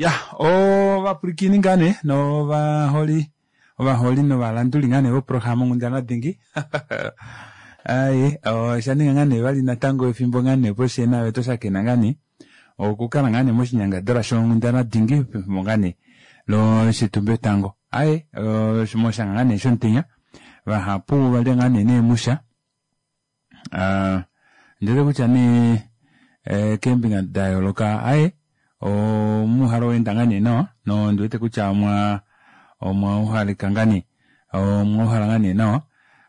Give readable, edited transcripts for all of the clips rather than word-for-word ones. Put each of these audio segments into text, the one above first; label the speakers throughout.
Speaker 1: Ya ovapwilikini ngaa nee novaholi ovaholi novalanduli ngaa nee voprograma onghundana dingi aye osha ninga ngaa nee vali natango efimbo ngaa nee opo fyee naave twa shakena ngaa nee okukala ngaa nee moshinyangadalwa shonghundana dingi pefimbo ngaa nee loshitumbetango aye moshanga ngaa nee shomutenya vahapu ovalya ngaa nee neemusha Ah, ndele kutya nee eh, keembinga da yooloka aye omuuhalo weenda ngaa nee nawa nondi wete kutya omwa omwa uhalika ngaa nee omwa uhala ngaa nee nawa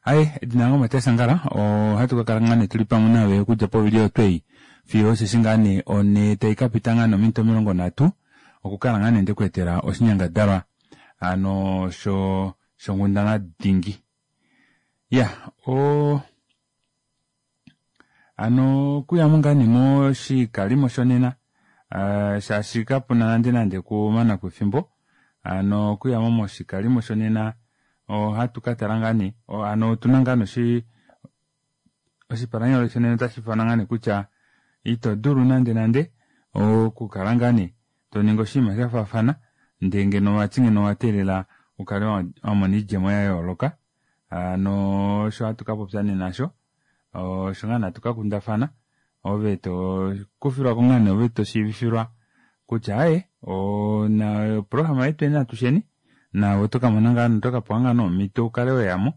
Speaker 1: aye edina lange oMatias Angala ohatu ka kala ngaa nee tuli pamwe naave okudja povili otwei fiyo osheshi ngaa nee one tai ka pita ngaa nee ominute 30 okukala ngaa nee ndekweetela oshinyangadalwa ano sho shonghundana dingi Ya, o ano okuyamo ngaa nee moshikalimo shonena uh, shaashi kapuna nande nande kumana kwefimbo ano okuyamo moshikalimo shonena ohatu ka tala ngaa nee ano otuna ngaa noshi oshipalanyole shonena otashi fana ngaa nee kutya ito dulu nande nande okukala ngaa nee to ningi oshinima sha faafana ndee ngeno vati ngeno owa teelela u kale wa mona oidjemo ya yooloka hano osho hatu ka popya nena osho osho ngaa hatu ka kundafana ove to kufilwako ngaa nee ove to shiivifilwa kutya aaye ona oprograma yetu eni atusheni naave oto ka mona ngaa oto ka pewa ngaa nee omhito ukale weyamo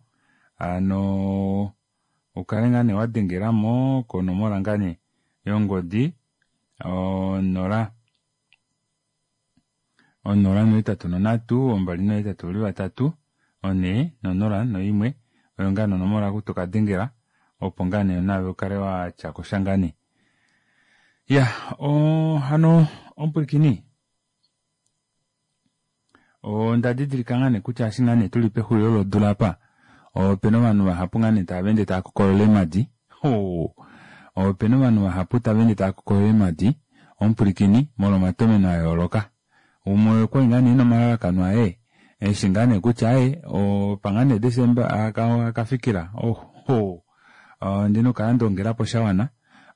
Speaker 1: hano ukale ngaa nee wa dengelamo konomola ngaa nee yongodi 0 0 8 3 2 8 4 0 1 oyo ngaa nee onomola oku toka dengela opo ngaa nee naave ukale watya kosha ngaa nee. Ya hano omupwilikini Onda didilika ngaa nee kutya eshi ngaa nee tuli pexulilo lodula apa, opena ovanhu vahapu ngaa nee tava ende tava kokolola eemadi. Hoo! Opena ovanhu vahapu tava ende tava kokolola eemadi, omupwilikini, molwa omatomeno a yooloka. Umwe okwali ngaa nee ena omalalakano aye, eshi ngaa nee kutya aye, opa ngaa nee Desemba aka fikila, ohoo! Ondina okukala nda ongelapo sha wana,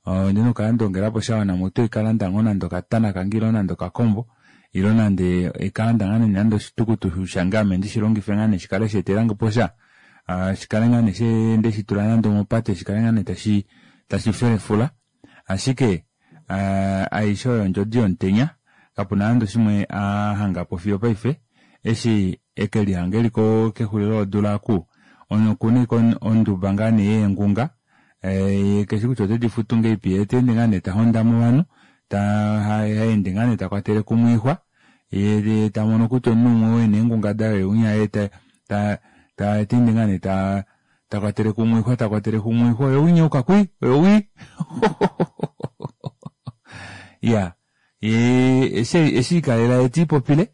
Speaker 1: Ondina okukala nda ongelapo sha wana mutu oikalanda ngoo nande okatana kange ile nande okakombo ile nande oikalanda ngaa nande oshitukutuku shange ame ndishi longife ngaa nee shikale sheetelange po sha shikale ngaa nee ndeshitula nande omopate shikale ngaa nee tashi tashi felefula ashike aishe oyo ondjodi yomutenya kapuna nande oshimwe a hangapo fiyo paife eshi eke lihanga eli kexulilo lodula oku okuna ashike onduba ngaa nee yeengunga Ye keshi kutya ote di futu ngeipi, ye ta ende ngaa nee ta hondama ovanhu, ta ende ngaa nee ta kwatele kumwe oixwa, ye ta mono kutya omunhu umwe oo e na eengunga daye oye winya, ye ta ta ta ende ngaa nee ta ta kwatele kumwe oixwa, ta kwatele kumwe oixwa, oye winya yuka kwi, oye wi. Iya, ye eshi e likalela ye te lipopile.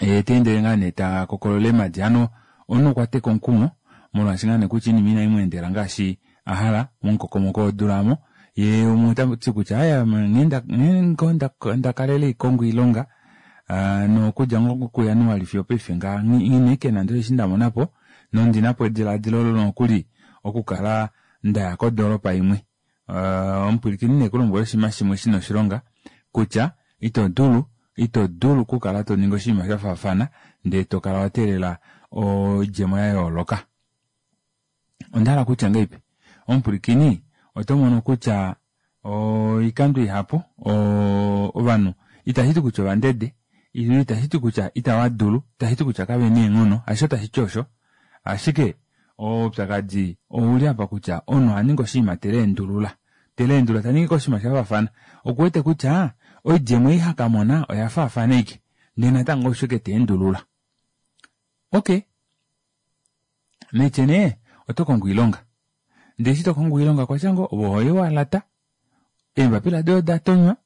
Speaker 1: Ye ta endele ngaa nee ta kokolola eemadi. Hano omunhu okwa teka omukumo molwaashi ngaa nee kutya oinima inai mu endela ngaashi a hala momukokomoko wodula omo. Ye umwe ota ti kutya aaye ame nghee ngoo nda kalele haikongo oilonga nokudja ngoo kuJanuali fiyo opaife ngaha nghi na ashike nande osheshi nda mona po nondi na po edilaadilo olo nokuli okukala nda ya kodoolopa imwe. Omupwilikini ne ku lombwele oshinima shimwe shi na oshilonga kutya ito dulu ito dulu okukala to ningi oshinima sha faafana ndee to kala wa teelela oidjemo ya yooloka. Onda hala kutya ngahelipi? Omupwilikini oto mono kutya oikando ihapu ovanhu itashi ti kutya ovandede ile itashi ti kutya itava dulu, itashi ti kutya kave na eenghono, hasho tashi ti osho. Ashike oupyakadi ouli apa kutya omunhu oha ningi oshinima te leendulula. Te leendulula ta ningi oshinima sha faafana. Oku wete kutya oidjemo ei ha ka mona oya faafana ashike. Ndele natango osho ashike ta endulula. Okay. Naitye nee oto kongo oilonga. Ndele eshi to kongo oilonga okwa tya ngoo ove ohoye wa lata, eembapila doye oda tonywa,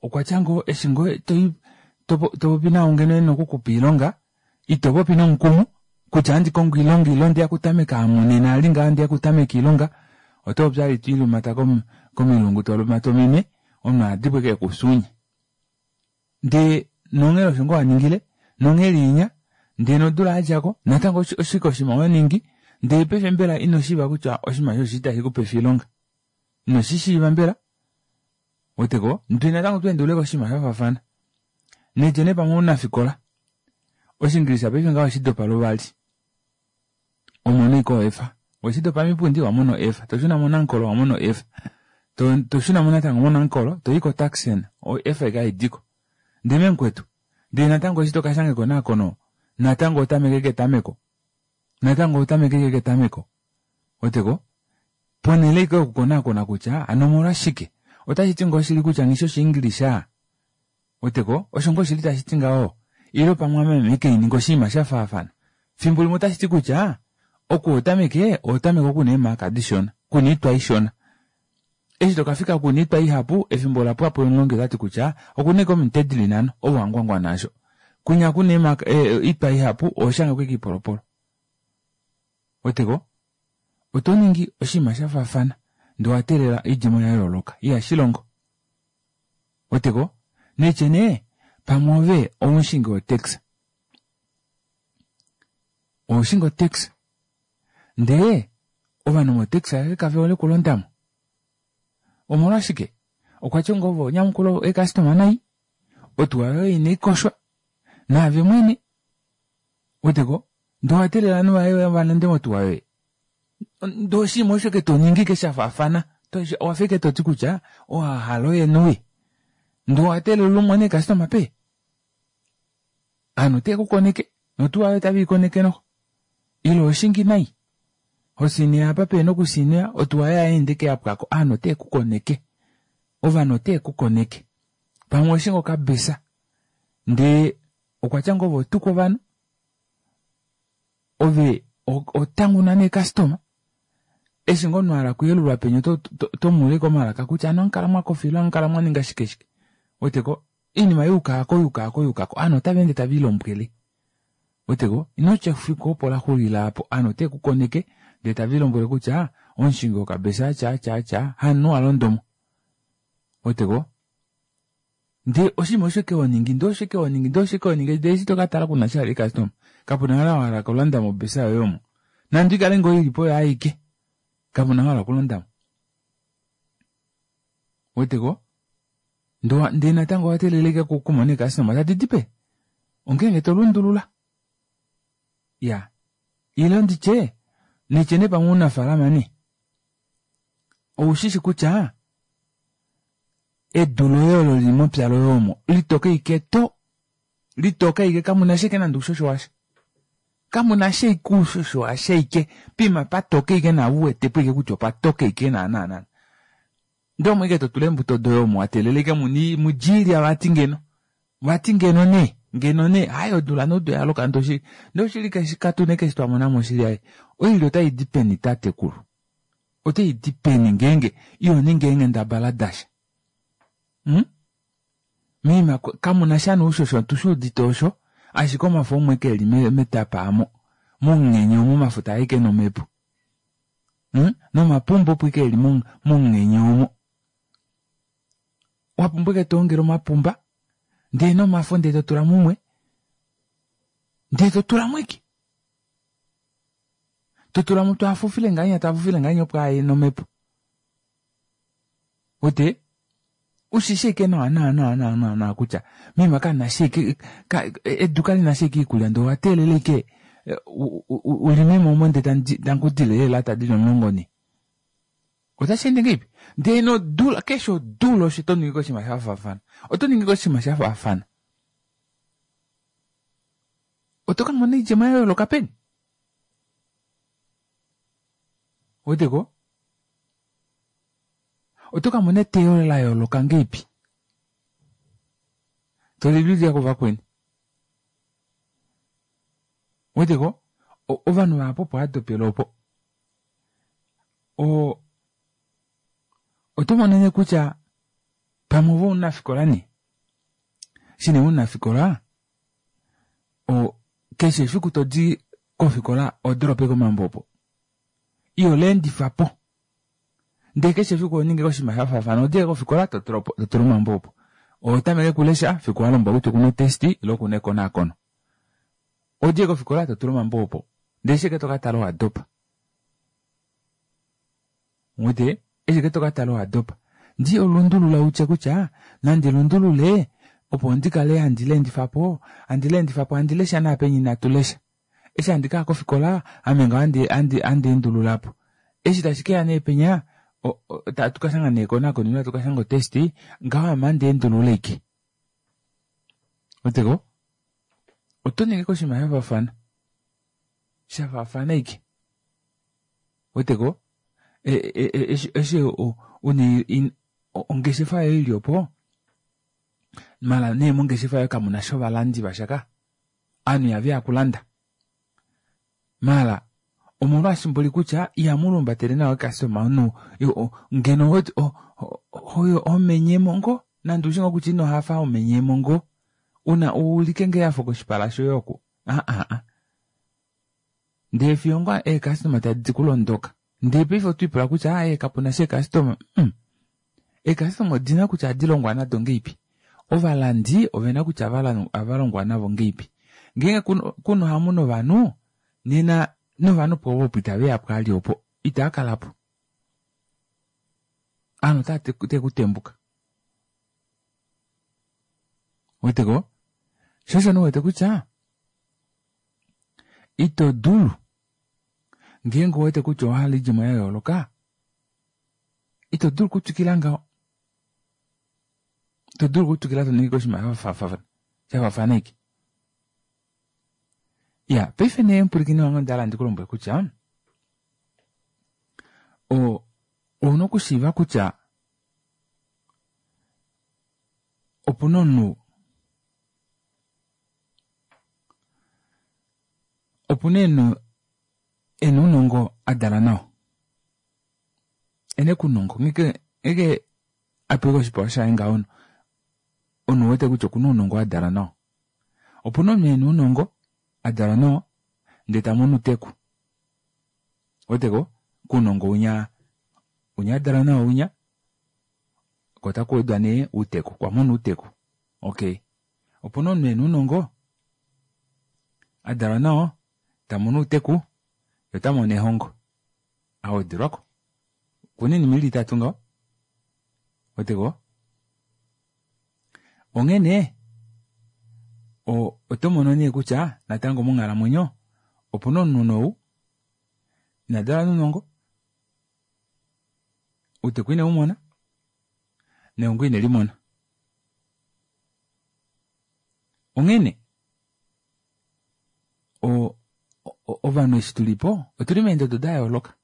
Speaker 1: okwa tya ngoo eshi ngoo to to popi naau ngeno e na okukupa oilonga, ito popi nomukumo kutya ohandi kongo oilonga ile ondeya okutameka ame nena ali ngaha ondeya okutameka oilonga, oto popi ashike to ilumata komilungu to lumata ominwe, omunhu oha dipo ashike ekusuunye. Ndee nonghela osho ngoo wa ningile, nonghela inya, ndee nodula ya dja ko, natango oshike oshinima wa ningi, ndee paife mbela ino shiiva kutya oshinima osho oshili tashi ku pefa oilonga? Ino shi shiiva mbela? Weteko? Ndee natango tweendulule koshinima sha faafana. Nedje nee pamwe omunafikola. Oshiingilisa paife ngaho oshidopa luvali. Omono iko F. Weshidopa mipundi wamono F. Toshuna moNankolo wamono F. Toshuna mo natango moNankolo toyi koTaxen o F ike haidiko. Ndee memukwetu. Ndee natango eshi tokashanga ekonakono natango otameke ketameko. Natango otameke ike ketameko. Weteko? Ponhele ike yokukonakona kutya hano omolwashike. Otashi ti ngoo shili kutya nghi shi Oshiingilisha? Weteko? Osho ngoo shili tashi ti ngaho? Ile pamwe ame ike ininga oshinima sha faafana. Fimbo limwe otashi ti kutya oku otameke otameke oku na eemaka dishona, kuna oitwa ishona. Eshi to ka fika kuna oitwa ihapu, efimbo ola pwa po omulongi ota ti kutya oku na eke ominute dili nhano, ove wa ngwangwana asho. Kwinya kuna eemaka oitwa ihapu, oho shange ko eke oipolopolo. Weteko? Oto ningi oshinima sha faafana ndee owa teelela oidjemo ya yooloka. Ihashi longo. Weteko? Naitye nee, pamwe ove omushingi wotaxi. Oho shingi otaxi. Ndee ovanhu motaxi aveshe kave hole okulondamo. Omolwashike? Okwa tya ngoo ove onyamukula eekastoma nai, otuwa yoye inai koshwa, naave mwene. Weteko? Ndee owa teelela ovanhu vaye va londe motuwa yoye. Ndee oshinima osho ke to ningi ke sha faafana. Owafa ike toti kutya owa hala oye noye. Ndee owa teelela umone eekastoma pe. Ovanhu otave ku koneke notuwa yoye otave i koneke noho. Ile oho shingi nai. Ho sineya apa pehena okusineya, otuwa yoye ohayeende ike ya pwako. Ovanhu otave ku koneke. Ovanhu otave ku koneke. Pamwe oho shingi okabesa ndee okwa tya ngoo ove otuka ovanhu, ove otanguna neekastoma. Eshi ngoo omunhu a hala okuyelulwa penya oto mu ulike omalaka kutya ano amukala mwa kofa ile amukala mwa ninga shike shike. Weteko? Oinima yuukako yuukako yuukako ovanhu otava ende tave ilombwele. Weteko? Ino tya efiku opo la xulila aapo ovanhu otave ku koneke ndee tave ilombwele kutya omushingi wokabesa atya atya atya hamunhu a londa omo. Weteko? Ndee oshinima osho ke honingi ndee osho ke honingi ndee osho ke honingi ndee eshi toka tala kuna sha vali customer kapuna hala wa hala okulanda mobesa yoye omo nande ikale ngoo ilipo oyo aike kapuna hala okulondamo weteko ndee natango owa teelela ike kumona eekastoma tadi di pe ongeenge to lundulula ya ile nditye nitye nee pamwe ounafalama nee oushishi kutya edu loye olo lili mepya loye omo litoka ike to litoka ike kamuna ashike nande oushosho washa kamuna ashike oushosho washa ike pima patoka ike naave uwetepo ike kutya opatoka ike naana naana ndee omo ike totula eembuto doye omo watelela ike muni mudje vati ngeno vati ngeno nee ngeno nee hai odula nodu yaloka ndee oshili ndee oshili keshi katune keshi twamonamo oshili aye oilya otaidi peni tatekulu otaidi peni ngeenge iho ningi eenghendabala dasha hmm? Mima kamuna sha noushosho otushuudite osho ashike omafo omwe keli metapa amo momunghenye omo omafo taa ike nomhepo hmm? Nomapumba opo ike eli momunghenye omo wapumbwa ike toongele omapumba ndee nomafo ndee totula mumwe ndee totulamo ike totulamo twaafufile ngahenya twaafufile ngahenya opo aye nomhepo wete ushishi ike nawa nawa nawa nawa nawa nawa kutya mima kana shike edu kali na shike iikulya ndee owa teelela ike ulime mo ndee tankudile eelata dili 14 otashi ende ngeipi ndee nodula keshe odula osho to ningi koshinima sha faafana oto ningi koshinima sha faafana oto ka mona oidjemo ya yooloka peni weteko oto ka mona eteyo la yooloka ngeipi tolililya kuvakweni weteko ovanhu vahapu opo adopela opo oto mono nee kutya pamwe ove omunafikola nee eshi nee omunafikola keshe efiku todi kofikola oho doropa ashike omambo opo iho leendifa po ndee keshe efiku oho ningi oshinima sha faafana odile kofikola totula omambo opo oho tameke okulesha fiku walombwelwa kutya okuna otest ile okuna ekonakono odile kofikola totula omambo opo ndee eshi ike tokatala owadopa wete eshi ike tokatala owadopa. Ndi olundulula utye kutya nandi lundulule opo ndi kale handi leendifa po, handi leendifa po, handi lesha naapenye inatu lesha. Eshi handi kaya kofikola ame ngaho handi handi handi endulula po. Eshi tashi keya nee penya tatu ka shanga nee ekonakono ile hatu ka shanga otest ngaho ame handi endulula ike. Weteko? Oto ningi koshinima sha faafana. Sha faafana ike. Weteko? Eshi eshi una ongeshefa yoye ili opo mala nee mongeshefa yoye kamu na sha ovalandi vasha ka. Ovanhu ihave ya kulanda. Mala omolwaashi mboli kutya ihamu lumbatele nawa eekastoma omunhu ngeno homenyemo ngoo nande ushi ngoo kutya ino hafa homenyemo ngoo una uulike ngoo ehafo koshipala shoye oku aa ndee fiyo ngoo eekastoma tadi ku londoka ndee paife otwiipula kutya aaye kapuna sha eekastoma eekastoma odina kutya ohadi longwa nado ngeipi ovalandi ovena kutya ohava longwa navo ngeipi ngeenge kuna ohamu novanhu nena novanhu po opo itave ya pwaali opo itava kalapo ovanhu otava tekutembuka weteko sho osho nee wete kutya ito dulu ngeenge owete kutya owahala oidjemo ya yooloka ito dulu okutwikila ngaho ito dulu okutwikila to ningi oshinima sha faafana ike ya paife nee mupwilikini wange onda hala ndi ku lombwele kutya ouna okushiiva kutya opuna omunhu opuna eno ena ounongo a dala nao ena ounongo ngenge a pewa oshipewa shaye ngaho omunhu wete kutya okuna ounongo a dala nao opuna omunhu ena ounongo a dalwa nao ndee tamono outeku weteko kounongo winya winya a dalwa nao winya ko otaku wedwa nee outeku okwa mona outeku okay opuna omunhu ena ounongo a dalwa nao tamono outeku ye ota mono ehongo awedelwako okuna oinima ili itatu ngaho weteko onghee nee oto mono nee kutya natango monghalamwenyo opuna omunhu nou ina dalwa nounongo outeku ine umona nehongo ine limona onghene ovanhu eshi tulipo otuli meendodo da yooloka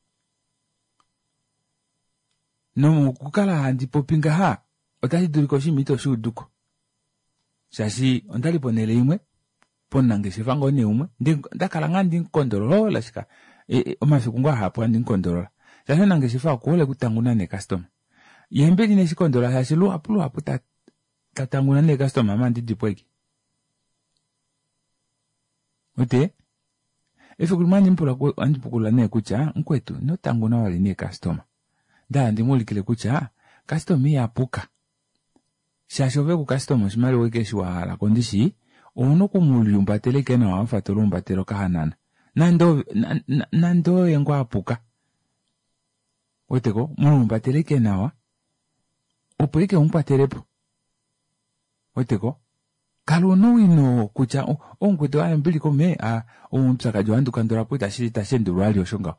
Speaker 1: nomokukala handi popi ngaha otashi dulika oshinima ito shi uduko shaashi ondali ponhele imwe pomunangeshefa ngoo nee umwe ndakala ngaa ndi mukondolola shika e, e, omafiku ngoo ahapu handi mukondolola shaashi omunangeshefa okuhole okutanguna neekastoma ye mbeli neshi kondolola shaashi luhapu luhapu ta tatanguna neekastoma ame andi dipo eke ote efiku limwe andi mupula andi pukulula nee kutya mukwetu ino tanguna vali neekastoma ndahala ndi mu ulikile kutya kastoma ihapuka shaashi ove kukastoma oshimaliwa ike eshi wa hala ko ndishi ouna oku mu liumbatela ike nawa wafa to liumbatele okahanana nande nande oye ngoo apuka weteko mu liumbatele ike nawa opo ike umukwatelepo weteko kala una owino kutya omukwetu aye ombili kome oupyakadi ohandi ukandula po itashi itashi endulwa vali osho ngaho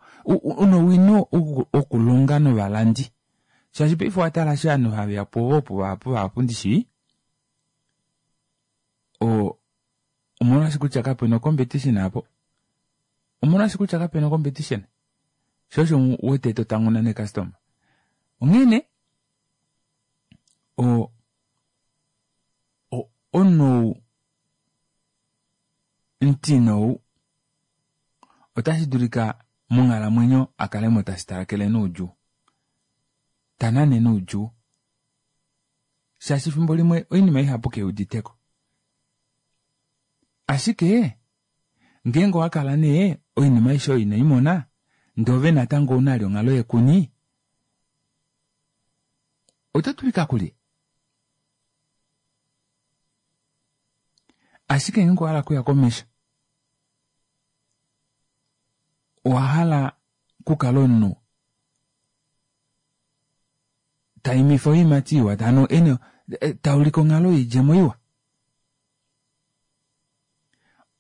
Speaker 1: una owino wokulonga novalandi shaashi paife owa tala eshi ovanhu have ya po opo vahapu vahapu ndishi omolwaashi kutya kapena ocompetition apo omolwaashi kutya kapena ocompetition sho osho wete to tanguna necustomer onghene o omunhu omutine ou otashi dulika monghalamwenyo a kale mo tashi talakele noudjuu ta nane noudjuu shaashi efimbo limwe oinima ihapu ke uditeko ashike ngeenge owa kala nee oinima aishe oyo inoi mona ndee ove natango ouna ali onghalo yekuni oto dulika kulye ashike ngeenge owa hala okuya komesho owa hala okukala omunhu Taimifa oiimati iwa, hano ene taulike onghalo yoidjemo iwa.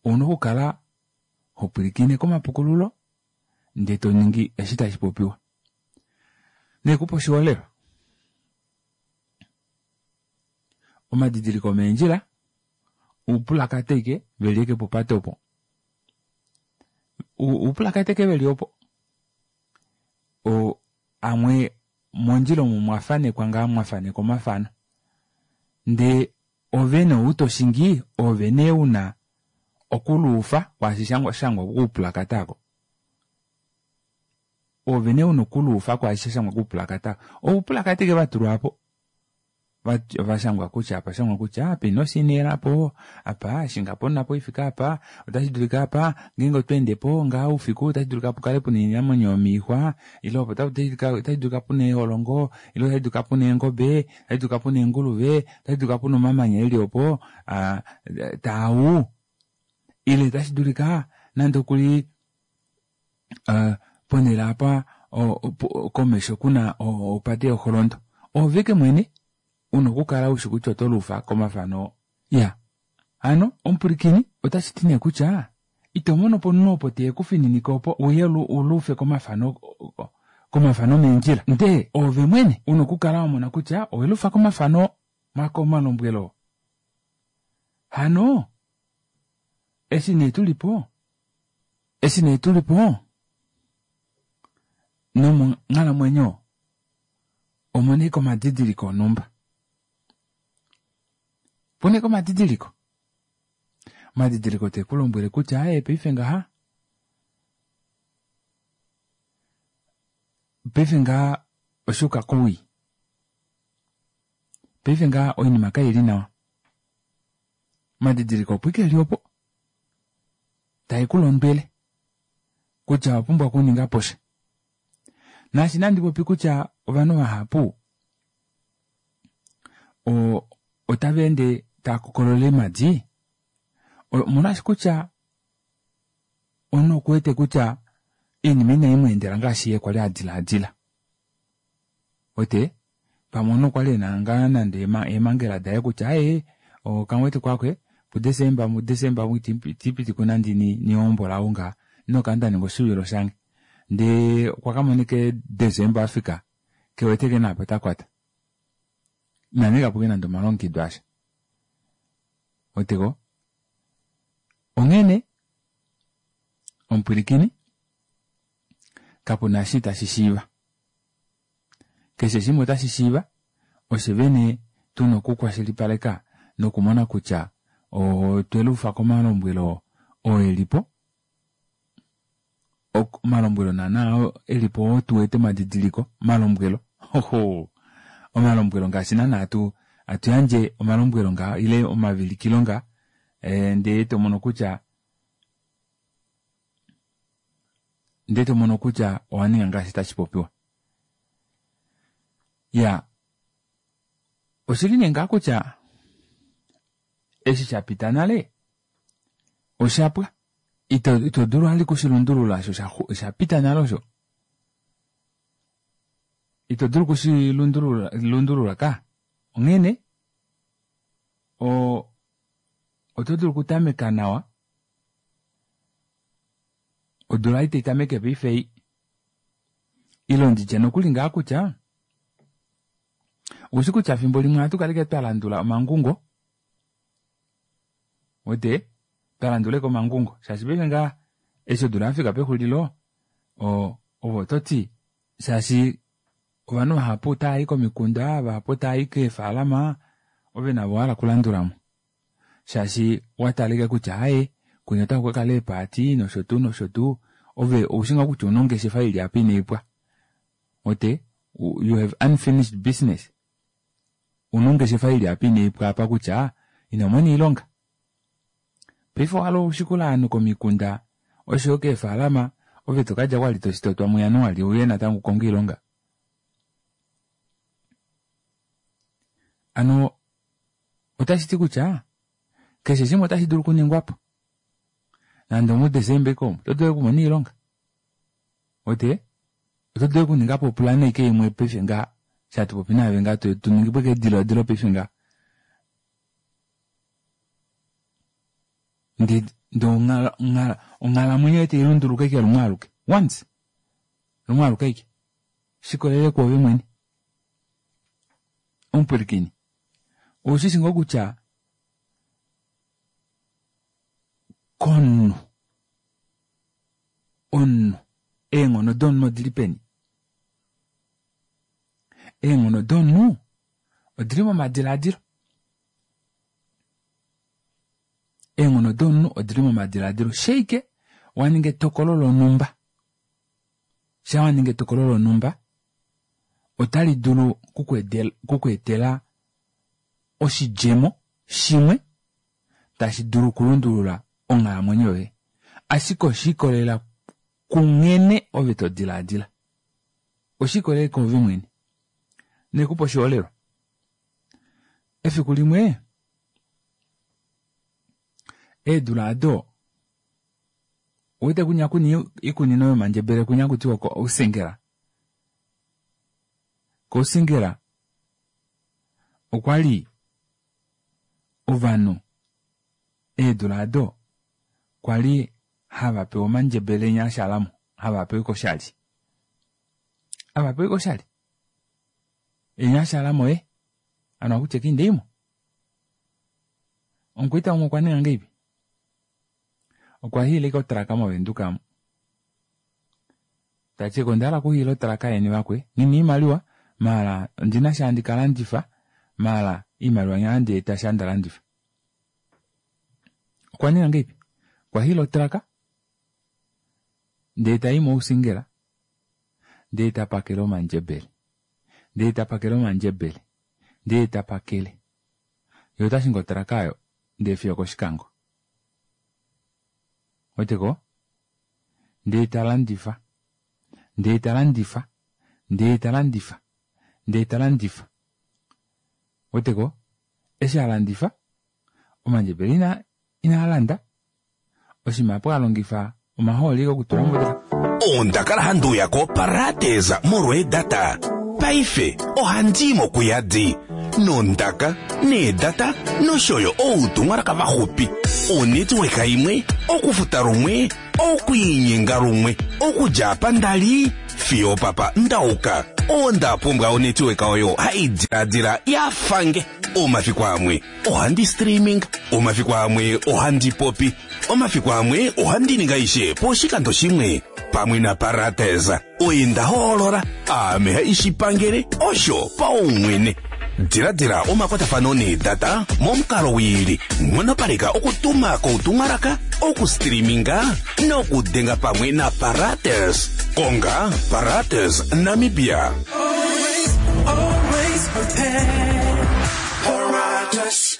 Speaker 1: Ouna okukala ho pwilikine komapukululo ndee to ningi eshi tashi popiwa. Nekupa oshiholelwa. Omadidiliko omeendjila oupulakata ashike veli ashike popate opo. Oupulakata ashike veli opo. Amwe mondjila omo mwa fanekwa ngaa mwa fanekwa omafano. Ndee ove nee ou toshingi ove nee una okuluufa kwaashi shangwa koupulakata aako. Ove nee una okuluufa kwaashi shashangwa koupulakata aako. Oupulakata ashike vatulwa apo. Vashangwa kutya apa shangwa kutya apa ino shineela po, apa shinga po ifika apa, otashi dulika apa ngeenge oto ende po ngaa oufiku otashi dulika pukale puna oinamwenyo yomoixwa, ile opo otashi dulika puna eeholongo, ile otashi dulika puna eengobe, otashi dulika puna eenguluve, otashi dulika puna omamanya eli opo taau, ile otashi dulika nande okuli ponhele apa komesho kuna opate yoholondo. Oove ike mwene una okukala ushi kutya oto luufa komafano. Ya hano omupwilikini otashi ti nee kutya ito mono po omunhu opo te kufininike opo uye uluufe komafano komafano meendjila, ndee oove mwene una okukala wa mona kutya oweluufa komafano omalombwelo. Hano eshi nee tulipo eshi nee tulipo nomonghalamwenyo omuna ashike omadidiliko onhumba. Puna ashike omadidiliko. Omadidiliko te ku lombwele kutya aaye paife ngaha paife ngaha oshuuka kowii. Paife ngaha oinima kaili nawa. Omadidiliko opo ike eli opo tae ku londwele kutya owa pumbwa okuninga po sha. Naashi nandi popi kutya ovanhu vahapu otava ende tava kokolola eemadi, omolwaashi kutya omunhu okuwete kutya oinima inai mu endela ngaashi ye kwali a dilaadila. Wete pamwe omunhu okwali ena ngaa nande eemhangela daye kutya aaye okamwete kwakwe puDesemba muDesemba itipiti ku nande nihombola ou ngaa inokala nda ninga oshivilo shange. Ndee okwa ka mona ike Desemba afika kewete kena apa ta kwata. Ina ninga po nande omalongekido asha. Weteko? Onghene omupwilikini kapuna eshi tashi shiiva. Keshe shimwe otashi shiiva oshe vene tuna okukwashilipaleka nokumona kutya otweluufa komalombwelo oo elipo. Omalombwelo naana oo elipo oo tuwete omadidiliko omalombwelo oho omalombwelo ngaashi naana hatu yandje omalombwelo ngaa ile omavilikilo ngaa ndee tomono kutya ndee tomono kutya owa ninga ngaashi tashi popiwa. Ya oshili nee ngaa kutya eshi sha pita nale oshapwa. Ito dulu vali okushilundulula osho osha pita nale osho. Ito dulu okushilundulula ka. Onghene oto dulu okutameka nawa odula ei tai tameke paife ei. Ile nditye nokuli ngaa kutya oushi kutya fimbo limwe ohatu kala ashike twa landula omangungo. Wete twa landula ashike omangungo shaashi paife ngaa eshi odula yafika pexulilo ove ototi shaashi ovanhu vahapu otava i komikunda, vahapu otava i keefalama, ove navo owahala okulandulamo shaashi watala ashike kutya aaye kwinya otaku kakala eepaati nosho tuu nosho tuu, ove oushi ngoo kutya ouna ongeshefa ili apa inaipwa. Wete you have unfinished business. Una ongeshefa ili apa inaipwa apa kutya ino mona oilonga. Paife owahala ushikule ovanhu komikunda oshoyo keefalama ove tokadja kwali toshitotwa muJanuali uye natango ukonge oilonga. Hano otashi ti kutya keshe shimwe otashi dulu okuningwapo. Nande omuDesemba ike omu oto dulu okumona oilonga. Wete oto dulu okuningapo opulana ike imwe paife ngaha. Sha tupopi naave ngaa tuningipo eke ediladilo paife ngaa. Ndee ndee onghalamwenyo yoye tailunduluka ashike lumwe aluke. Once. Lumwe aluke ashike. Shikolele kwoove mwene. Omupwilikini. Oushishi ngoo kutya komunhu omunhu eenghono domunhu odili peni? Eenghono domunhu odili momadilaadilo. Eenghono domunhu odili momadilaadilo. Sheike waninga etokolo lonhumba. Sha waninga etokolo lonhumba otali dulu kukweetela oshidjemo shimwe tashi dulu okulundulula onghalamwenyo yoye. Ashike oshiikolelela kunghene ove to dilaadila. Oshiikolelela koove mwene. Nekupa oshiholelwa. Efiku limwe eedula ado uwete kunya kuna iikunino yomandjebele kunya kutiwa ko Ousingela. Kousingela okwali ovanhu eedula ado kwali hava pewa omandjebele nya ashalamo hava pewa koshali. Hava pewa koshali. Enya ashalamo e ano akutya kindeimo. Omukwaita umwe okwa ninga ngeipi? Okwa hiila otraka moVenduka mo. Tati onda hala okuhiila otraka yeni vakwe. Ngina iimaliwa maala ondina sha handi kalandifa maala iimaliwa nya handi eta sha nda landifa. Okwa ninga ngeipi? Okwa hiila otraka ndee tayi mousingela ndee ta pakele omandjebele. Ndee ta pakele omandjebele. Ndee ta pakele. Ye ota shingi otraka ayo ndee fiyo kOshikango. Weteko? Ndee ta landifa. Ndee ta landifa. Ndee ta landifa. Ndee ta landifa. Weteko? Eshi a landifa, omandjebele ina ina landa. Oshinima apo a longifa omahooli okutula motraka.
Speaker 2: Onda kala handi uya koParates molweedata. Paife ohandi i mokuyadi nondaka, needata nosho yo outumwalaka vaxupi. Onetworka imwe, okufuta lumwe, okwiinyenga lumwe, okudja apa nda li fiyo opapa ndauka. Onda pumbwa onetworka oyo hai diladila ya fange. Omafiku amwe ohandi streaming, omafiku amwe ohandi popi, omafiku amwe ohandi ninga aishe poshikando shimwe. Pamwe naParates oye nda hoolola, aame haishipangele osho paumwene. Diladila omakwatafano needata momukalo wiili. Nghonopaleka okutuma koutumwalaka, okustreaminga nokudenga pamwe naParates. Konga Parates Namibia.
Speaker 3: Always, always prepared. Paratus.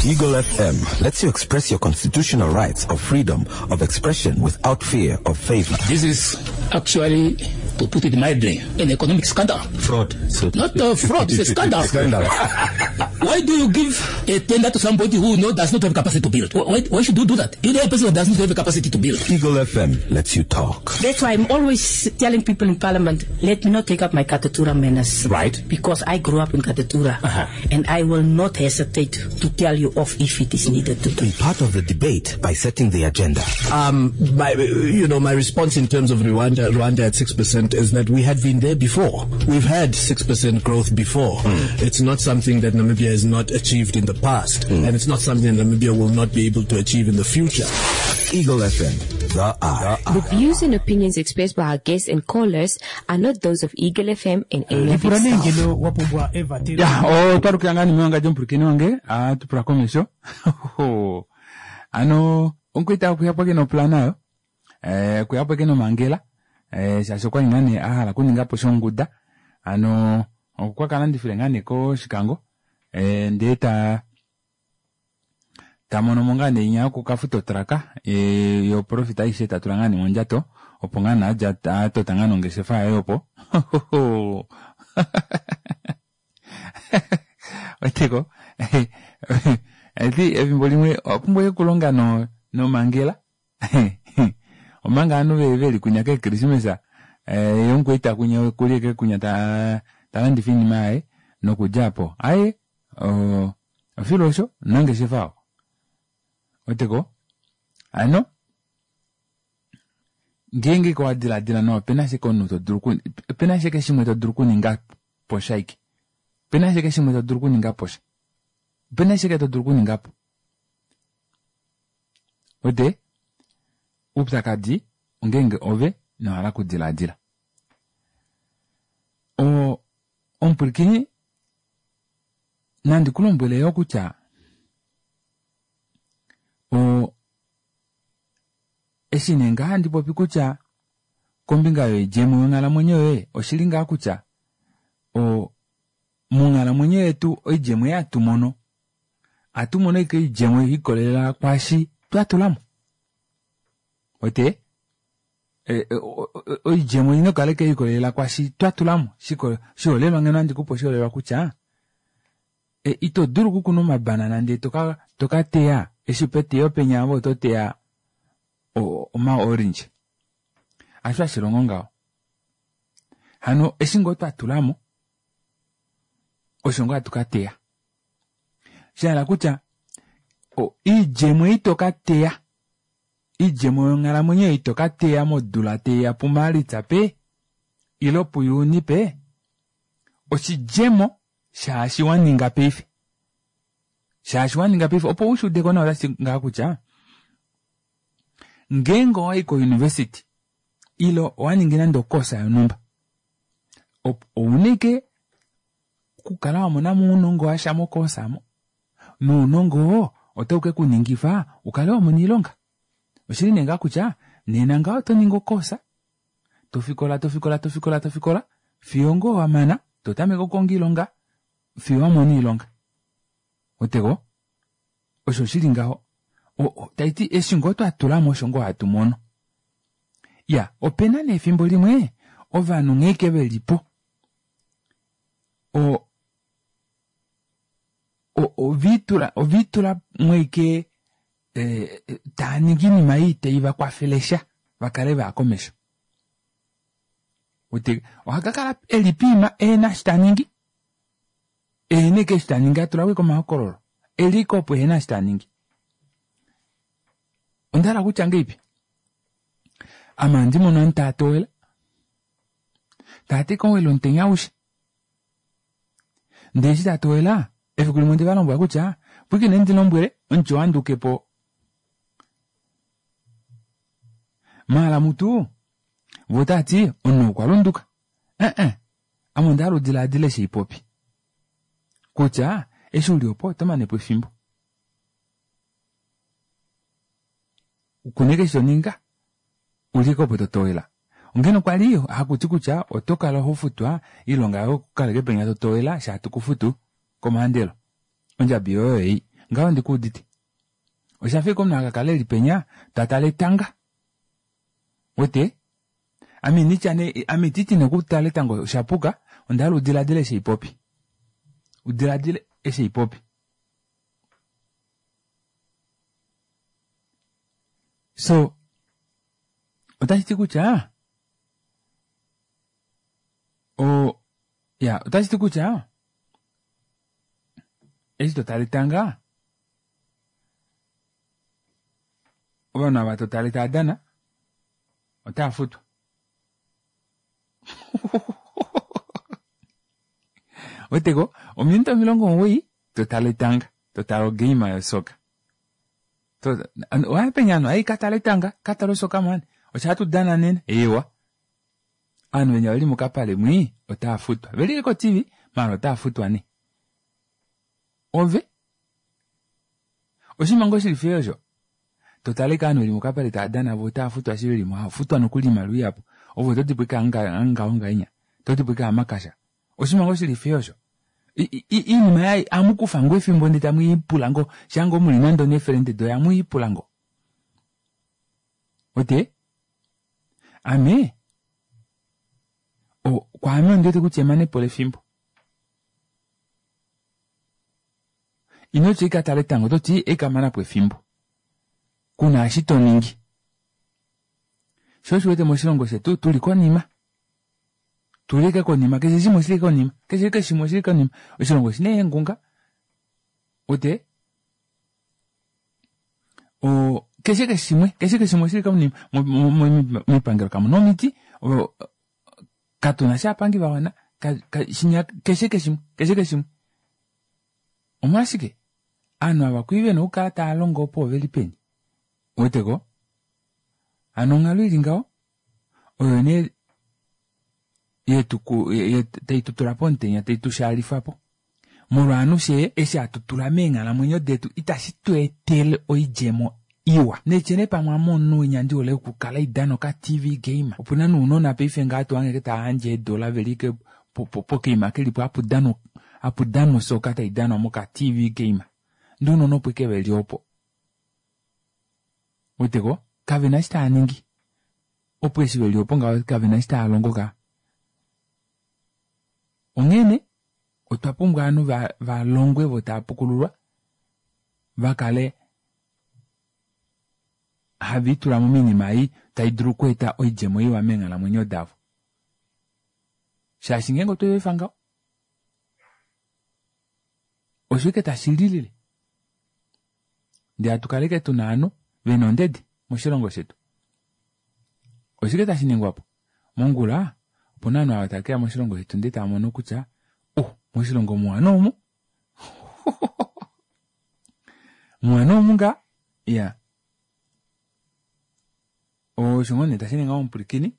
Speaker 4: Eagle FM lets you express your constitutional rights of freedom of expression without fear of favor.
Speaker 5: This is actually, to put it mildly, an economic scandal.
Speaker 4: Fraud. So
Speaker 5: Not a fraud, it's a scandal.
Speaker 4: Scandal.
Speaker 5: Why do you give a tender to somebody who does not have capacity to build? Why should you do that? You know a person who does not have capacity to build.
Speaker 4: Eagle FM lets you talk.
Speaker 6: That's why I'm always telling people in Parliament, let me not take up my Katutura manners.
Speaker 5: Right.
Speaker 6: Because I grew up in Katutura.
Speaker 5: Uh-huh.
Speaker 6: And I will not hesitate to tell you off if it is needed to do.
Speaker 4: Be part of the debate by setting the agenda.
Speaker 7: My response in terms of Rwanda at 6% is that we had been there before. We've had 6% growth before. It's not something that Namibia has not achieved in the past, and it's not something that Namibia will not be able to achieve in the future.
Speaker 4: Eagle FM, the eye.
Speaker 8: The views and opinions expressed by our guests and callers are not those of Eagle FM and any of its staff.
Speaker 1: Ya, otwa lukila ngaa nimewanga djomupulikini wange, tupula komesho. Ano, omukwaita okuya po ke noplana yo, okuya po ke nomangela, shaashi okwali ngaa nee a hala okuninga po shonguda. Ano, okwa ka landifile ngaa nee kOshikango, ndee ta mono mo ngaa nee inya yokukafuta otraka, yo profit aishe ta tula ngaa nee mondjato, opo ngaa nee adja a tota ngaa nongeshefa yaye opo. Weteko? Eti efimbo limwe owa pumbwa okulonga nomangela. Omanga ovanhu veli kunya keekrismesa, ye omukwaita kunya okuli eke kunya Ta landifa oinima yaye nokudja apo aye ofilo osho omunangeshefa oo. Weteko? Hano ngeenge owa diladila nawa opena ashike omunhu to dulu opena ashike shimwe to dulu okuninga po sha ike. Opena ashike shimwe to dulu okuninga po sha. Opena ashike to dulu okuninga po. Wete? Oupyakadi ongeenge ove ino hala okudiladila. O, omupwilikini nandi ku lombwele yo kutya o, eshi nee ngaa handi popi kutya kombinga yoidjemo yonghalamwenyo yoye oshili ngaa kutya o, monghalamwenyo yetu oidjemo ei hatu mono ohatu mono ashike oidjemo ye likolelela kwaashi twa tula mo. Wete? Oidjemo ina okukala ye likolelela kwaashi twa tula mo. Oshiholelwa ngeno ohandi kupe oshiholelwa kutya ito dulu okukuna omabanana ndee to ka teya eshi peteyo penya ove oto teya omaorange. Hasho hashi longo ngaho. Hano eshi ngoo twa tula mo osho ngoo hatu ka teya. Sha hala kutya oidjemo ei to ka teya, oidjemo yonghalamwenyo ei to ka teya modula tai ya puMaalitsa pe ile puJuni pe, oshidjemo shaashi wa ninga paife. Shaashi wa ninga paife opo u shi ude ko nawa otashi ti ngaha kutya ngeenge owa i kouniversity ile owa ningi nande okosa yonhumba, ouna ashike okukala wa mona mo ounongo washa mokoosa mo, nounongo oo otau ke ku ningifa u kale wa mona oilonga. Oshili nee ngaa kutya nena ngaho oto ningi okoosa, to fikola to fikola to fikola to fikola fiyo ngoo wa mana, to tameke okukonga oilonga fiyo wa mona oilonga. Weteko? Osho shili ngaho. Tai ti eshi ngoo twa tula mo osho ngoo hatu mono. Ya, opena nee efimbo limwe ovanhu nghee ke ve li po o oviitula oviitula mweike eh, taa ningi iinima ei tai va kwafele sha va kale vaya komesho. Oha ka kala e li piima ehena eshi ta ningi, ehena eke eshi ta ningi a tula ko omahokololo e li ko opo ehena eshi ta ningi. Onda hala kutya ngeipi? Ame ohandi mono omunhu taa towela, taa ti kowela omutenya aushe. Ndele eshi taa towela, efiku limwe onde va lombwela kutya pwiikine ndi lombwele omuti wanduke po. Maala mutu vo otava ti omunhu okwa lunduka. Eh-eh, ame onda hala udilaadile eshi haipopi kutya eshi uli opo oto mane po efimbo. Kuna eshi to ninga, uli ko opo to towela. Ongene okwa li haku ti kutya oto kala ho futwa iilonga yoye okukaleke penya to towela sha hatu ku futu komaandelo. Ondjabi yoye oyo ei. Ngaho ondi ku udite. Osha fa omunhu a ka kala e li penya ta tale etanga. Wete? Ame indi tya nee, ame ititi nee okutala etango osha puka, onda hala u diladile eshi haipopi. U diladile eshi haipopi. So, otashi ti kutya o ya otashi ti kutya eshi to tale etanga ovanhu ava to tale tava dana otava futwa. Weteko ominute 90 to tale etanga, to tale ogeima yosoka. Oya penya ovanhu ai ka tale etanga, ka tale osoka mani. Osho hatu dana nena, eewa. Ovanhu venya veli mokapale mwii otava futwa. Veli ko-TV, maala otava futwa nee. Ove oshinima ngoo shili fye osho? To tale ovanhu veli mokapale tava dana vo otava futwa eshi veli mo, hava futwa nokuli oimaliwa ihapu. Ove oto dipo ike ngaho ngahenya, oto dipo ike amakasha. Oshinima ngoo shili fye osho? Iinima yayi amu kufa ngoo efimbo ndee tamu i pula ngoo, shaa ngoo muli nande oneefelende doye amu i pula ngoo. Wete? Ame, kwaame ondi wete kutya emanepo lefimbo. Ino tya ika tala etango, oto ti eka mana po efimbo. Kuna eshi to ningi. Sho osho wete moshilongo shetu tuli konima. Tulike konima keshe shimwe oshili konima keshe keshe shimwe oshili konima oshilongo oshina eengunga ute o keshe keshe shimwe keshe keshe shimwe oshili konima moipangelo kamuna omiti katuna sha aapangi va wana shinya keshe keshe shimwe keshe keshe shimwe omolwashike aanhu ava kwii vena okukala tava longo opo oveli peni weteko hano onghalo ili ngaho oyo nee tai tu tula pomutenya tai tu shaalifa po molwaanhu she eshi hatu tula meenghalamwenyo detu itashi tu etele oidjemo iwa netyene pamwe ame omunhu winya ndi hole okukala idana oka tv game opuna nounona paife ngaa tohange tava yandje eedola veli ke pokeima kelipo hapu danwa osoka tai danwa moka tv game ndee ounona opo ike veli opo weteko kavena eshi tava ningi opo eshi veli opo ngaho kavena eshi tava longo ka onghene otwa pumbwa ovanhu va longwe vo tava pukululwa va kale have itulamo moinima ei tai dulu okweeta oidjemo iwa meenghalamwenyo davo shaashi ngeenge otwe efa ngaho oshike tashi lilile ndee hatu kaleke tuna ovanhu vena ondede moshilongo shetu oshike tashi ningwapo mongula opuna ovanhu ava tave keya moshilongo shetu ndee tava mono kutya moshilongo muwa noomu muwa noomu ngaa iya osho ngoo nee tashi ninga omupwilikini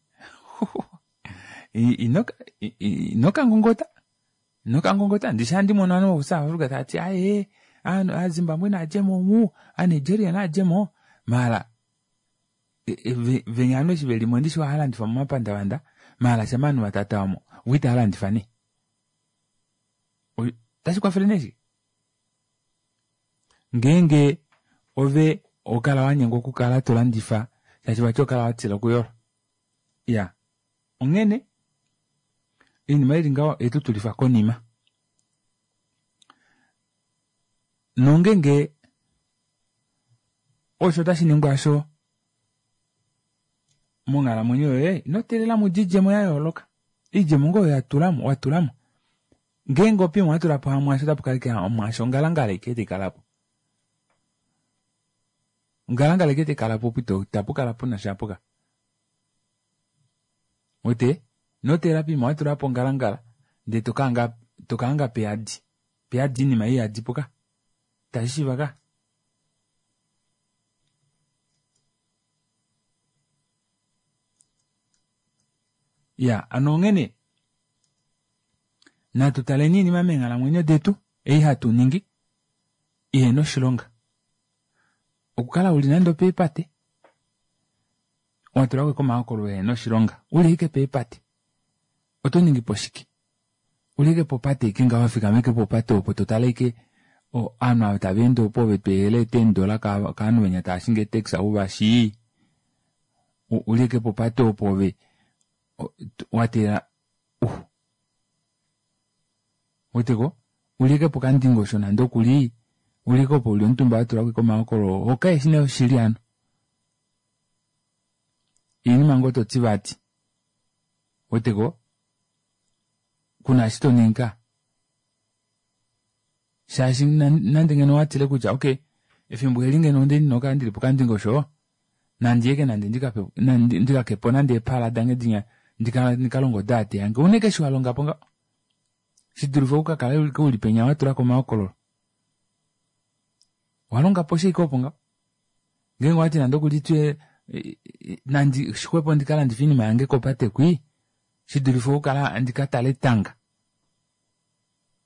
Speaker 1: ino kangongota ino kangongota ndishi handi mono ovanhu vokuSouth Africa tavati aye aaZimbabwe naadjemo omu aaNigeria naadjemo maala venya ovanhu eshi velimo ndishi ohalandifa momapandavanda maala shama ovanhu vatatawamo vo itaalandifa nee otashi kwafele nee shike ngeenge ove okala wanyengwa okukala tolandifa shaashi vati okala watila okuyola iya onghene oinima ili ngaho oyetu tulifa konima nongenge osho tashi ningwa asho monghalamwenyo yoye ino teelela mudje oidjemo ya yooloka oidjemo ngoo oyo yatulamo watulamo ngeenge opimwe watulapo hamwaasho otapu kala ike hamwaasho ongalangala ike taikalapo ongalangala ike taikalapo opo itapu kala puna shapuka wete ino teelela poima watulapo ongalangala ndee tokahanga peyadi peyadi oinima iyadi puka itashi shiiva ka ya ano onghene natu taleni oinima meenghalamwenyo detu ei hatu ningi ihena oshilonga okukala uli nande opeepate watulako komahokololo ehena oshilonga uli ike peepate oto ningi po shike uli ike popate ike ngaho wafikama ike popate opo totale ike ovanhu ava tava ende opo ove tweehela eendola kaanhu venya tava shingi eetaxi uvashii uli ike popate opo ove wateela weteko uli ike pokandingosho nande okuli uli ike opo uli omutumba watulako ike omahokololo hoka eshi nee oshili hano iinima ngoo toti vati weteko kuna eshi toningi ka shaashi nande ngeno watile kutya okay efimbo eli ngeno ndina okukala ndili pokandingosho nandiyeke nande ndikakepo nande eepala dange dinya ndikalonge odaate yange une keshe walongapo ngaho shidulife okukakala uli penya watulako omahokololo walongapo shike opo ngaho ngeenge owati nande okuli twe nandi xwepo ndikalandife oinima yange kopate kwii shidulife okukala ndikatale etanga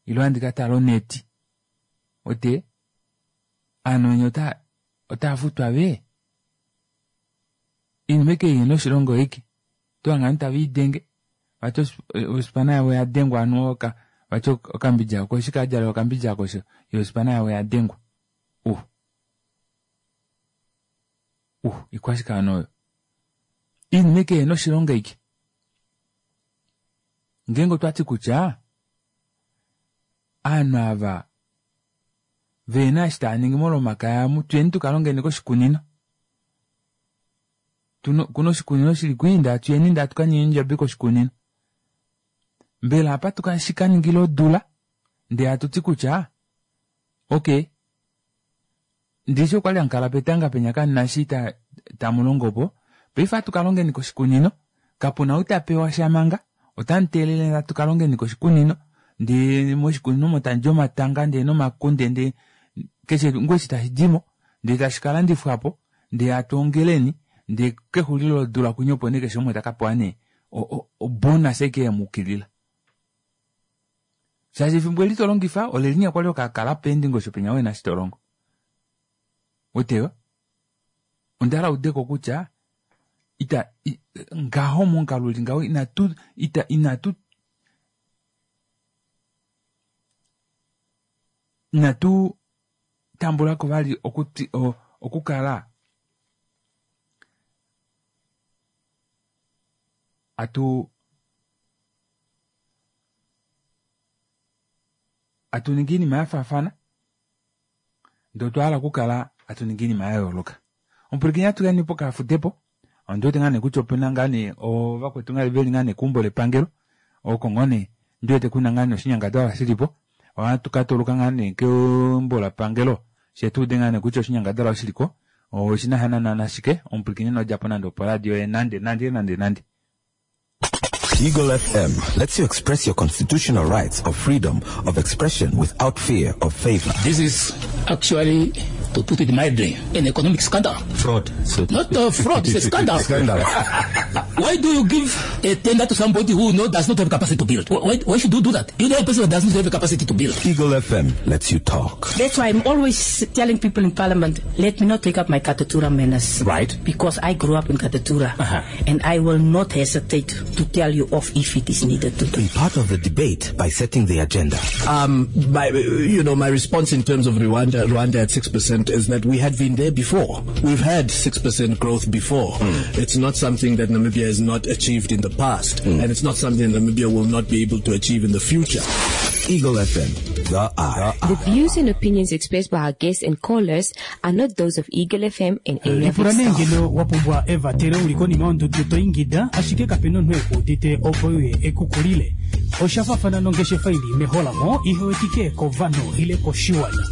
Speaker 1: ile andikatale oneti ote aanhu venya otava futwa vee oinima ike ihena oshilongo ike otohange ovanhu tave idenge vati ospana yavo oyadengwa ovanhu vati okambidja oko eshi kadjala okambidja ako yo ospana yavo oyadengwa ikwashike hano oyo oinima ike ihena oshilonga ike ngeenge otwati kutya aanhu ava vehena eshi tava ningi molomakaya amu tuyeni tukalongeni koshikunino kuna oshikunino shili kwii ndee atuyeni ndee atukaninge ondjabi koshikunino. Mbela apa tuka shikaningila odula ndee hatu ti kutya okay ndishi okwali hamukala petanga penya kamuna eshi tamulongopo paife ohatu kalongeni koshikunino kapuna ou tapewa sha manga otamu teelele natu kalongeni koshikunino ndee moshikunino omo tamudi omatanga ndee nomakunde ndee keshe ngoo eshi tashidimo ndee tashi kalandifwapo ndee hatu ongeleni ndee kexulilo lodula kwinya opo nee keshe umwe takapewa nee obonus aike yemukilila shaashi efimbo eli tolongifa olelinya kwali okakala peendingosho penya wena eshi tolongo weteyo ondahala udeko kutya ita ngaho momukalo uli ngaho inatu ita inatu inatu tambulako vali okuti okukala atu atuningi iinima yafaafana ndee otwa hala okukala hatu ningi iinima ya yooloka. Omupwilikini natu yeni pokafudepo ondiwete ngaa nee kutya opena ngaa nee ovakwetu ngaa veli ngaa nee keumbo lepangelo oko ngoo nee ndiwete kuna ngaa nee oshinyangadalwa shilipo ohatu ka toluka ngaa nee keumbo lapangelo fye tuude ngaa nee kutya oshinyangadalwa oshiliko oshina sha naana nashike omupwilikini ino djapo nande oporadio yoye nande nande nande nande.
Speaker 4: Eagle FM lets you express your constitutional rights of freedom of expression without fear of favor.
Speaker 5: This is actually, to put it mildly, an economic scandal.
Speaker 4: Fraud. So
Speaker 5: Not a fraud, it's a scandal.
Speaker 4: Scandal.
Speaker 5: Why do you give a tender to somebody who does not have capacity to build? Why should you do that? You know a person who does not have capacity to build.
Speaker 4: Eagle FM lets you talk.
Speaker 6: That's why I'm always telling people in Parliament, let me not take up my Katutura manners.
Speaker 2: Right.
Speaker 6: Because I grew up in Katutura. And I will not hesitate to tell you off if it is needed to.
Speaker 4: Be part of the debate by setting the agenda.
Speaker 7: My response in terms of Rwanda at 6% is that we had been there before. We've had 6% growth before. It's not something that Namibia has not achieved in the past, and it's not something that Namibia will not be able to achieve in the future.
Speaker 4: Eagle FM, the eye.
Speaker 8: The views and opinions expressed by our guests and callers are not those of Eagle FM and any of
Speaker 9: lipula
Speaker 8: its
Speaker 9: nee
Speaker 8: staff.
Speaker 9: ngeno wa pumbwa evatelo uli konima yondudu to ingida ashike kapena omunhu ekuudite opo uye ekukulile oshafafana nongeshefa ili meholamo ihewetike kovanhu ile koshiwana.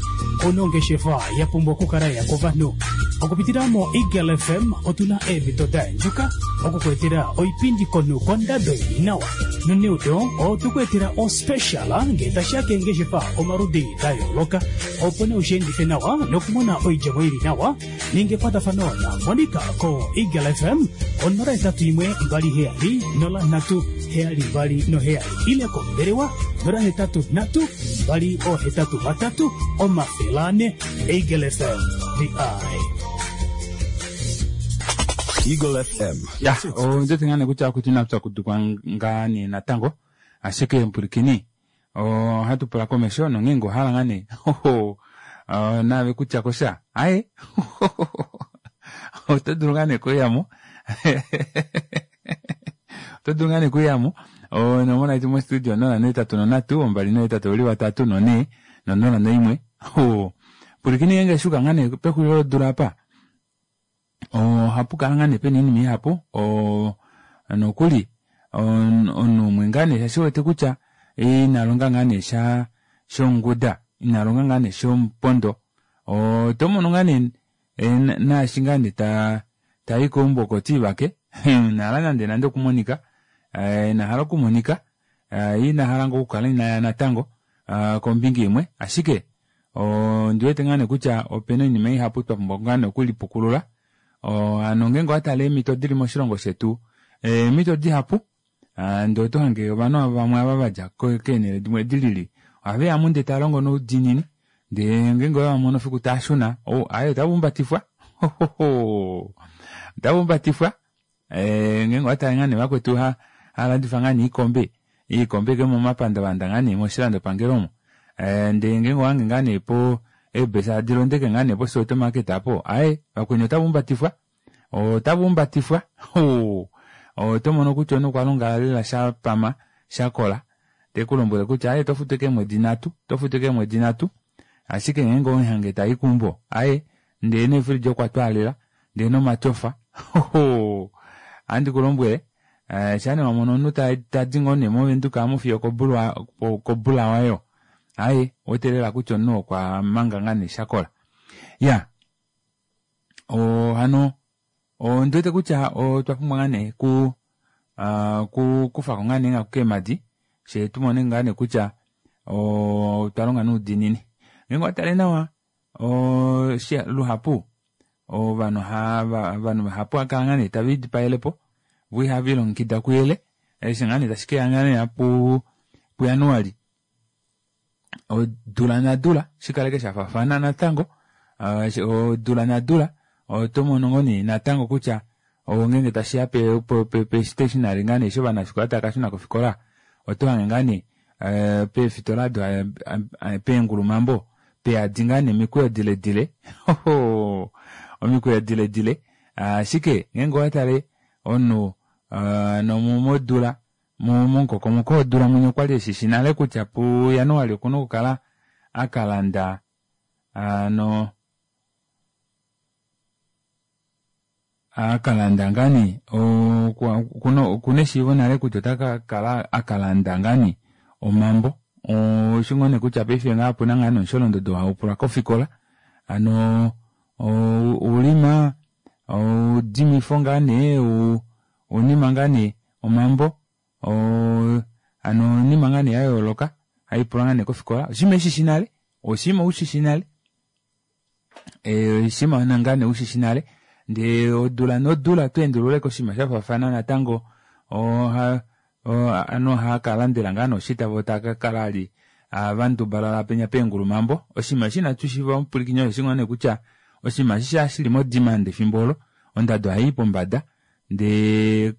Speaker 9: Onongeshefa ya pumbwa okukala ya kovanhu. Okupitila mo Eagle FM otuna eemhito da endjuka okukuetela oipindi konhu kondado ili nawa. Noneudo otukuetela ospecial ngee tashiya keengeshefa omaludi da yooloka opo nee ushiendife nawa nokumona oidjemo ili nawa ninga ekwatafano na Monica ko Eagle FM 081 27 03 72 7 ile kombelewa 083 283 400. Eagle FM, the eye.
Speaker 4: Eagle FM.
Speaker 1: Ya, ondiwete ngaa nee kutya akutu inatu pyakudukwa ngaa nee natango ashike mpwilikini ohatu pula komesho nongeenge ohala ngaa nee naave kutya kosha aye oto dulu ngaa nee kuyamo oto dulu ngaa nee kuyamo onomola yetu mostudio 083 283 4 no01. Pwilikini ngeenge shuka ngaa nee pexulilo lodula apa ohapu kala ngaa nee pena oinima ihapu nokuli omunhu umwe ngaa nee shaashi wete kutya ina longa ngaa nee sha shonguda ina longa ngaa nee shomupondo oto mono ngaa nee naashi ngaa nee tayi keumbo oko tiivake inahala nande nande okumonika inahala okumonika inahala ngoo okukala inaya natango kombinga imwe ashike ondiwete ngaa nee kutya opena oinima ihapu twa pumbwa ngaa nee okulipukulula hano ngeenge owatala eemhito dili moshilongo shetu eemhito dihapu ndee oto hange ovanhu vamwe ava vadja keenhele dimwe dilili ohaveya mu ndee talongo noudiinini ndee ngeenge ovamono fiku taashuna aye otavumbatifwa otavumbatifwa ngeenge owatale ngaa nee vakwetu halandifa ngaa nee iikombe iikombe ke momapandavanda ngaa nee moshilandopangelo omo ndee ngeenge owange ngaa nee po eebesa adilondeke ngaa nee poSoweto market apo aye vakweni otavumbatifwa otavumbatifwa oto mono kutya omunhu okwa longa lela shapama shakola tekulombwele kutya aye tofutu keemwedi nhatu tofutu keemwedi nhatu ashike ngeenge omuhange tayi keumbo aye ndee neefriji okwa twaalela ndee nomatyofa ohandi kulombwele. Eh, shaa nee wamono omunhu tadi ngoo nee movenduka amu fiyo kobulawayo aye otelela kutya omunhu okwa manga ngaa nee shakola ya hano ondiwete kutya otwa pumbwa ngaa nee ku ku kufako ngaa nee nghaku keemadi shee tumone ngaa nee kutya otwa longa noudiinini ngeenge owatale nawa luhapu ovanhu ovanhu vahapu ohava kala ngaa nee tave lidipayelepo vo ihave lilongekida kuyele eshi ngaa nee tashi keya ngaa nee puJanuali odula nadula shikaleke shafaafana natango odula nadula oto mono ngoo nee natango kutya ngeenge tashiya pe stationary ngaa nee eshi ovanafikola tava kashuna kofikola oto hange ngaa nee peefitola ado peengulumambo peyadi ngaa nee omikweyo diledile omikweyo diledile ashike ngeenge owatale omunhu nomodula momukokomoko wodula mwenye okwali eshishi nale kutya puJanuali okuna okukala akalanda ano akalanda ngaa nee okuna eshiivo nale kutya otakakala akalanda ngaa nee omambo oshi ngoo nee kutya paife ngaa opuna ngaa nee omusholondodo haupulwa kofikola hano oulima oudimifo ngaa nee ounima ngaa nee omambo hano oinima ngaa nee yayooloka haipulwa ngaa nee kofikola oshinima eshishi nale oshinima ushishi nale oshinima ngaa nee ushishi nale ndee odula nodula tweendululeko oshinima shafaafana natango ovanhu ohakalandela ngaa nee oshitavo takakala ali vandubalala penya peengulumambo oshinima eshi inatu shiiva omupwilikini osho ngoo nee kutya oshinima eshi shili modemand efimbo olo ondado ohaii pombada ndee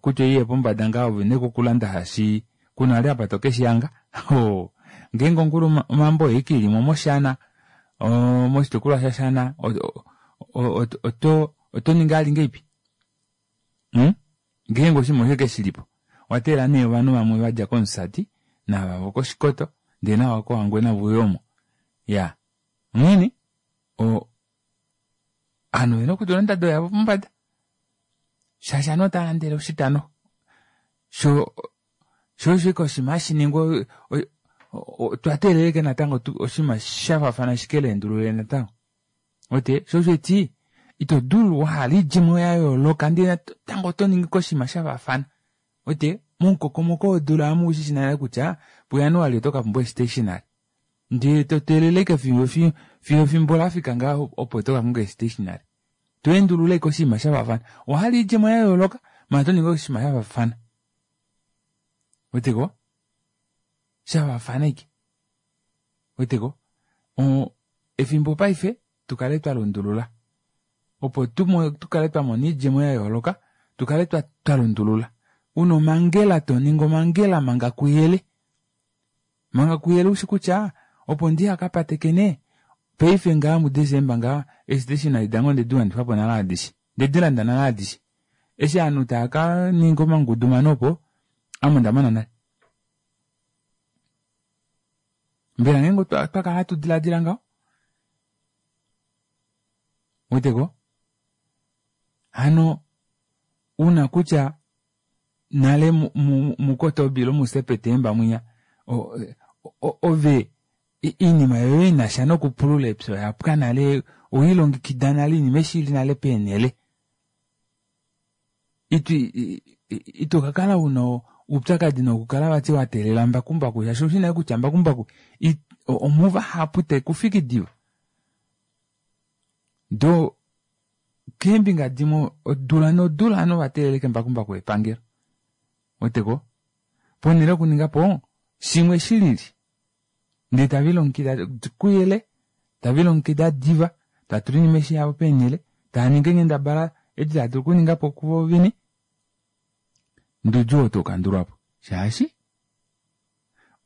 Speaker 1: kutya oiye pombada ngaa ove une okulanda shaashi kuna vali apa tokeshihanga ngeenge ongulu omambo oike ilimo moshana moshitukulwa shashana oto ningi ali ngeipi ngeenge oshinima osho keshilipo owateelela nee ovanhu vamwe vadja komusati naava vokoshikoto ndee nava kohangwena veuye omo iya onghene ovanhu ovena okutula ondado yavo pombada shaashi ovanhu otava landele oshitano sho sho osho ashike oshinima hashiningwa otwa teelela ashike natango oshinima shafaafana shikeleendulule natango ote sho osho eti ito dulu wahala oidjemo yayooloka ndee natango oto ningi koshinima shafaafana ote momukokomoko wodula amu ushishi nale kutya puJanuali oto kapumbwa stationary ndee toteelele ashike fiyo efimbo lafika ngaa opo tokakonga stationary tweendulula ashike oshinima shafaafana owahala oidjemo yayooloka maala oto ningi oshinima shafaafana weteko shafaafana ashike weteko efimbo paife tukale twalundulula opo tukale twamona oidjemo yayooloka tukale twalundulula una omangela toningi omangela manga kuyele manga kuyele ushi kutya opo ndihakapatekene paife ngaa muDesemba ngaa eestationary dange ondedi wanifapo nale adishe ndedilanda nale adishe eshi ovanhu tava kaninga omangudumano opo ame ondamana nale mbela ngeenge otwakala hatu diladila ngaho weteko hano una kutya nale muKotoba ile muSepetemba mwinya ove iinima yoye inasha nokupulula epya oyapwa nale oweilongekida nale oinima eshi ili nale peenhele ito kakala una oupyakadi nokukala vati wateelela mbakumbaku shaashi oushi nale kutya mbakumbaku omuvahapu tekufiki diva doo keembinga dimwe odula nodula ovanhu ovateeleleke mbakumbaku wepangelo weteko ponhele yokuningapo shimwe shilili ndee tavilongekida kuyele tavilongekida diva tatula oinima eshi yavo peenhele taaningi eenghendabala edi tava dulu okuningapo kuvo vene ndee oudjuu oo taukandulwapo shaashi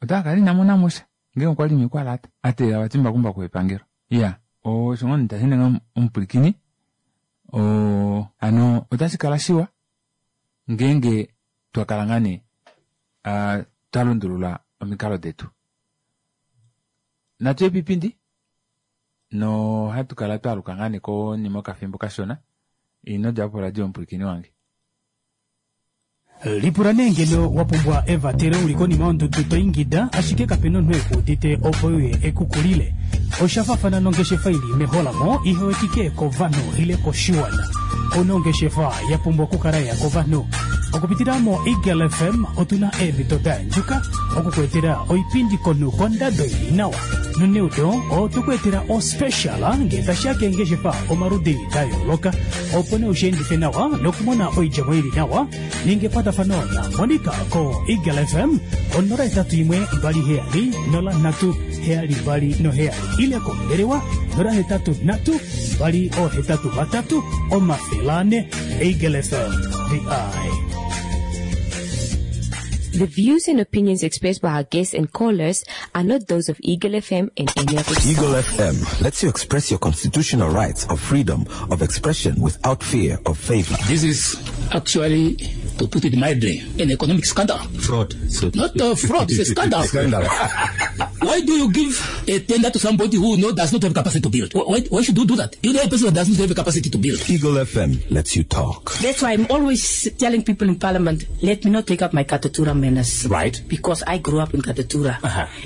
Speaker 1: otakakala inamonamosha ngeenge okwali mekwalata ateelela vati mbakumbaku wepangelo iya osho ngoo nee tashiningi omupwilikini hano otashi kala shiwa ngeenge twakala ngaa nee twalundulula omikalo detu natu epipindi no hatu kala twaaluka ngaa nee konima yokafimbo kashona ino djapo poradio omupwilikini wange.
Speaker 9: Lipula nee ngeno wa pumbwa evatelo uli konima yondudu to ingida ashike kapena omunhu ekuudite opo uye ekukulile. Osha faafana nongeshefa ili meholamo ihe wetike kovanhu ile koshiwana. Ouna ongeshefa ya pumbwa okukala ya kovanhu. Okupitila mo Eagle FM otuna eemhito da yandjuka okukuetela oipindi konhu kondado ili nawa. Noneudo otwe ku etela ospecial ngee tashiya keengeshefa omaludi da yooloka opo nee ushiendife nawa nokumona oidjemo ili nawa. Ninga ekwatafano na Monica ko Eagle FM ko 081 27 03 72 ile kombelewa 083 283 400. Eagle FM, the eye.
Speaker 8: The views and opinions expressed by our guests and callers are not those of Eagle FM and any of its
Speaker 4: Eagle
Speaker 8: staff.
Speaker 4: FM lets you express your constitutional rights of freedom of expression without fear of favor.
Speaker 5: This is actually, to put it mildly, an economic scandal.
Speaker 10: Fraud. So
Speaker 5: Not a fraud, it's a scandal.
Speaker 4: Scandal.
Speaker 5: Why do you give a tender to somebody who does not have capacity to build? Why should you do that? You know a person that does not have capacity to build.
Speaker 4: Eagle FM lets you talk.
Speaker 6: That's why I'm always telling people in Parliament, let me not take up my Katutura manners.
Speaker 10: Right.
Speaker 6: Because I grew up in Katutura.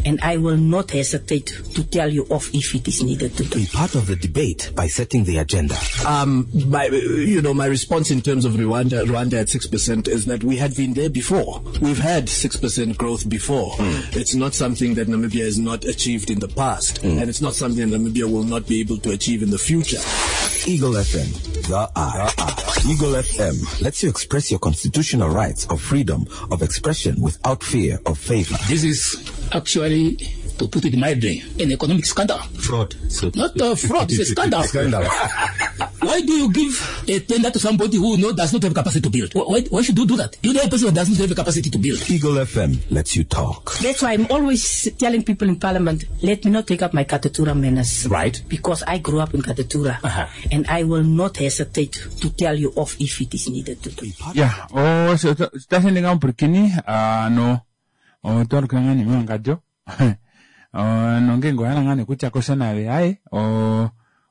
Speaker 6: And I will not hesitate to tell you off if it is needed to do.
Speaker 4: Be part of the debate by setting the agenda.
Speaker 7: My response in terms of Rwanda at 6% is that we had been there before. We've had 6% growth before. It's not something that Namibia has not achieved in the past, and it's not something that Namibia will not be able to achieve in the future.
Speaker 4: Eagle FM, the eye. Eagle FM lets you express your constitutional rights of freedom of expression without fear of favor.
Speaker 5: This is actually, to put it mildly, an economic scandal.
Speaker 10: Fraud. So
Speaker 5: Not a fraud, it's a scandal.
Speaker 4: Scandal.
Speaker 5: Why do you give a tender to somebody who does not have capacity to build? Why should you do that? You know a person that does not have capacity to build.
Speaker 4: Eagle FM lets you talk.
Speaker 6: That's why I'm always telling people in Parliament, let me not take up my Katutura manners.
Speaker 10: Right.
Speaker 6: Because I grew up in Katutura. And I will not hesitate to tell you off if it is needed to do.
Speaker 1: Ya, otashi ninga omupwilikini ano otwaluka ngaa nee mewangadjo nongenge owahala ngaa nee kutya kosha naave aye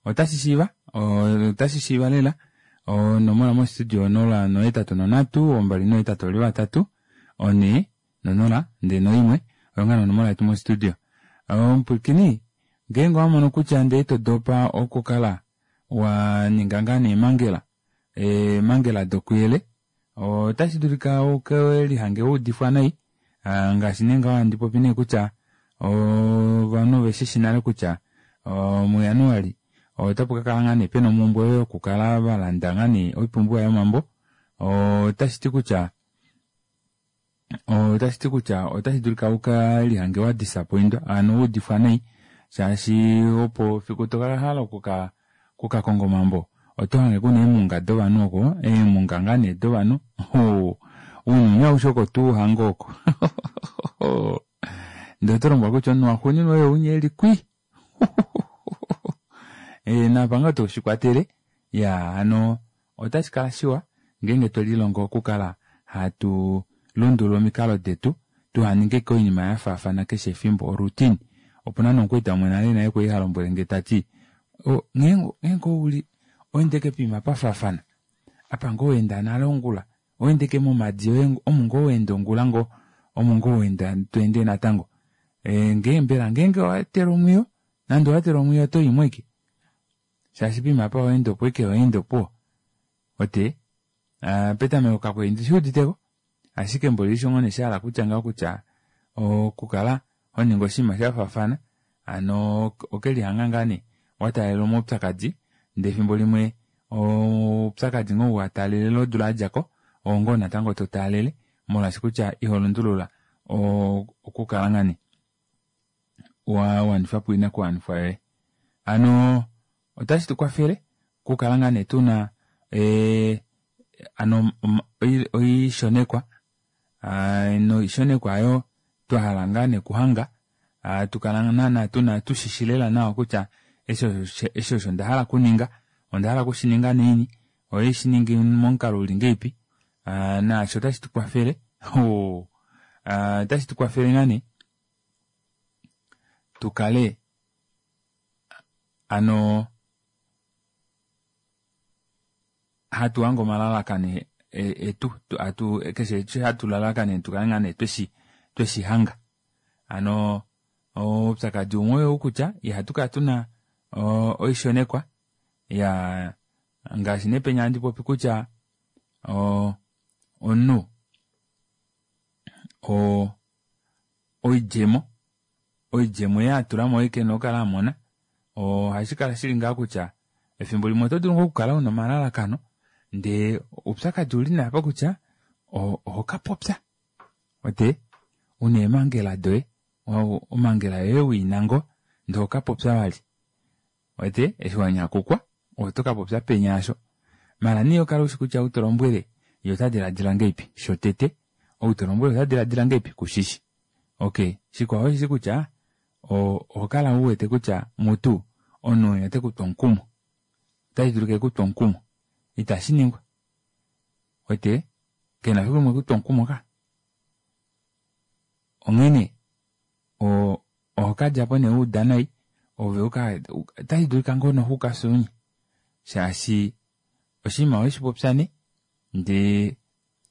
Speaker 1: otashi shiiva otashi shiiva lela onomola mostudio 0 8 3 2 8 4 0 1 oyo ngaa nee onomola yetu mostudio. Omupwilikini ngeenge owamono kutya ndee ito dopa okukala wa ninga ngaa nee eemangela eemangela dokuyele otashi dulika uke lihange waudifwa nai ngaashi nee ngaho handi popi nee kutya ovanhu oveshishi nale kutya muJanuali otapu kakala ngaa nee pena omhumbwe yokukala valanda ngaa nee oipumbiwa yomambo otashi ti kutya otashi dulika uka lihange wa disappointwa ano waudifwa nai shaashi opo fiku tokahala okukakonga omambo oto hange kuna eemunga dovanhu oko eemunga ngaa nee dovanhu ounyuni aushe oko tuu hange oko ndee oto lombwelwa kutya omunhu waxuuninwa oye unya eli kwi napa ngoo toshikwatele ya hano otashi kala shiwa ngeenge twelilongo okukala hatu lundulula omikalo detu tuhaninge oinima ya faafana keshe efimbo oroutine. Opuna nomukwaita umwe nale naye kwali ha lombwele nge tati ngeenge ouli oendeke poima pafaafana apa ngoo wenda nale ongula oendeke momadi omu ngoo wenda ongula ngoo omu ngoo wenda tweende natango ngee mbela ngeenge owatela omwiyo nande owatela omwiyo oto imwe ike shaashi poima apa owaenda opo ike waenda opo ote petameko kakwendi shiuditeko ashike mboli ishongo neshahala kutya ngaho kutya okukala honinga oshinima shafaafana hano okelihanga ngaa nee wataalela omaupyakadi ndee efimbo limwe oupyakadi ngoo wataalele odula yadjako oo ngoo natango totaalele molwaashi kutya iho lundulula okukala ngaa nee wawanifa po oinakuwanifwa yoye. Hano otashi tukwafele okukala ngaa nee tuna ano oishonekwa noishonekwa ayo twahala ngaa nee kuhanga tukala naana tuna tushishi lela nawa kutya eshi osho ndahala kuninga ondahala kushininga neini oye shiningi momukalo uli ngeipi naasho otashi tukwafele otashi tukwafele ngaa nee tukale ano hatu hange omalalakano etu atu keshe eshi hatu lalakanene tukale ngaa nee tweshi hanga. Hano oupyakadi umwe oyou kutya ihatu kala tuna oishonekwa ya ngaashi nee penya handi popi kutya omunhu oidjemo oidjemo ei atulamo oyo kena okukala amona ohashi kala shili ngaa kutya efimbo limwe oto dulu ngoo okukala una omalalakano ndee oupyakadi ouli nee apa kutya oho kapopya ote una eemangela doye omangela yoye wiina ngoo ndee ohokapopya vali wete eshi wanyakukwa oto kapopya penya asho maala nee okala ushi kutya ou tolombwele ye ota diladila ngahelipi shotete ou tolombwele ota diladila ngahelipi kushishi okey shikwao osheshi kutya oho kala uwete kutya mutu omunhu ou ote kutu omukumo otashi dulika ekutu omukumo itashi ningwa wete kena fiku limwe ekutu omukumo ka onghene oho kadjapo nee wauda nai ove uka otashi dulika ngoo noku kafye shaashi oshinima oweshipopya nee ndee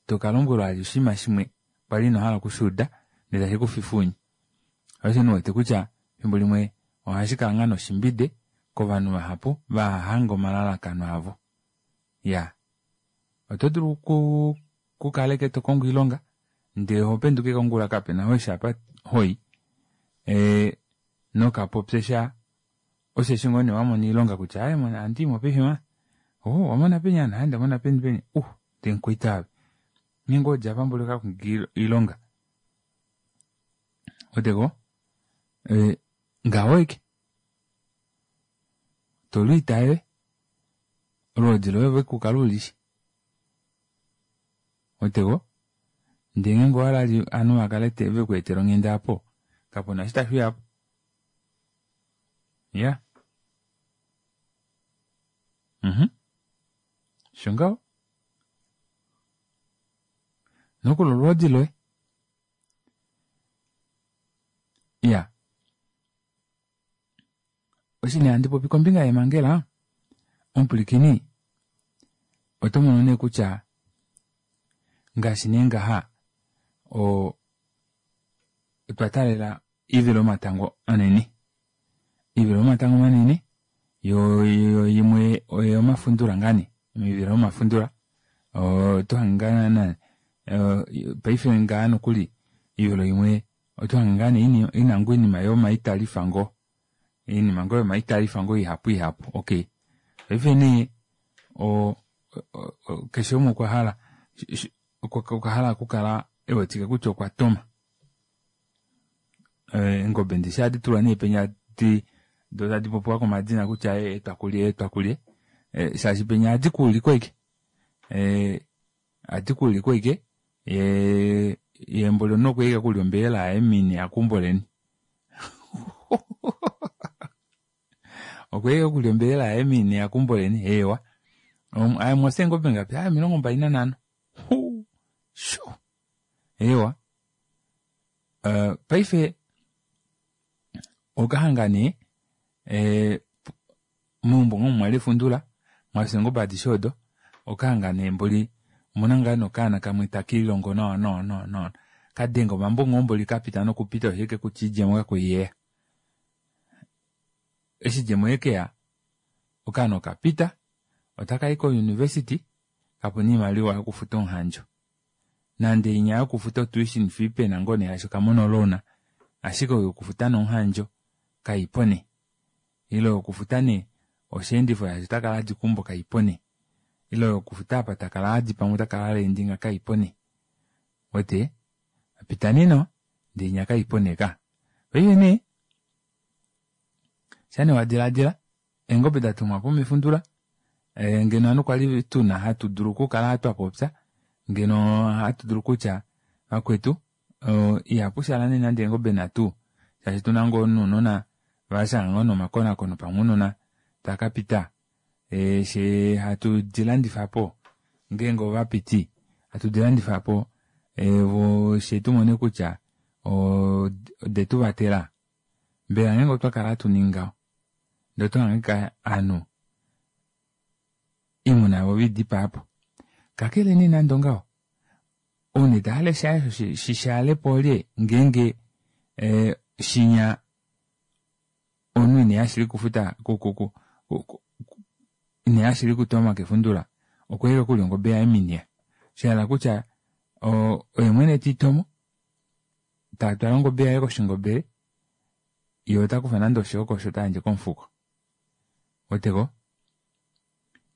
Speaker 1: tokalombwelwa oshinima shimwe kwali ino hala okushuuda ndee tashi kufifa ounye. Osho nee uwete kutya efimbo limwe ohashi kala ngaa noshimbide kovanhu vahapu vahahange omalalakano avo. Iyaa oto dulu okukala ashike tokongo oilonga ndee ohopenduka ashike ongula kapena eshi apa hoyi nokapopye sha osheshi ngoo nee wamona oilonga kutya aaye ohandiimo paife ma oh wamona peni hano aaye ndamona peni peni ndee mukwaita ove ngeenge owedja apa mboli okakonga oilonga weteko ngaho ashike tolwiita yoye olwoodi loye ove kukala ulishi weteko ndee ngeenge owahala ovanhu vakale vekweetela onghenda aapo kapuna eshi tashiuyapo iya osho ngaho nokuli olwoodi loye iya eshi nee handi popi kombinga yeemangela omupwilikini oto mono nee kutya ngaashi nee ngaha otwa taalela oivilo yomatango manene oivilo yomatango manene yo imwe oyomafundula ngaa nee oivilo yomafundula oto hange ngaa naana paife ngaa nokuli oivilo imwe oto hange ngaa nee ina ngoo oinima yomaitalifa ngoo oinima ngoo yomaitalifa ngoo ihapu ihapu okey paife nee keshe umwe okwa hala okwa hala okukala ewetike kutya okwa toma eengobe ndishi ohadi tulwa nee penya doo tadi popiwa komadina kutya etwa kulye etwa kulye shaashi penya ohadi kuulikwa ashike ohadi kuulikwa ashike yee mboli omunhu okwa ika okulya ombelela yaye mini akumboleni okwa ika okulya ombelela yaye mini akumboleni eewa mwafya eengobe ngapi 25 sho eewa paife okahanga nee meumbo ngoo mwali efundula mwafya eengobe adishe odo okahanga nee mboli omuna ngaa nokaana kamwe takililongo nawa nawa nawa nawa kadenga omambo ngoo mboli kapita nokupita osho kutya idjemo kakuiyeya eshi idjemo yekeya okaana okapita otakayi ko university kapuna oimaliwa yokufuta omuhandjo nande inya yokufuta otuition fee pena ngoo nee shaashi okamona oloan ashike oyo yokufuta nomuhandjo kaipo nee ile yokufuta nee osheendifo shaashi otakala hadi keumbo kaipo nee ile yokufuta apa takala hadi pamwe takala aleendinga kaipo nee wete apita nee nawa ndee inya kaipo nee ka paife nee sha nee wadilaadila eengobe datumwapo mefundula ngeno ovanhu kwali tuna hatu dulu okukala twapopya ngeno hatu dulu kutya vakwetu ihapu shala nee nande eengobe nhatu shaashi tuna ngoo nounona vashanga ngoo nomakonakono pamwe ounona takapita she hatu dilandifapo ngeenge ovapiti hatu dilandifapo she tumone kutya odetu vatela mbela ngeenge otwa kala hatu ningi ngaho ndee otohangika ovanhu oimuna yavo veidipaapo. Kakele nee nande ongaho, ou nee ta hale shaye osho shi shaale po olye ngeenge shinya omunhu ine shili kufuta ine shili kutoma kefundula okwa ika okulya ongobe yaye miniya. Shahala kutya oye mwene tiitomo tatwala ongobe yaye koshingobele ye ota kufa nande oshioko osho tayandje komufuko. Weteko?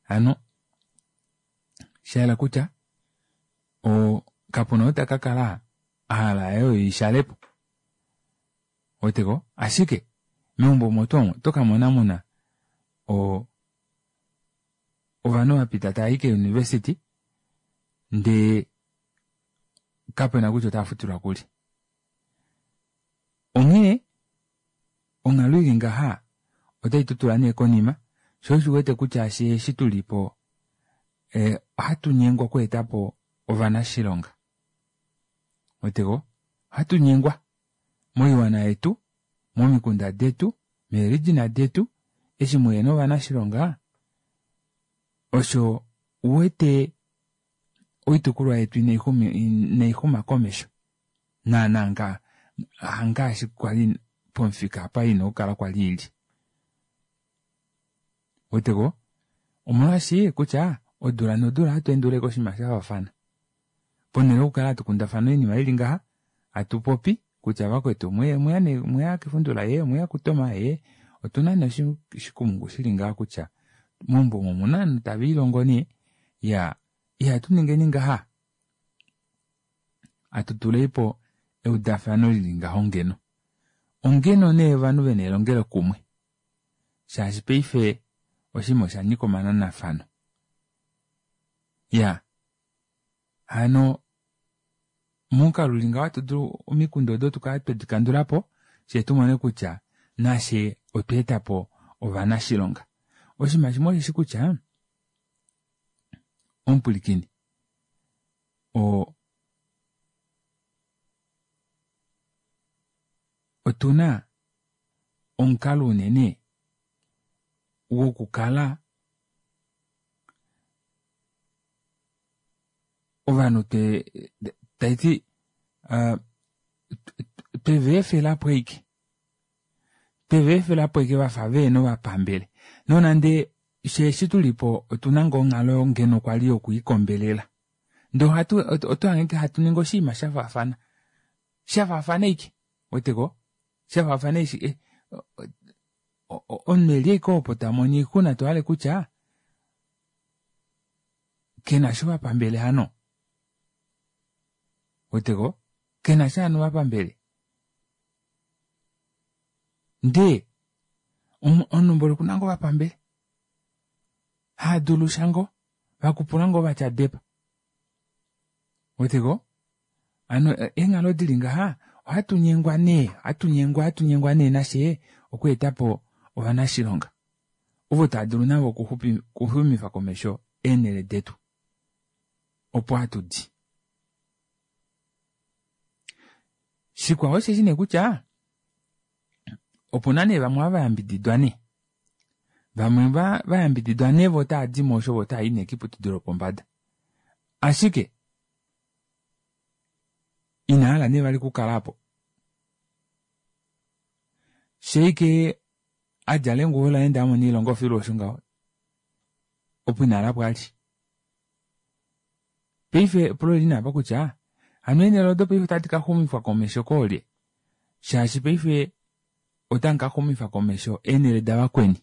Speaker 1: Hano shahala kutya kapuna ou taka kala ahala yaye oyo ishalepo. Weteko? Ashike meumbo omo tuu omo oto kamona muna ovanhu vapita taayi keuniversity ndee kapena kutya otava futilwa kuli. Onghee onghalo ili ngaha otai tutula nee konima sho osho uwete kutya eshi tulipo ohatu nyengwa okweetapo ovanashilonga. Weteko? Ohatu nyengwa moiwana yetu, momikunda detu, meerijina detu, eshi muhena ovanashilonga osho uwete oitukulwa yetu inaixuma komesho naana hangaashi kwali pomufika apa ina okukala kwali ili. Weteko? Omolwaashi kutya odula nodula ohatu enduleko oshinima shafaafana. Ponhele yokukala hatu kundafana oinima ili ngaha, hatu popi kutya vakwetu mweya kefundula ye, mweya kutoma ye, otuna nee oshikumungu shili ngaha kutya meumbo omo omuna ovanhu tava ilongo nee, ya ihatu ningeni ngaha, hatu tuleipo eudafano lili ngaho ngeno. Ongeno nee ovanhu vena elongelo kumwe. Shaashi paife oshinima osha nyika omananafano. Ya hano momukalo uli ngaho ohatu dulu omikundu odo tukale twedi kandulapo fyee tumone kutya nafye otwa etapo ovanashilonga. Oshinima shimwe osheshi kutya omupwilikini otuna omukalo unene wokukala ovanhu taiti tweveefelapo ashike tweveefelapo ashike vafa vehena ovapambele nonande sheeshi tulipo otuna ngoo onghalo ngeno kwali yokuikombelela ndee ohatu oto hange hatu ningi oshinima shafaafana shafaafana ashike weteko shafaafana eshi omunhu eli ashike opo tamono oixuna tohale kutya kena sho vapambele hano weteko kena sha hano vapambele ndee omunhu mboli okuna ngoo vapambele haadulu sha ngoo vakupula ngoo vatya depa weteko hano eenghalo dili ngaha ohatu nyengwa nee ohatu nyengwa ohatu nyengwa nee nashe okweetapo ovanashilonga ovo tava dulu navo okuxumifa komesho eenhele detu opo hatu di. Shikwao osheshi nee kutya opuna nee vamwe ava vayambididwa nee vamwe vayambididwa nee vo otava di mo osho vo otava i nee kiiputudilo yopombada ashike ina hala nee vali okukala apo sheike adjala enguwo laye ndee amona oilonga ofilu osho ngaho opo ina hala po ali. Paife epulo oli nee apa kutya hano eenhele odo paife otadi ka xumifwa komesho koolye shaashi paife otamu ka xumifa komesho eenhele davakweni.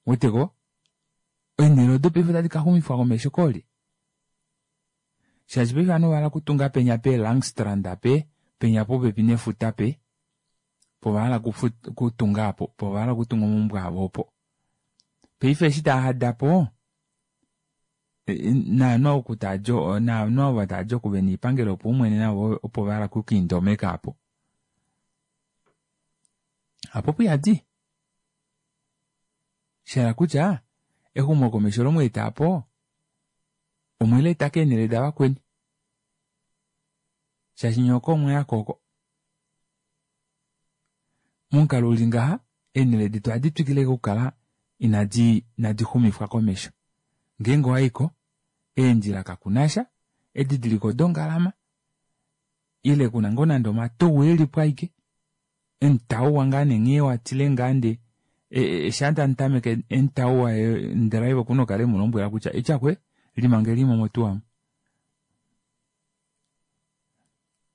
Speaker 1: Weteko? Eenhele odo paife otadi ka xumifwa komesho koolye shaashi paife ovanhu ovahala okutunga penya pe Langstrand pe penya popepi nefuta pe po ovahala okutunga apo po ovahala okutunga omaumbo avo opo. Paife eshi taahadapo naanhu oku taadi naanhu ava taadi oku vena oipangelo yopaumwene navo opo vahala okukiindomeka apo. Apo puyadi. Shahala kutya exumokomesho lomweeta apo omweleeta keenhele davakweni. Shaashi nye oko omwayako oko. Momukalo uli ngaha eenhele detu ohadi twikile okukala inadi xumifwa komesho. Ngeenge owaiko, eendjila kakunasha, edidiliko dongalama, ile kuna ngoo nande omatou elipo aike, emutauwa ngaa nee nghee watile ngaa nde shaa tamutameke emutauwa ndriver okuna okukala emulombwela kutya ityakwe limangelimo motuwa amu.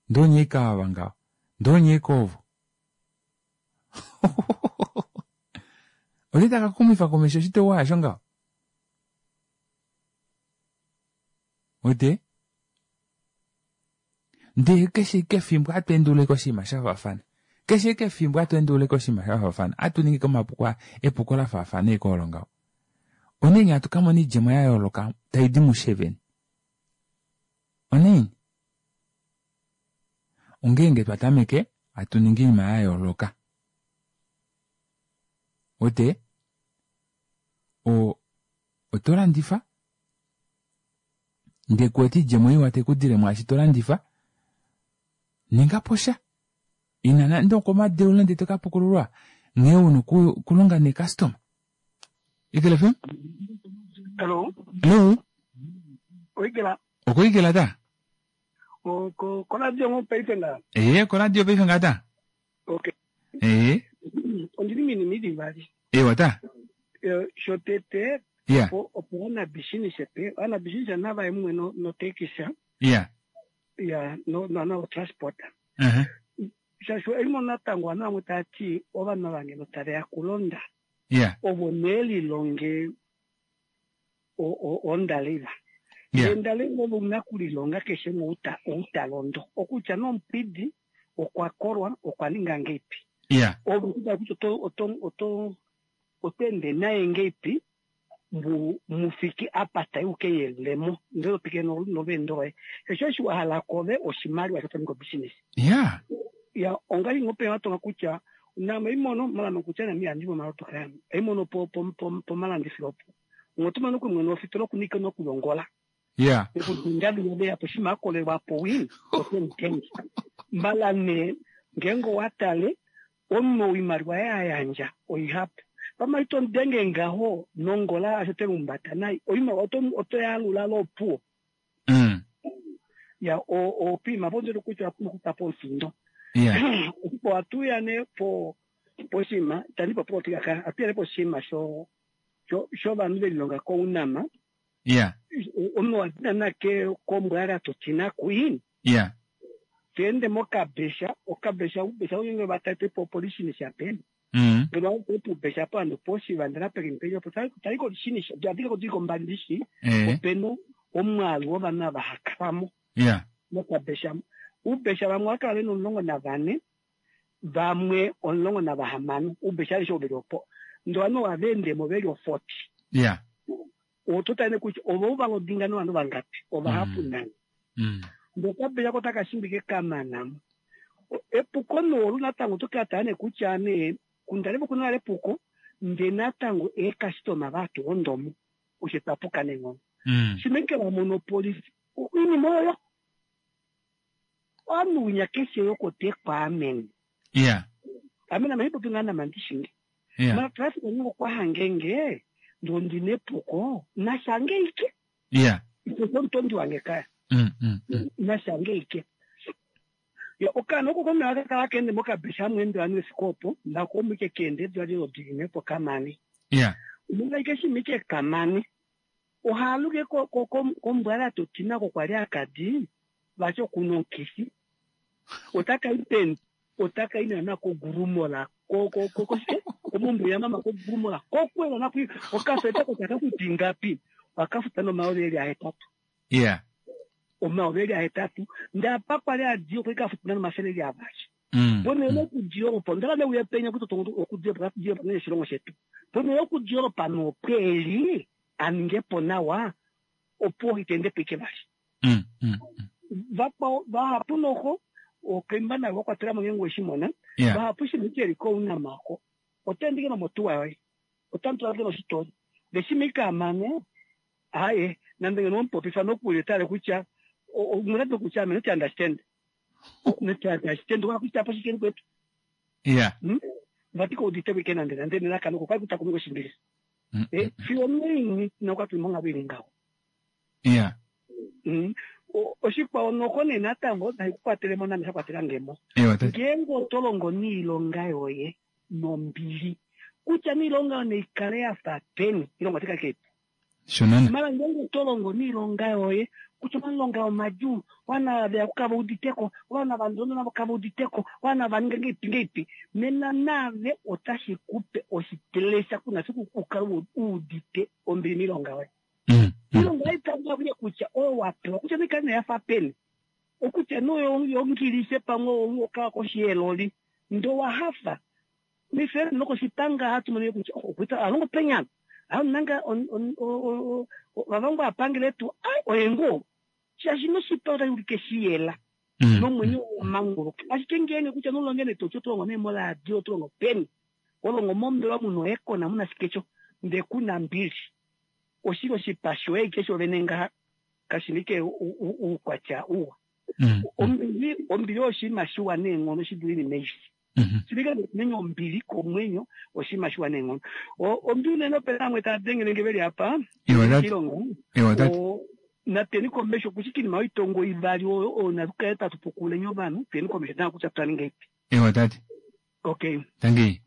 Speaker 1: Ndee onye ike ava ngaho, ndee onye ike ovo. Olye taka xumifa komesho oshiteuwa asho ngaho? Wete? Ndee keshe ike efimbo hatu endulula oshinima sha faafana. Keshe ike efimbo hatu endulula oshinima sha faafana. Hatu ningi omapuko epuko la faafana eke olo ngaho. Onaini hatu ka mona oidjemo ya yooloka tai di mushe vene? Onaini? Ongeenge twa tameke hatu ningi oinima ya yooloka. Wete? O, oto landifa ndee kuwete oidjemo iwa tai ku dile mwaashi to landifa, ninga po sha. Ina nande okomadeulo ndee to ka pukululwa nghee una okulonga neekastoma. Eagle FM?
Speaker 10: Hello.
Speaker 1: Hello.
Speaker 10: Oigela.
Speaker 1: Okoigela ta?
Speaker 10: Oko koradio ngo paife nga.
Speaker 1: Ee, koradio paife nga ta.
Speaker 10: Okay.
Speaker 1: Ee.
Speaker 10: Ondili minima ili ivali.
Speaker 1: Ewa ta.
Speaker 10: Shotete
Speaker 1: Yeah.
Speaker 10: opo opo ovanabishinisa pe ovanabishinisa nava ye mumwe no notekisa
Speaker 1: Yeah.
Speaker 10: ya no no no transport.
Speaker 1: Uh-huh.
Speaker 10: Shaashi oimo natango ovanhu vamwe tava ti ovanhu ava ngeno tave ya kulonda
Speaker 1: Yeah.
Speaker 10: ovo nee lilonge ondaleva.
Speaker 1: Yeah.
Speaker 10: Endaleva olo una kulilonga keshe umwe ou ta londo. Okutya nomupwidi okwa kolwa okwa ninga ngeipi.
Speaker 1: Yeah.
Speaker 10: Ove kutya kutya oto oto oto oto ende naye ngeipi mu mufike apa tai uke yelemo ndele to twikile nolweendo loye. Keshe eshi wa hala kove oshimaliwa sho to ningi obusiness.
Speaker 1: Yeah.
Speaker 10: Ya ongaashi ngoo pe watonga kutya name oimono malama kutya name ihandi momaloto kayame. Oimono po po po pomalandifilo opo. Ngotumana okumwene ofitola okunike nokulongola.
Speaker 1: Yeah.
Speaker 10: Okudinda luya po shima akolelwa po win otemutenge. Mbala nee ngeenge owa tale omunhu oimaliwa ya yandja oihapu. Pama ito denge ngaho nongola asho te lumbata nai oimaliwa oto oto yalula lopuwo. Ya o opiima po ndele kutya owa pumbwa po omufindo.
Speaker 1: Yeah.
Speaker 10: Opo atuya nee po poshinima itandi popi otika ka atuya nee poshinima sho shovanhu velilonga koUNAM.
Speaker 1: Yeah.
Speaker 10: Omunhu wa dina ke kombwala to tina queen.
Speaker 1: Yeah.
Speaker 10: Teende mokabesha, okabesha ubesha unenge vatate po polishini shape. Ngeno wa ubesha po ando poshi vandana pekimpejo po tali ko lishini sha adika ko diko mbandishi. Openo omwaalu wovanhu ava hakalamo.
Speaker 1: Yeah.
Speaker 10: Mokabesha. Ubesha vamwe wakala vena 14, vamwe 16. Ubesha alishe oveli opo. Ndo ovanhu ova endemo veli o 40.
Speaker 1: Yeah.
Speaker 10: Oto tale kutya ovo valodinga novanhu vangapi ovahapu nani. Ndokabesha ko taka shimbike kamanamo. Epuko noolu natango oto kala tale kutya nee kundale kuna nale epuko nde natango eekastoma vaatu ondomo osho twapuka neenghono. Shimeke wa mono polisi oinima oyo ovanhu winya keshe yokote kwaamene.
Speaker 1: Yeah.
Speaker 10: Ame nama hipopi ngaa nama ndishinge.
Speaker 1: Yeah.
Speaker 10: Mara traffic onyango kwa hangenge ndo ndine epuko nashange ike.
Speaker 1: Yeah.
Speaker 10: Ito omutondi wange kaya. Nashange ike. Ya okana oko kome akakala kende mokabesha mwendo anu esikopo nako omwike kende dwali lodine po kamani.
Speaker 1: Yeah.
Speaker 10: Umunga ike shimike kamani. Ohaluke ko ko kombwala totina ko kwali akadi vacho kuno nkisi. Otaka ipen otaka ina na ko gurumola ko ko ko ko komumbu ya mama ko gurumola ko kwela na ku okafeta ko taka kutingapi wakafuta no maoleli ahetatu.
Speaker 1: Yeah.
Speaker 10: Omaoleli ahetatu ndapa kwali adio ko kafuta no mafeleli abashi. Bono no kudioropa ndala ne uyapenya kuti okudioropa kudioropa ne shilongo shetu. Bono no kudioropa no peli aningepo nawa opo itende pike bashi. Vahapu noho okemba nayo wakwatela mo ngengo shimona.
Speaker 1: Yeah.
Speaker 10: Vahapu shimikeli ko una mako. Otendike no motuwa yoye. Otantula ke no shitori. Leshimika mane aye nande ngeno mpopifa nokuletale kutya omuna kutya ame not understand. Not understand wa kutya apo shikeni kwetu.
Speaker 1: Yeah.
Speaker 10: Vati ko udite weekend nande nande nena kanoko kwa kuta kumiko shimbili. Eh, fiyo onaini noka tuli monghalo ili ngaho.
Speaker 1: Iya.
Speaker 10: Oshikwawo noko nee natango nashi ku kwatele mo name sha kwatela nge mo.
Speaker 1: Ewa, tate.
Speaker 10: Ngeenge oto longo niilonga yoye nombili, kutya nee iilonga yoye nayi kale ya fa peni, iilonga otayi kala ike ipu.
Speaker 1: Shonana.
Speaker 10: Mara ngeenge oto longo niilonga yoye, kutya omalonga omadjuu, ovanhu veya ku kave uditeko, ovanhu ava ndondo navo kave uditeko, ovanhu ava ninga ngeipi ngeipi, nena naave otashi ku pe oshitelesha kuna fiku u kale u udite ombili miilonga yoye. Iilonga ohayi tambula kuye kutya oyo wa pewa, kutya nee kale nee ya fa peni, okutya nee oyo yongilishe pamwe oka koshi yeeloli, ndee owa hafa. Mefele nokoshipanga hatu mono kutya oh, okuita alongo penyana nanga vavangwa apangele tu ai oye ngoo shaashi noshipa otashi ulike shiyela nomwenyo wamanguluka. Ashike ngeenge kutya nolonge nee toti otolongo nee moradio otolongo peni, olongo mombelewa muna oekona muna shike sho ndee kuna mbili, oshili oshipa shoye ike shovene ngaha kashina ike uukwatya uwa. Ombili ombili oyo oshinima shiwa neenghono shi dule oinima aishe. Shilike nomwenyo ombili komwenyo oshinima shiwa neenghono. Ombili unene ope na vamwe tava dengele nge veli apa
Speaker 1: Ewa tate.
Speaker 10: koshilongo.
Speaker 1: Ewa tate.
Speaker 10: Nateni komesho kushike oinima yoitongo ivali oyo oyo natu kale tatu pukululeni ovanhu tuyeni komesho nawa kutya twa ninga ipi.
Speaker 1: Ewa tate.
Speaker 10: Okay.
Speaker 1: Tangi.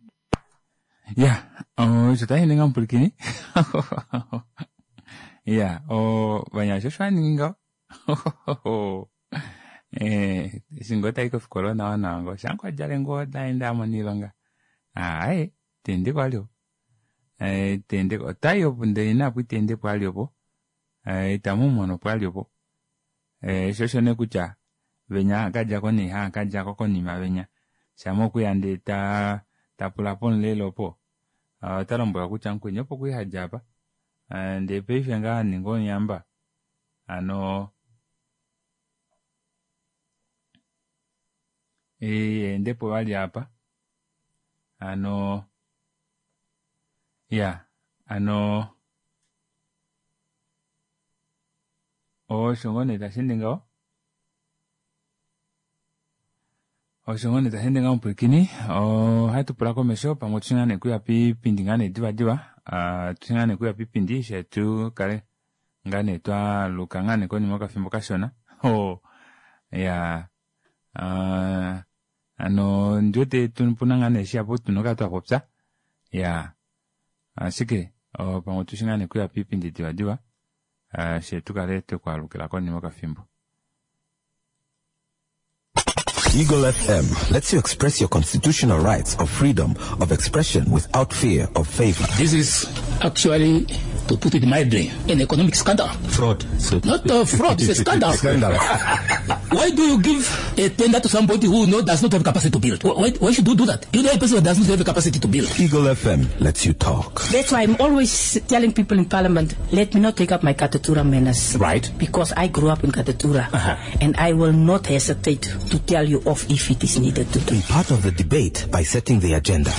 Speaker 1: Ya, osho tashi ninga omupwilikini. Ya, ovanyasha osho va ningi ngaho. Eh, eshi ngoo tayi kofikola onawa nawa ngoo shampa djale ngoo daenda amona iilonga aaye teende ko ali opo eh, teende ko otayi opo ndele inapo iteende po ali opo eh, itamu mono po ali opo eh, sho osho nee kutya venya haakadja ko nee haakadja ko konima venya shama okuya ndee ta ta pula pomulelo opo ah, ota lombwelwa kutya mukweni opo kwii hadja apa ah, ndee paife ngaa aninga omuyamba Hano ende po vali apa. Hano ya hano osho ngoo nee tashi ende ngaho. Osho ngoo nee tashi ende ngaho omupwilikini. Ohatu pula komesho pamwe otushi ngaa nee kuya piipindi ngaa nee divadiva. Otushi ngaa nee kuya piipindi she tu kale ngaa nee twa luka ngaa nee konima yokafimbo kashona. Oh, ya hano ondi wete puna ngaa nee shihapu tuna okukala twa popya. Ya, ashike pamwe otushi ngaa nee kuya piipindi divadiva she tu kale twekwaalukila konima yokafimbo.
Speaker 4: Eagle FM lets you express your constitutional rights of freedom of expression without fear of favor.
Speaker 5: This is actually, to put it mildly, an economic scandal.
Speaker 4: Fraud. So
Speaker 5: Not a fraud, it's a scandal.
Speaker 4: Scandal.
Speaker 5: Why do you give a tender to somebody who does not have capacity to build? Why should you do that? You know a person who does not have capacity to build.
Speaker 4: Eagle FM lets you talk.
Speaker 6: That's why I'm always telling people in Parliament, let me not take up my Katutura manners.
Speaker 2: Right.
Speaker 6: Because I grew up in Katutura. And I will not hesitate to tell you off if it is needed to do.
Speaker 4: Be part of the debate by setting the agenda.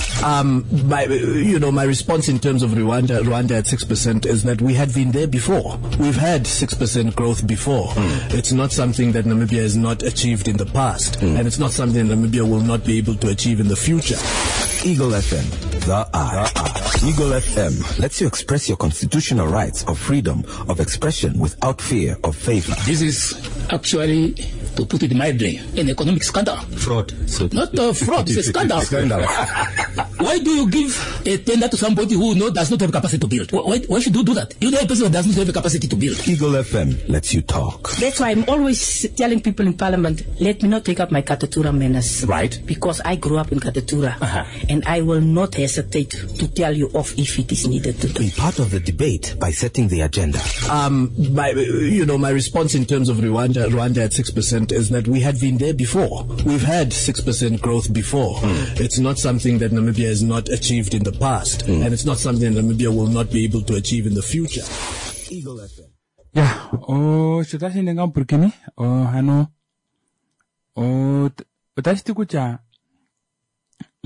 Speaker 7: My response in terms of Rwanda at 6% is that we had been there before. We've had 6% growth before. It's not something that Namibia has not achieved in the past, and it's not something that Namibia will not be able to achieve in the future.
Speaker 4: Eagle FM, the eye. Eagle FM lets you express your constitutional rights of freedom of expression without fear of favor.
Speaker 5: This is actually, to put it mildly, an economic scandal.
Speaker 4: Fraud. So
Speaker 5: Not a fraud, it's a scandal.
Speaker 4: Scandal.
Speaker 5: Why do you give a tender to somebody who does not have capacity to build? Why should you do that? You know a person who does not have capacity to build.
Speaker 4: Eagle FM lets you talk.
Speaker 6: That's why I'm always telling people in Parliament, let me not take up my Katutura manners.
Speaker 2: Right.
Speaker 6: Because I grew up in Katutura. And I will not hesitate to tell you off if it is needed to do.
Speaker 4: Be part of the debate by setting the agenda.
Speaker 7: My response in terms of Rwanda at 6% is that we had been there before. We've had 6% growth before. It's not something that Namibia has not achieved in the past, and it's not something that Namibia will not be able to achieve in the future.
Speaker 4: Eagle FM.
Speaker 1: Ya, osho tashi ende ngaho omupwilikini, hano, otashi ti kutya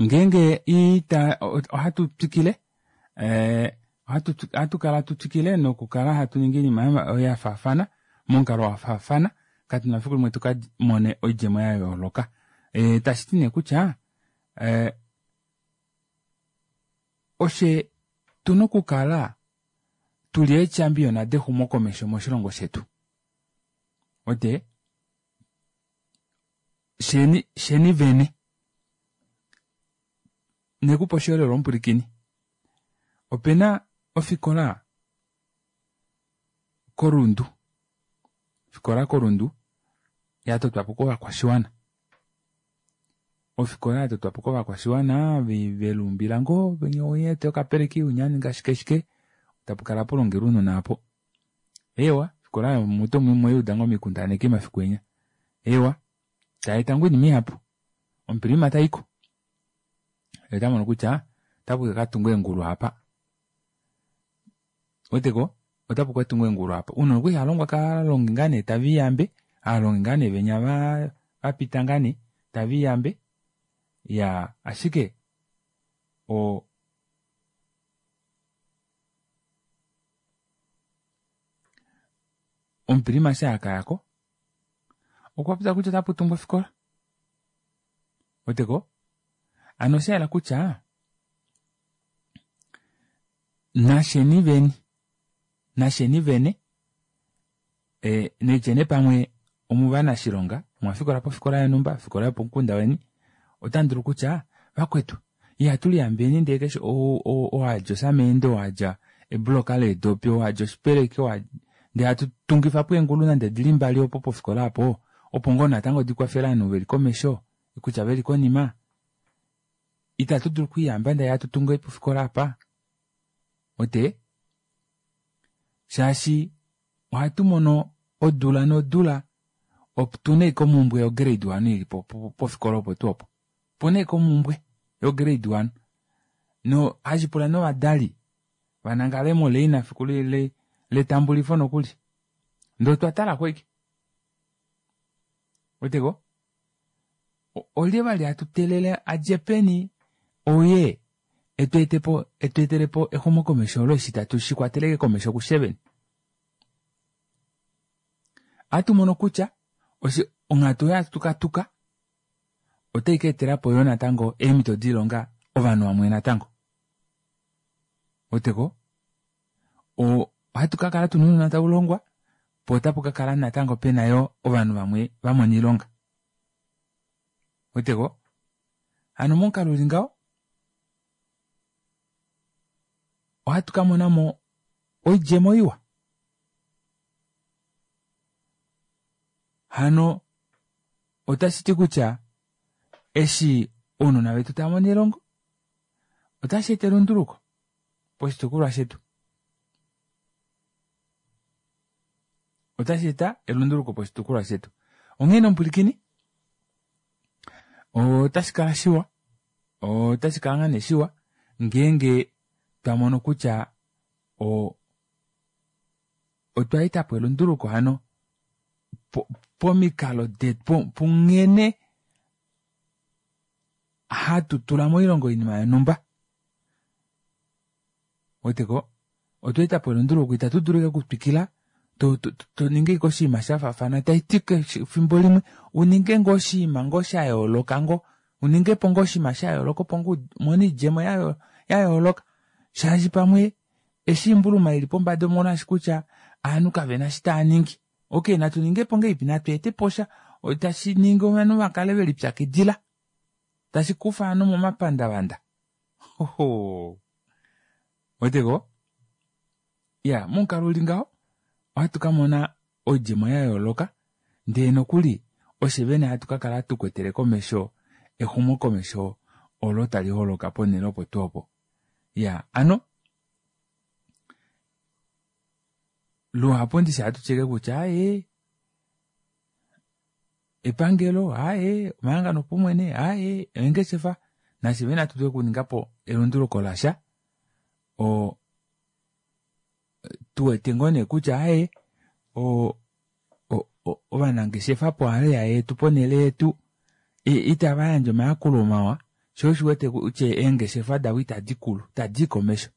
Speaker 1: ngeenge ita, ohatu twikile, ohatu kala tu twikile nokukala hatu ningi oinima ya faafana, momukalo wa faafana, katu na fiku limwe tu ka mone oidjemo ya yooloka. Tashi ti nee kutya, oshe Otu na okukala tu li eechampiona dexumokomesho moshilongo shetu. Ote sheni sheni vene nekupa oshiholelwa omupwilikini. Ope na ofikola koRundu, ofikola koRundu ya totwa po kovakwashiwana. Ofikola ya totwa po kovakwashiwana veluumbila ngoo venya ete okapeleki winya aninga shike shike tapu kala polongelwa ounona apo. Eewa, ofikola oyo muto mweuda ngoo mikundaneki mafiku enya. Eewa, taeta ngoo oinima ihapu. Omupilima taiko. Ota mono kutya otapu ka tungwa eengulu apa. Weteko otapu ka tungwa eengulu apa. Ounona okwali halongwa kaalongi ngaa nee tave iyambe, aalongi ngaa nee venya va vapita ngaa nee tave iyambe. Ya ashike o omupilima eshi akayako okwa popya kutya otapu tungwa ofikola. Weteko? Ano osha yela kutya nasheni veni nasheni vene e, netyene pamwe omuvanashilonga omwa fikola pofikola yonhumba ofikola yopomukunda weni otamu dulu kutya vakwetu ihatu liyambeni ndee keshe owadja osamende owadja ebuloka leedopi owadja oshipeleki ndee hatu tungifa po eengulu nande dili mbali opo pofikola apo opo ngoo natango dikwafele ovanhu veli komesho kutya veli konima itatu dulu okwiiyamba ndee hatu tungu pofikola apa ote shaashi ohatu mono odula nodula otuna ashike omumbwe yo grade 1 ili pofikola opo tuu opo opuna ashike omumbwe yo grade 1 no hashi pula novadali vanangale moleina fiku letambulifo nokuli ndee otwa talako ashike weteko olye vali hatu telele adje peni oye etu etelepo exumokomesho olo eshi tatu shi kwateleke komesho kusheveni. Ohatu mono kutya onghatu oyo hatu katuka otai ka etela po yo natango eemhito doilonga ovanhu vamwe natango. Weteko? Ohatu ka kala tuna ounona tau longwa po otapu ka kala natango pena yo ovanhu vamwe va mona oilonga. Weteko? Hano momukalo uli ngaho ohatu ka mona mo oidjemo iwa. Hano otashi ti kutya eshi ounona vetu tava mono elongo otashi eta elunduluko poshitukulwa shetu. Otashi eta elunduluko poshitukulwa shetu. Onghee nomupwilikini otashi kala shiwa, otashi kala ngaa nee shiwa ngeenge twa mono kutya otwa eta po elunduluko hano pomikalo detu punghene hatu tula moilongo oinima yonhumba. Weteko otwa eta po elunduluko itatu dulu okutwikila to ninge ike oshinima sha faafana taiti fimbo limwe uninge ngoo oshinima ngoo sha yooloka ngoo uninge po ngoo oshinima sha yooloka opo ngoo umone oidjemo ya yooloka shaashi pamwe eshi imbuluma ili pombada omolwaashi kutya ovanhu kavena eshi tava ningi. Okay, natu ninge po ngeipi natu ete po sha tashi ningi ovanhu vakale velipyakidila tashi kufa ovanhu momapandavanda. Hoho. Weteko? Ya, momukalo uli ngaho ohatu ka mona oidjemo ya yooloka ndee nokuli oshe vene hatu ka kala tukwetele komesho exumokomesho olo tali holoka ponhele opo tuu opo. Ya, ano luhapu ndishi hatu tyeke kutya aye epangelo aye omahangano opaumwene aye eengeshefa nashe vene hatu dulu okuninga po elunduluko lasha o tuwete ngoo nee kutya aye ovanangeshefa poarea yetu ponhele yetu itava yandje omayakulo mawa sho osho wete kutya eengeshefa davo itadi kulu itadi i komesho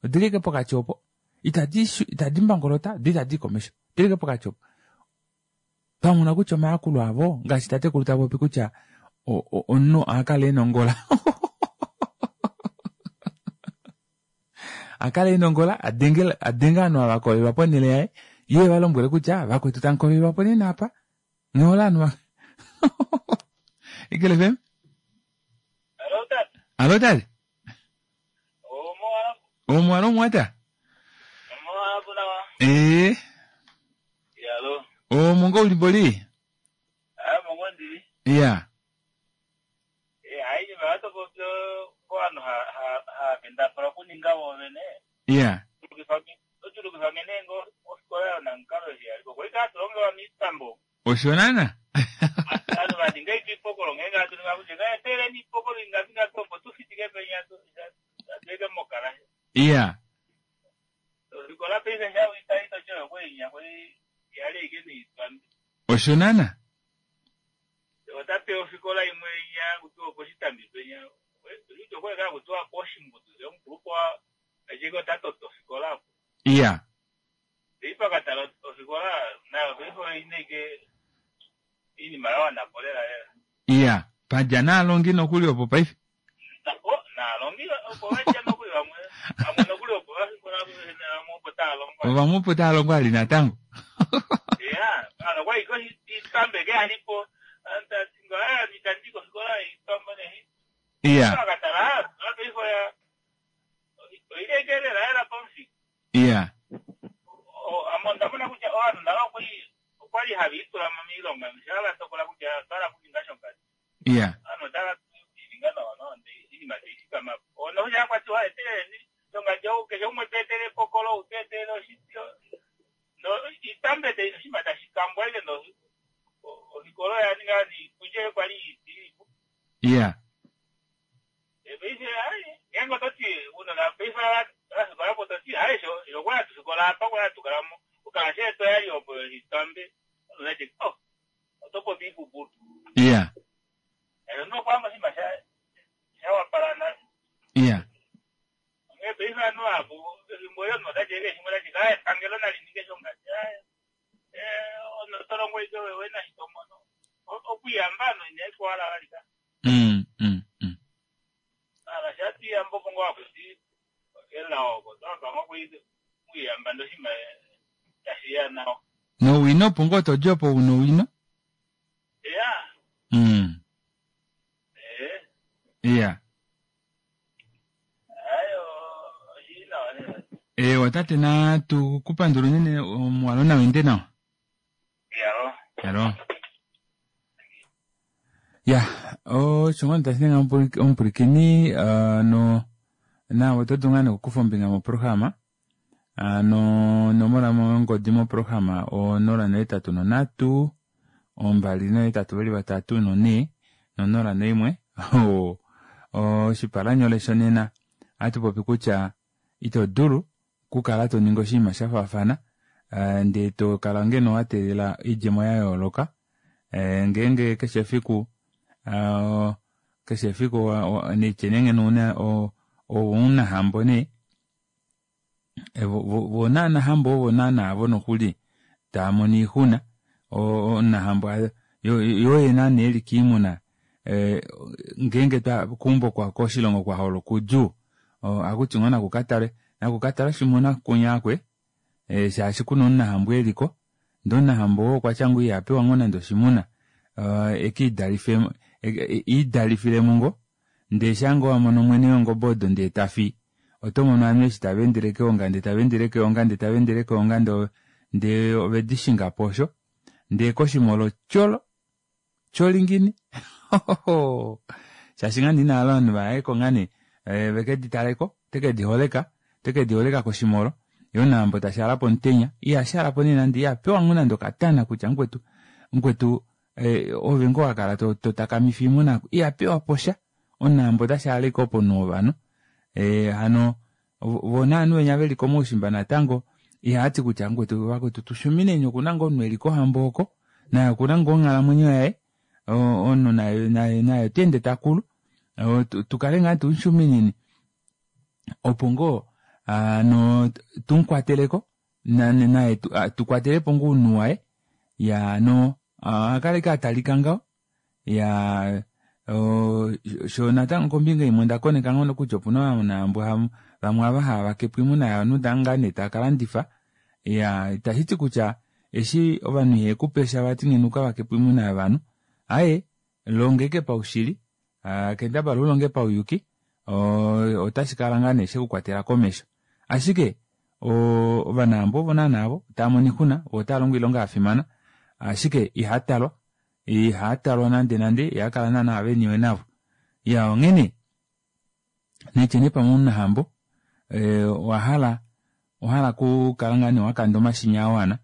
Speaker 1: odili ike pokati opo itadi mbangolota do itadi i komesho odili ike pokati opo twamona kutya omayakulo avo ngaashi tatekulu ta popi kutya omunhu ohakala ena ongola. Akale enongola adenge adenge ovanhu ava kolelwa ponhele yaye ye va lombwele kutya vakwetu tamu kolelwa po nena apa nghola ovanhu va Eagle FM. Alo tate. Omwalo omwata. Ee. Omongo uli boli. Iya. Iya. Osho nana. Iya. Osho nana. Iya. Iya. Padja naalongi nokuli opo paife. Ovamwe opo tava longo ali natango. Iya. Iya. Iya. Iya. Iya. Iya. Mm, mm, mm. Nowino opo ngoo todi opo una owino. Mm. Iya. Ewa tate natu ku pandula unene omuwalo nawa ende nawa. Yalo. Ya, osho ngoo tashi ninga omupwilikini no nawe oto dulu ngaa nee okukufa ombinga moprograma ano onomola yongodi moprograma o 083 283 4 no 01 oshipalanyole shonena ohatu popi kutya ito dulu okukala to ningi oshinima sha faafana ndee to kala ngeno wa teelela oidjemo ya yooloka ngeenge keshe efiku keshe efiku nitye nee ngeno una omunahambo nee vo naanahambo ovo naana vo nokuli tava mono oixuna omunahambo yoo ye naana eli koimuna ngeenge keumbo koshilongo kwa holoka oudjuu ohakuti ngoo nakukatale nakukatale oshimuna kunyakwe shaashi kuna omunahambo eliko ndee omunahambo oo okwatya ngoo ihapewa ngoo nande oshimuna ekiidalife iidalifilemo ngoo ndee shaa ngoo wamono mwene weengobe odo ndee tafi oto mono ovanhu eshi tava endele keonga ndee tava endele keonga ndee tava endele keonga ndee ovedi shingapo osho ndee koshimolo tyolo tyolingini shaashi ngaa nee inahala ovanhu vayeko ngaa nee veke ditaleko teke diholeka teke diholeka koshimolo ye omunahambo tashaala pomutenya ihashaalapo nee nande ihapewa ngoo nande okatana kutya mukwetu mukwetu ove ngoo wakala to takamifa oimuna ihapewa posha omunahambo otashaala ashike oponhu wovanhu hano vo naanhu venya veli komaushimba natango ihati kutya mukwetu vakwetu tushumineni okuna ngoo omunhu eli kohambo oko naye okuna ngoo onghalamwenyo yaye omunhu naye naye naye otaende takulu tukale ngaa tumushumineni opo ngoo hano tumukwateleko naye tukwatelepo ngoo ounhu waye ya no akale ike atalika ngaho ya sho natango kombinga imwe onda koneka ngoo kutya opuna ovanhu Vamwe ava hava vake po oimuna yovanhu ngaa nee tava ka landifa. Iyaa, itashi ti kutya eshi ovanhu ihave ku pe sha vati ngeno u ka vake po oimuna yovanhu. Aaye, longa ashike paushili, kendabala u longe pauyuki, otashi kala ngaa nee she ku kwatela komesho. Ashike ovanahambo ovo naana avo tava mono oixuna, vo otava longo oilonga ya fimana, ashike ihaa talwa, ihaa talwa nande nande, ihaa kala naana ve niwe navo. Iyaa, onghene netye nee pamwe omunahambo owa hala owa hala okukala ngaa nee wakanda omashini a wana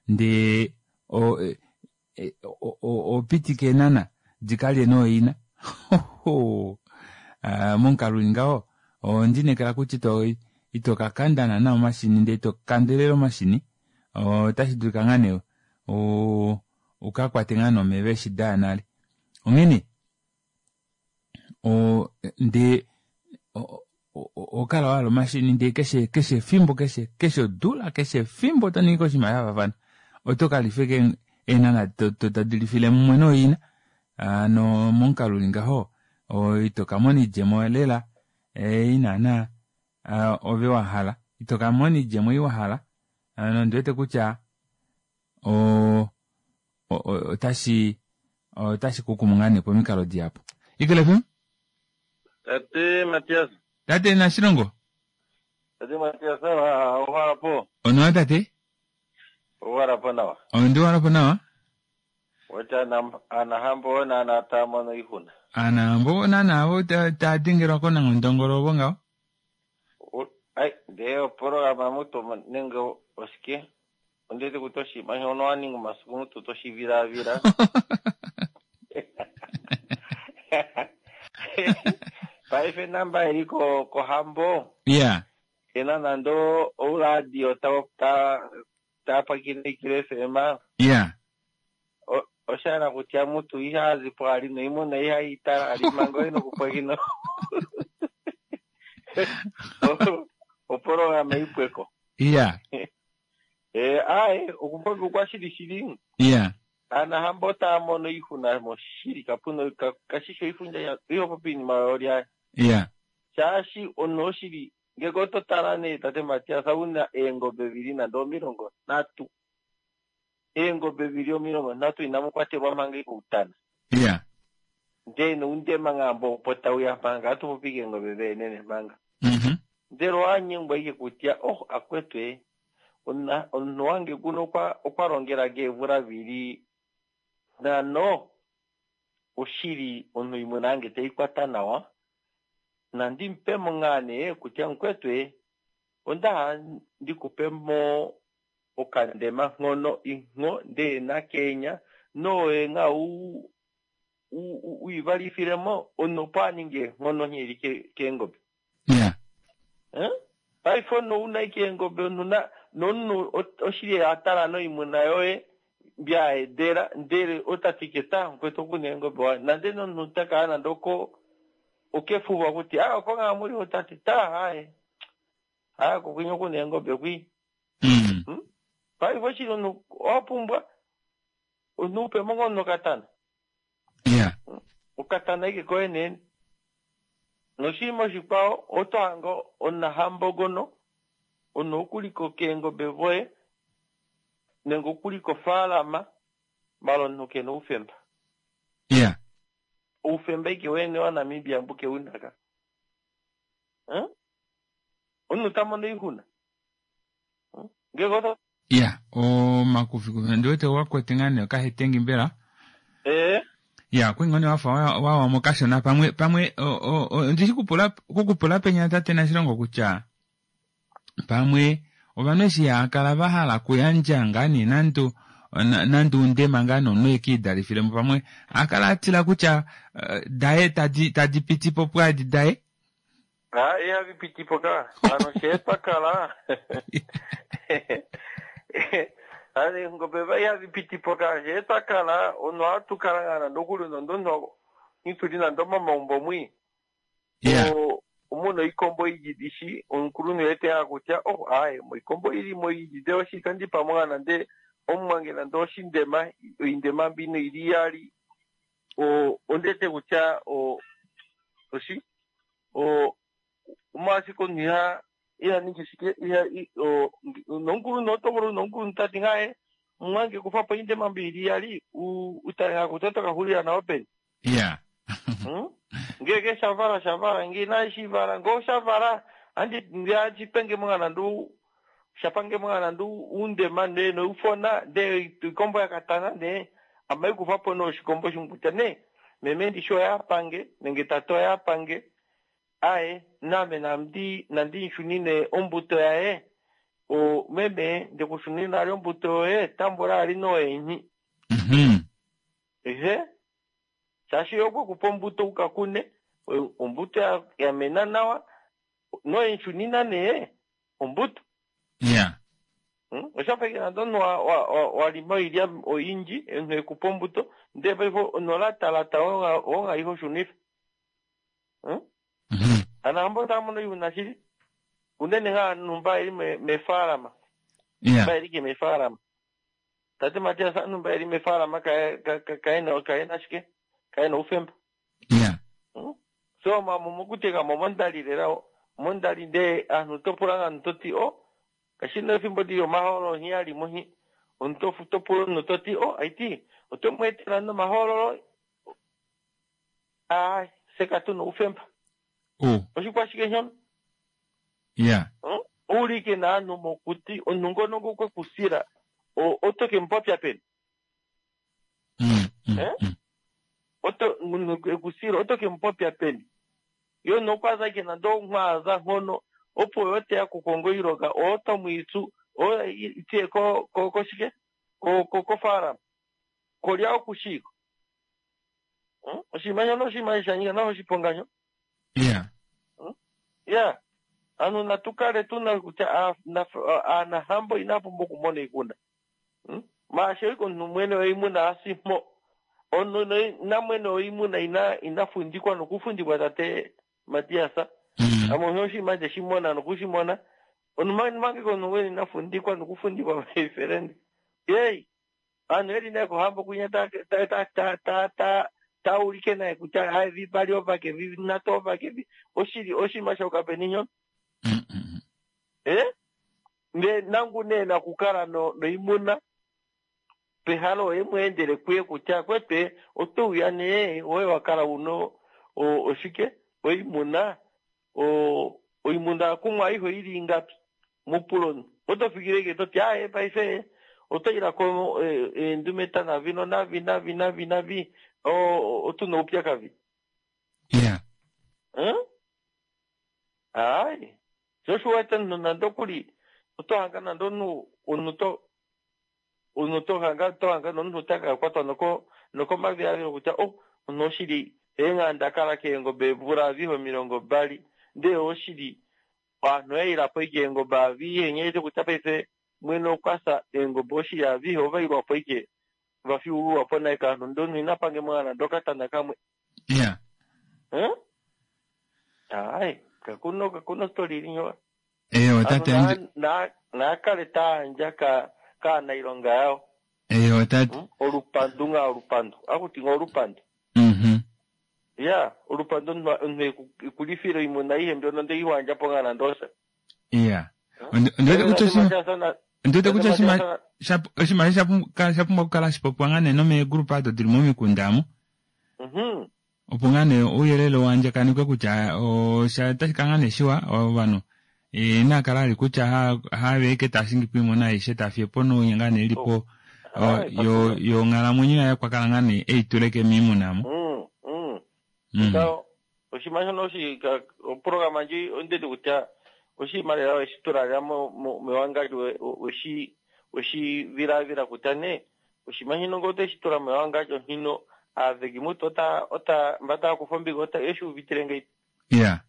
Speaker 1: ndee oho pitike eenhana di ka lye nooina. Momukalo u li ngaho, ondi inekela kutya ito ka kanda naana omashini ndee ito kandelele omashini, otashi dulika ngaa nee u ka kwate ngaa nee omeva eshi da ya nale. Onghene ndee oho kala wa hala omashini ndee keshe keshe efimbo keshe keshe odula keshe efimbo oto ningi oshinima sha faafana oto ka lifa ashike eenhana tadi lifile mumwe nooina hano momukalo uli ngaho ito ka mona oidjemo lela ei naana ove wa hala ito ka mona oidjemo ei wa hala nondi wete kutya otashi otashi kukumu ngaa nee pomikalo dihapu. Eagle FM?
Speaker 11: Tate Matias.
Speaker 1: Tate Nashilongo.
Speaker 11: Tate Matias, owa po?
Speaker 1: Onawa tate.
Speaker 11: Owa po nawa.
Speaker 1: Ondi wala po nawa.
Speaker 11: Wata anahambo naana taa mono oixuna.
Speaker 1: Anahambo naana avo taa dengelwa konanghondongolo ovo ngaho.
Speaker 11: Ai, ndee oprograma mutu nenge oshike? Ondi wete kutya oshinima shono wa ninga omasiku mutu to shi vilaavila. Paife namba ili ko kohambo.
Speaker 1: Yeah.
Speaker 11: Kena nando ouradio ta ta ta pwakine Eagle FM.
Speaker 1: Yeah.
Speaker 11: Osha hala kutya mutu iha zi po ali noimuna iha itala ali manga oi nokupwakina oprograma ipweko.
Speaker 1: Yeah.
Speaker 11: Eh, aye, okupopya kwa shili shili.
Speaker 1: Yeah.
Speaker 11: Anahambo otaya mono iihuna moshili kapu kashi shi oifundja iho popi iinima yolya.
Speaker 1: Yeah.
Speaker 11: Shaashi omunhu oshili ngeke oto tala nee tate Matias una eengobe vili nande 30. Eengobe vili 30 inamu kwatelwa manga ikoutana.
Speaker 1: Yeah.
Speaker 11: Ndee noundema ngaa opo tauya manga atu popi keengobe veenene manga.
Speaker 1: Mm-hmm.
Speaker 11: Ndele owanyengwa ike kutya oh akwetu e omunhu wange kuno okwa longela keevula vili nano oshili omunhu imwe nange teikwata nawa nandi mupemo ngaa nee kutya mukwetu e onda ndikupemo okandema nghono ingho ndee nakenya noye nga uivalifilemo omunhu opo aninge enghono nghili keengobe.
Speaker 1: Yeah.
Speaker 11: Paife omunhu una ike eengobe omunhu nomunhu oshili atala noimuna yoye mbyaedela ndele otatike ta mukwetu okuna eengobe waye nande nomunhu takala nande oko okefuva kuti ah oko ngaa muli otati ta haye haya kokwinya okuna eengobe kwi. Paife oshili omunhu owapumbwa omunhu upemo ngoo omunhu okatana.
Speaker 1: Yeah.
Speaker 11: Okatana ike koye nene. Noshinima oshikwao oto hange omunahambo gono omunhu okuliko keengobe voye nenge okuli kofaalama mala omunhu kena oufemba.
Speaker 1: Yeah.
Speaker 11: Oufemba ike wene waNamibia mbu keunaka. Omunhu ta mono oixuna. Ngeke oto
Speaker 1: Ya, omakufikufi ondi wete wa kwete ngaa nee okahetengi mbela.
Speaker 11: Eh.
Speaker 1: Ya, okwe ngoo nee wafa wawa mo kashona pamwe pamwe ondi shi kupula kukupula penya tate Nashilongo kutya pamwe ovanhu eshi ya kala va hala okuyandja ngaa nee nande nande undema ngaa nee omunhu eke idalifile mo pamwe a kala a tila kutya daye tadi tadi piti po pwaadi daye.
Speaker 11: Ha, ihavi piti po ka. Hano shee twa kala. Hano eengobe va ihavi piti po ka. Shee twa kala, omunhu ohatu kala ngaa nande okuli nande omunhu ituli nande omomaumbo mwi.
Speaker 1: Yeah.
Speaker 11: Omuna oikombo ijidi shi, omukulunhu ete a kutya, oh, aaye, moikombo ili moijide oshi kandi pamwe ngaa nande omumwange nande oshindema, oindema mbino ili iyali, ondete kutya, oshi, omolwashike omunhu iha Iha ningi shike iha nomukulunhu oto vulu nomukulunhu tati ngaye mumwange kufa po oindema mbili iyali u tale nga kutya oto ka xulila nayo peni.
Speaker 1: Ya.
Speaker 11: Ngenge shavala shavala nge inashi vala ngee oshavala andi ndee mo nga nande shapange mo nga nande uundema ndee noufona ndee ikombo yakatana ndee ame kufapo nee oshikombo shimwe kutya nee meme ndishi oye apange nenge tate oye apange aye name nandi nandi shunine ombuto yaye o meme ndekushunina nale ombuto yoye tambula ali noyenyi. Ehe shaashi okwe kupa ombuto ukakune ombuto yamena nawa noyenshunina nee ombuto.
Speaker 1: Ya.
Speaker 11: Oshafa ike nande omunhu walima oilya oyindji omunhu ekupa ombuto ndee paife nolatalata wonga ihe oshunifa. Anahambo otaamono oixuna shili unene ngaa ovanhu mba eli mefaalama. Mba eli ke mefaalama. Tate Matias ovanhu mba eli mefaalama kaena shike kaena oufemba.
Speaker 1: Ya.
Speaker 11: So mokuteka mo mondali lela mondali ndee aanhu topula nga omuntu toti o kashina efimbo lili omahoololo nghi alimo nghi omuntu topula omunhu toti o aiti oto mu etela nomahoololo aa fye katuna oufemba. Oshikwashike shono?
Speaker 1: Ya.
Speaker 11: Oulike naanhu mokuti omunhu ngono okwe kusila oto ke mupopya peni? Oto munhu ekusila oto ke mupopya peni? Yo nokwaza ike nande onghwaza nhono opo yo teya kukonga oilonga oto mwiitsu o itiye ko ko koshike ko ko kofaalama kolya okushiko. Oshinima shono oshinima sha nyika nawa oshiponga sho.
Speaker 1: Ya.
Speaker 11: Ya. Ovanhu natu kale tuna kutya aanahambo inaa pumbwa okumona oixuna. Maashi oike omunhu mwene woimuna asimho. Omunhu namwene woimuna ina ina fundikwa nokufundikwa tate Matias. Ame osho oshinima nde shi mona nokushimona. Omunhu mange omunhu mwene ina fundikwa nokufundikwa my friend. Yei! Ovanhu veli nee kohambo kwinya ta ta ta ta ta ta ulike naye kutya haye vivali ovake vi nhatu ovake vi oshili oshinima shokapeni nyono. Eh? Ndee nangu nee nakukala no noimuna pehala oye mweendele kuye kutya kwete oto uya nee oye wakala uno oshike oimuna oimuna kumwe aihe oili ingapi mupula omunhu oto fikile ike toti aaye paife oto ilako eendumeta navi nonavi navi navi navi otuna oupyakadi.
Speaker 1: Ya.
Speaker 11: Aai sho osho uwete omunhu nande okuli oto hanga nande omunhu omunhu to omunhu to hanga to hanga nomunhu ota ka kwatwa noko nokomavilavilo kutya oh omunhu oshili eenga ndakala keengobe eemvula avihe 20 ndee oshili ovanhu oyaila po ike eengobe avihe nghee kutya paife mwene okwafya eengobe oshili avihe ovailwapo ike vafyuululwapo naye kaanhu ndee omunhu ina pange mo nande okatana kamwe.
Speaker 1: Ya.
Speaker 11: Aai kakuna kakuna story ili nyowa.
Speaker 1: Eyo tate
Speaker 11: naakale taandja kaanailonga yawo.
Speaker 1: Eyo tate.
Speaker 11: Olupandu nga olupandu. Akuti nga olupandu. Ya, olupandu omunhu ekulifile oimuna aihe mbyono ndee iwandja po nga nande osha.
Speaker 1: Ya. Ondiwete kutya oshinima ondiwete kutya oshinima oshinima sha pumbwa okukala hashi popiwa ngaa nee nomeegrupa ado dili momikunda amu. Opo ngaa nee ouyelele wandjakanikwe kutya osha otashi kala ngaa nee shiwa ovanhu inaa kala ali kutya have eke taa shingi po oimuna aishe taa fiye po nounya ngaa nee ilipo yo yonghalamwenyo yaye okwa kala ngaa nee eituleke miimuna amu.
Speaker 11: Oshinima shono oprograma ndji ondeti kutya oshinima lela weshi tula lela mewangadjo weshi weshi vilavila kutya nee oshinima shino ngee oteshi tula mewangadjo hino aaveki mutu ota ota mba tava kufa ombinga ota eshi uvitile ngei.
Speaker 1: Ya.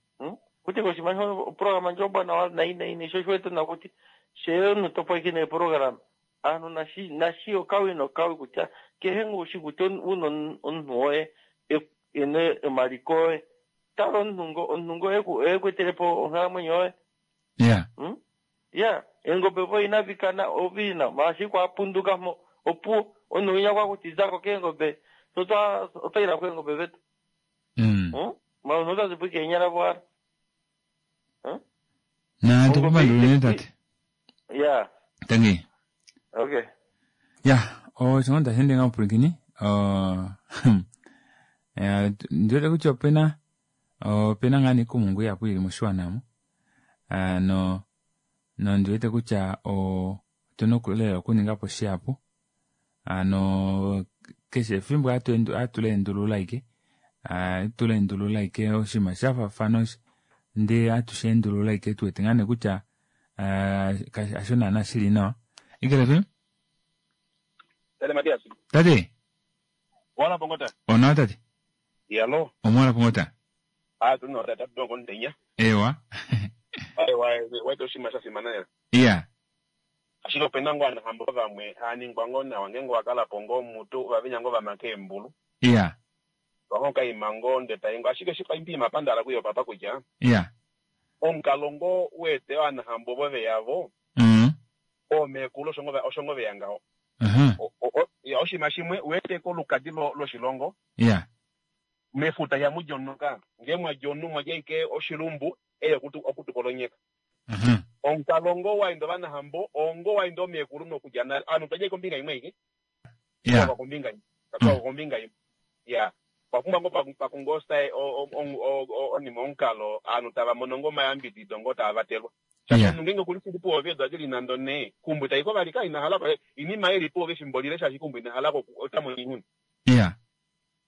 Speaker 11: Kuti oshinima shono oprograma ndji ombwanawa nai nai nai sho oshiwete na kuti shee omunhu to pwakine eprograma aanhu nashi nashi okawi nokawi kutya kehe ngu ushi kutya una omunhu woye ena omaliko oye tala omunhu ngo omunhu ngo oye kwetelepo onghalamwenyo yoye.
Speaker 1: Ya.
Speaker 11: Ya, eengobe vo inadi kana ovina maashi kwapunduka mo opuwo omunhu winya kwakuti zako keengobe otoila keengobe vetu. Ma omunhu otazipo ike eenyala voala.
Speaker 1: Na tukupandula unene tate.
Speaker 11: Ya.
Speaker 1: Tangi.
Speaker 11: Okay.
Speaker 1: Ya, osho ngoo tashi ende ngaho pwilikini. Ndi wete kutya opena opena ngaa nee oikumungu ihapu ili moshiwana omu. No nondi wete kutya otuna lela okuninga po shihapu. Hano keshe efimbo hatu leendulula ashike, hatu leendulula ashike oshinima sha faafana osho, ndee hatu shi endulula ashike tu wete ngaa nee kutya hasho naana shili nawa. Eagle FM?
Speaker 12: Tate Matias.
Speaker 1: Tate.
Speaker 12: Wala pongota.
Speaker 1: Onawa tate.
Speaker 12: Yalo.
Speaker 1: Omwala pongota.
Speaker 12: Ah, tuno tata tuno kontenya.
Speaker 1: Ewa.
Speaker 12: Ewa, waita oshinima sha fimana lela.
Speaker 1: Iya.
Speaker 12: Ashike opena ngoo anahambo vamwe haaningwa ngoo nawa ngeenge wa kala po ngoo mutu ovavenya ngoo vamake eembulu.
Speaker 1: Iya.
Speaker 12: Wangoo kaima ngoo nde tai ngoo ashike shi paimbi pandala kuyo papa kutya.
Speaker 1: Iya.
Speaker 12: Omukalo ngoo uwete ovanahambo ovo veyavo. Oomekulu osho ngoo veya ngaho. Ya oshinima shimwe uwete kolukadi loshilongo.
Speaker 1: Iya.
Speaker 12: Mefuta ihamu di omunhu ka. Ngee mwadja omunhu mwadja ashike oshilumbu eye okutukolonyeka. Omukalo ngoo waenda ovanahambo oo ngoo waenda oomekulu nokudja nale. Ovanhu otwadja ashike kombinga imwe aike. Twakwa kombinga imwe. Twakwa kombinga imwe. Ya. Okwa pumbwa ngoo pakungoo onima omukalo ovanhu tava mono ngoo omayambidido ngoo tava vatelwa. Shaashi omunhu ngeenge okuli shili puove eedula dili nande onhee, keumbo itayi ko vali ka ina hala oinima eli puove efimbo lile shaashi keumbo ina halako ota mono oixuna.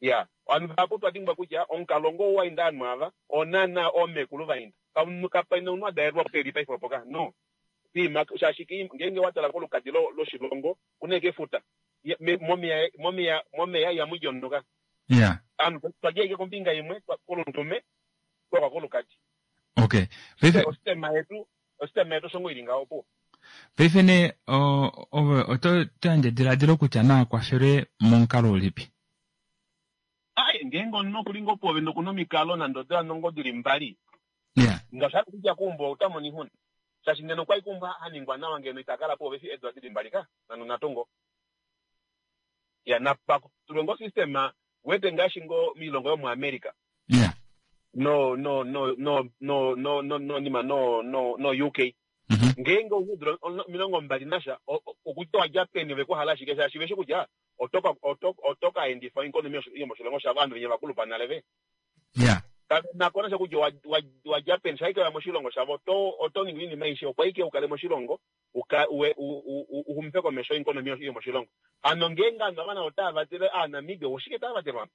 Speaker 12: Ya. Ovanhu vahapu otwa dimbwa kutya omukalo ngoo wainda ovanhu ava oo naana oomekulu vainda. Kapena omunhu a dalelwa peli paife opo ka. No. Kiima shaashi ngeenge wa tala kolukadi loshilongo kuna ashike efuta. Momeya momeya momeya ihamu di omunhu ka. Ovanhu twadja ashike kombinga imwe kolundume twakwa kolukadi.
Speaker 1: Okay. Paife
Speaker 12: osistema yetu osistema yetu osho ngoo ili ngaho opuwo.
Speaker 1: Paife nee ove oto yandje ediladilo kutya naa kwafelwe momukalo ulipi?
Speaker 12: Ai, ngeenge omunhu okuli ngoo puove nokuna omikalo nande odula ngoo dili mbali, nga osha hala kutya keumbo ota mono oixuna. Shaashi ngeno okwali keumbo ha ningwa nawa ngeno ita kala puove eshi eedula dili mbali ka, nande natango. Ya, napa tulwe ngoo system, wete ngaashi ngoo moilongo yomuAmerica. No, no, no, no, no, no, no, no, nima, no, no, no UK. Ngeenge ouna eedula 20 nasha, okutya owa dja peni ove ku hala ashike shaashi veshi kutya oto ka endifa oikonomi yomoshilongo shavo ovanhu venya vakulupa nale ve. Kave na ko nasha kutya owa dja peni, shaashi wa moshilongo shavo oto ningi oinima aishe opo ashike u kale moshilongo u xumife komesho oikonomi yomoshilongo. Hano ngeenge ovanhu ava navo otava vatele Aanamibia, oshike tava vatelwa?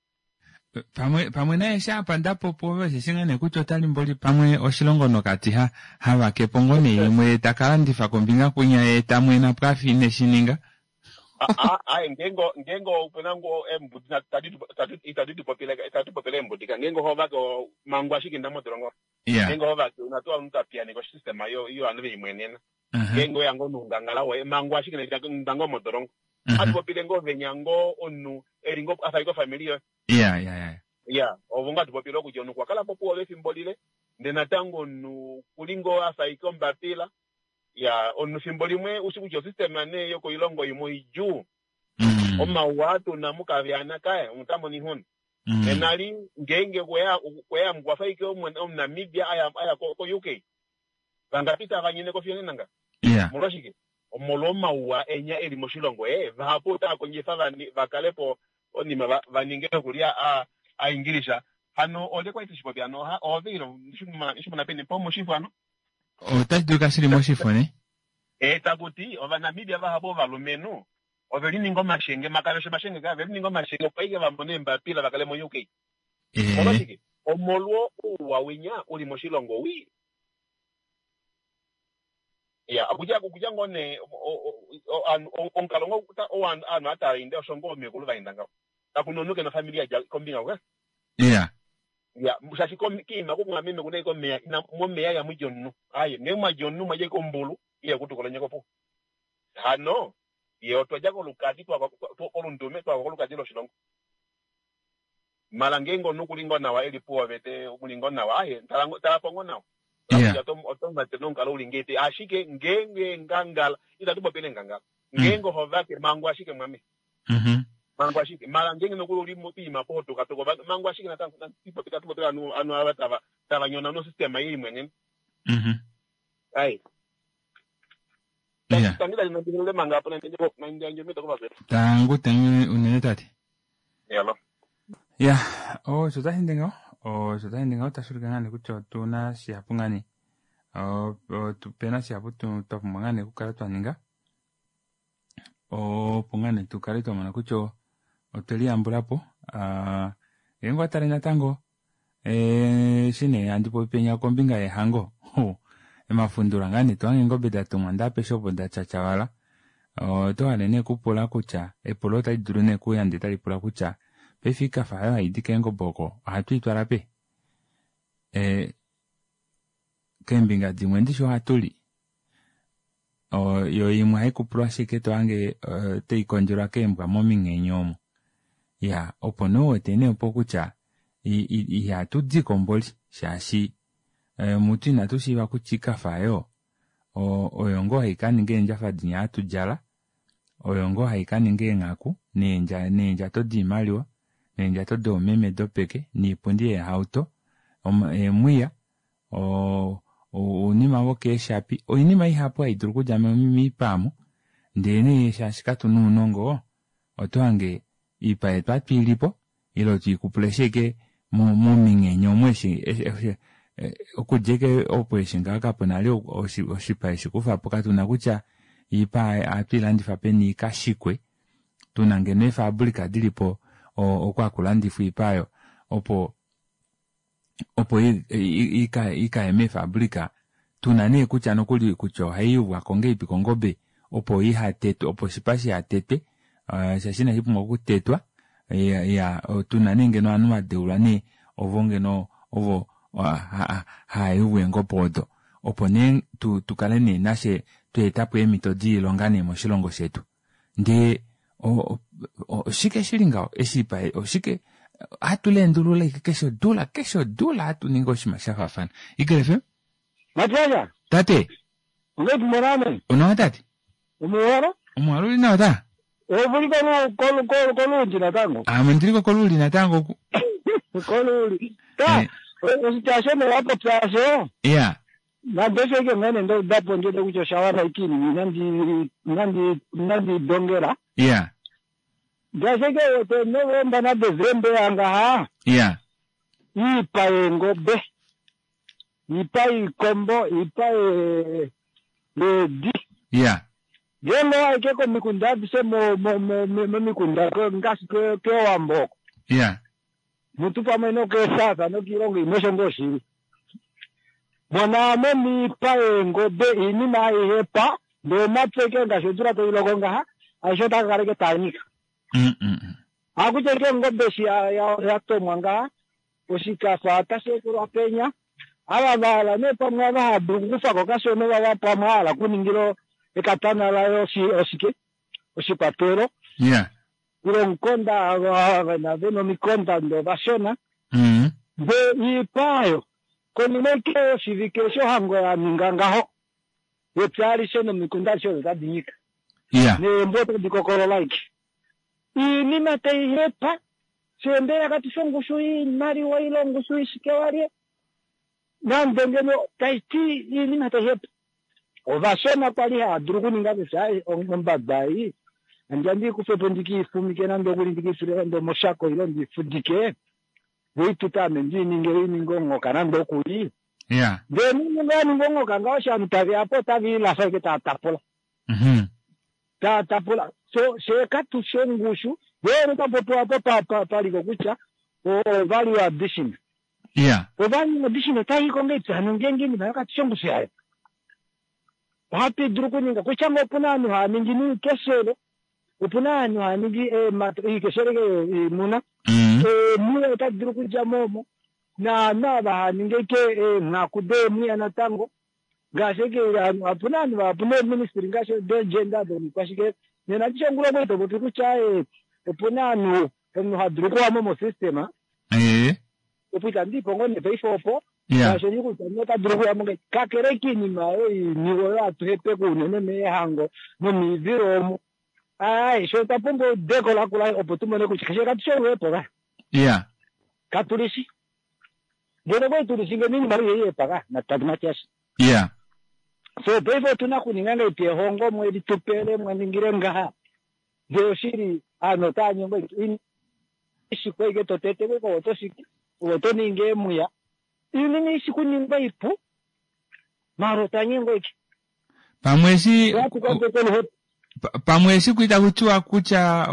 Speaker 1: Pamwe, pamwe naye eshi apa nda popi ove osheshi ngaa nee kutya ota limboli pamwe oshilongo nokati ha, ha vake po ngoo nee imwe ye ta ka landifa kombinga kwinya ye ta mwena po afa ine shi ninga.
Speaker 12: Aye, ngeenge, ngeenge ope na ngoo eembudi itadi tu popile, itadi tu popile eembudi ka. Ngeenge oho vake mangu ashike inda modolongo. Ngeenge oho vake una tuu omunhu ta piyaneke osystem yo, yo ovanhu ve imwenena. Ngeenge oya ngoo noungangala woye, mangu ashike inda ngoo modolongo. Hatu popile ngoo venya ngoo omunhu eli ngoo afa ashike ofamili yoye.
Speaker 1: Ya, ya, ya.
Speaker 12: Ya, ovo ngoo hatu popile kutya omunhu okwa kala po puove efimbo lile, ndele natango omunhu kuli ngoo afa ashike ombapila. Ya, omunhu fimbo limwe ushi kutya osystem nee yokoilongo imwe oidjuu. Omauwa aa tuna mukavyana kaye, omunhu ota mono oixuna. Nena li ngeenge okweya okwa fa ashike Omunamibia aya ko UK. Vangapi tava nyene ko fiyo nena nga? Omolwashike? Omolwomauwa enya eli moshilongo. Ee, vahapu otava kondjifa va kale po onima va ninge nokuli a Engilisha. Hano olye kwali teshi popi hano? Oove ile eshi mona peni po moshifo hano?
Speaker 1: Otashi dulika shili moshifo ne?
Speaker 12: Ee, taku ti Ovanamibia vahapu ovalumenhu ove lininga omashenge, makaveshe omashenge ka, ove lininga omashenge opo aike va mone eembapila va kale mo UK. Omolwashike? Omolwo ouwa winya uli moshilongo wii. Ya, okudja okudja ngoo nee omukalo ngoo ovanhu ava inde osho ngoo oomekulu va enda ngaho. Kaku na omunhu ke na ofamili ya dja kombinga hoka.
Speaker 1: Ya.
Speaker 12: Ya, shaashi kiima kumwameme kuna ashike omeya, ina momeya ihamu di omunhu. Aaye, ngee mwa dja omunhu mwa dja ashike ombulu ile kutukula onyeka opuwo. Hano, ye otwa dja kolukadi twakwa kolundume twakwa kolukadi loshilongo. Mala ngeenge omunhu okuli ngoo nawa eli puove te muli ngoo nawa, aaye, tala po ngoo nawa. Kutya oto mate nomukalo uli ngei ashike ngeenge ngangala itatu popile ngangala. Ngeenge oho vake mangu ashike mwame. Mangu ashike. Mala ngeenge nokuli uli mopiima po ho tukatuka ovanhu mangu ashike natango itatu popile ovanhu ava tava nyona nosystema ei imwenene. Ai.
Speaker 1: Ya.
Speaker 12: Tangi tali nandilele manga apo nandiyandje omhito kovakwetu.
Speaker 1: Tangu tangu unene tate.
Speaker 12: Yalo.
Speaker 1: Ya, osho tashi ende ngaho, osho tashi ende ngaho tashi ulike ngaa nee kutya otu na shihapu ngaa nee. Ope na shihapu twa pumbwa ngaa nee okukala twa ninga opo ngaa nee tu kale twa mona kutya otwe liyambula po. Ngeenge owa tale natango eshi nee handi popi penya kombinga yehango, emafundula ngaa nee to hange eengobe da tumwa ndee apeshe opo da tyatyawala. Oto hale nee okupula kutya, epulo otali dulu nee okuuya ndee tali pula kutya paife oikafa oyo hai di keengobe oko ohatu i twala pe? Keembinga dimwe ndishi ohatu li, yo imwe ohai kupulwa ashike to hange tai kondjelwa keembwa mominghenyo omo. Ya, opo nee u wete nee opo kutya ihatu di ko mboli shaashi mutu inatu shiiva kutya oikafa oyo oyo ngoo hai ka ninga eendjafa dinya hatu djala, oyo ngoo hai ka ninga eenghaku neendjato doimaliwa neendjato doomeme dopeke noipundi yeehauto, eemwiya, ounima vokeeshapi, oinima ihapu hai dulu okudja moipa omo, ndele nee shaashi katu na ounongo, oto hange oipa yetu ohatu i li po ile otwe i kupula ashike mominghenyo omo eshi okudja ashike opo eshi ngaho kapu na vali oshipa eshi kufa po katu na kutya oipa ohatu i landifa peni i ka shikwe tuna ngeno eefaabulika di li po oko haku landifwa oipa oyo opo opo i ka ye meefaabulika tuna nee kutya nokuli kutya ohai yuvwa ko ngahelipi kongobe opo iha tetwe opo oshipa shiha tetwe shaashi inashi pumbwa okutetwa ya tuna nee ngeno ovanhu va deulwa nee ovo ngeno ovo hava yuvu eengobe odo opo nee tukale nee nashe twa etapo eemhito doilonga nee moshilongo shetu ndee oshike shili ngaho eshi oshike hatu leendulula ike keshe odula keshe odula hatu ningi oshinima sha faafana. Eagle FM?
Speaker 13: Matiasha.
Speaker 1: Tate.
Speaker 13: Ongeipi morame?
Speaker 1: Onawa tate.
Speaker 13: Omuwalo?
Speaker 1: Omuwalo uli nawa ta?
Speaker 13: Ovuli kolundi natango?
Speaker 1: Ame ndili ko koluuli natango oku.
Speaker 13: Koluuli. Ta, oshitya asho ne wapopya asho.
Speaker 1: Ya.
Speaker 13: Nande osho ike ngene ndo udapo ndiwete kutya osha wana ike inima inandi inandi inandi dongela.
Speaker 1: Ya.
Speaker 13: Ngaashi ike wete Novemba naDesemba yangaha.
Speaker 1: Ya.
Speaker 13: Iipa yeengobe, iipa yiikombo, iipa yeedi.
Speaker 1: Ya.
Speaker 13: Ngeenge owa ike komikunda adishe momikunda ngaashi kEwambo oko.
Speaker 1: Ya.
Speaker 13: Mutu pamwe nokeeSouth nokiilongo imwe osho ngoo shili. Mona mo miipa yeengobe iinima aihe pa, ndee omapya ike ngaashi odula tai loko ngaha, aishe otaa ka kala ike taa nyika. Hakutya ike ongobe eshi ya tomwa ngaha, oshikafa otashi ekelwa penya. Ava va hala nee pamwe ava hava dulu okukufa ko kashona ovava pamwe a hala okuningila ekatana laye oshike, oshikwatelo. Ile omukonda, ava ve na omikonda ndee ovashona. Ndee iipa oyo, konima ike yoshivike eshi ohango ya ninga ngaho, epya alishe nomikunda adishe odo otadi nyika. Neembwa otadi kokolola ike. Iinima tai hepa, fyee mbela katu fi ongushu yoimaliwa ile ongushu ishike walye? Nande ngeno tai ti iinima tai hepa. Ovashona kwali hava dulu okuninga kutya ombada ei handi ya ndi i kufe po ndi ke i fumike nande okuli ndi ke i tule nande omoshako ile ndi i fudike, vo i tute ame ndi i ninge i ninge onghoka nande okuli. Ndele nande ya ninga onghoka ngaho eshi ovanhu tave ya po otave i lafa ashike tava tapula. Tava tapula. So fyee katu shi ongushu. Voo ota popiwa apa paliko kutya o value addition. O value addition otai i ko ngahelipi hano ngeenge oinima oyo katu shi ongushu yayo? Ohatu dulu okuninga kutya ngoo opu na ovanhu hava ningi noikeshele, opu na ovanhu hava ningi eemato, oikeshele yoimuna, eemwiya otadi dulu okudja mo omo, naanhu ava hava ningi ashike eenghaku deemwiya natango, ngaashi ashike opu na ovanhu vahapu neeministry ngaashi dogender doikwashike. Nena ndishi ongula okwali to popi kutya opu na ovanhu omunhu ha dulu okuwa mo mosystem, opo itandi ipo ngoo nee paife opo shaashi ondi kutya omunhu ota dulu okuya mo ngahelipi kakele kiinima oyo iniwe oyo hatu hepeke unene meehango nomiivilo omo. Aai, sho otwa pumbwa eudeko lakula opo tu mone kutya keshe katu shi oluhepo ka. Katu li shi. Ngeno okwali tu li shi ngeno oinima oyo ihai hepa ka, Matias. So paife otuna okuninga ngahelipi ehongo mwe li tupele mwa ningile ngaha ndee oshili ovanhu otava nyengwa ishikwa ashike totete ove otoshiki ove oto ningi eemwiya iinima ishi kuningwa ipu maala otwa nyengwa ashike.
Speaker 1: Pamwe eshi pamwe eshi kui taku tiwa kutya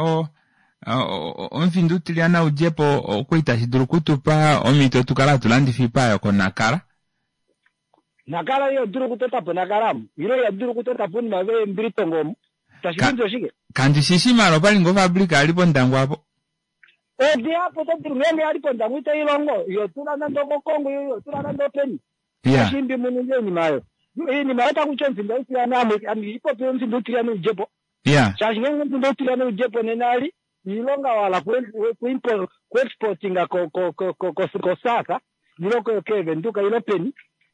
Speaker 1: omufinda utilyana u dje po okwa itashi dulu okutupa omhito tu kale hatu landifa oipa yokonakala.
Speaker 13: Nakala iha dulu okutota po Nakala amu, ile iha dulu okutota po oinima veembilitongo omu. Tashi
Speaker 1: Ka,
Speaker 13: ningi oshike?
Speaker 1: kandi shi shi mara opali ngoo ofabrika yali pOndangwa apo.
Speaker 13: Odihapu oto dulu ngeenge yali pOndangwa itai longo, iho tula nande okoKongo ile iho tula nande openi.
Speaker 1: Ya.
Speaker 13: Tashi imbi mu ninge oinima oyo. Oinima oyo taku ti omufinda utilyana ame, ame ipopi omufinda utilyana u dje po.
Speaker 1: Ya.
Speaker 13: Shaashi ngeenge omufinda utilyana u dje po nena ali iilonga wa hala ku exportinga ko ko ko ko ko South ilo keevenduka ilo peni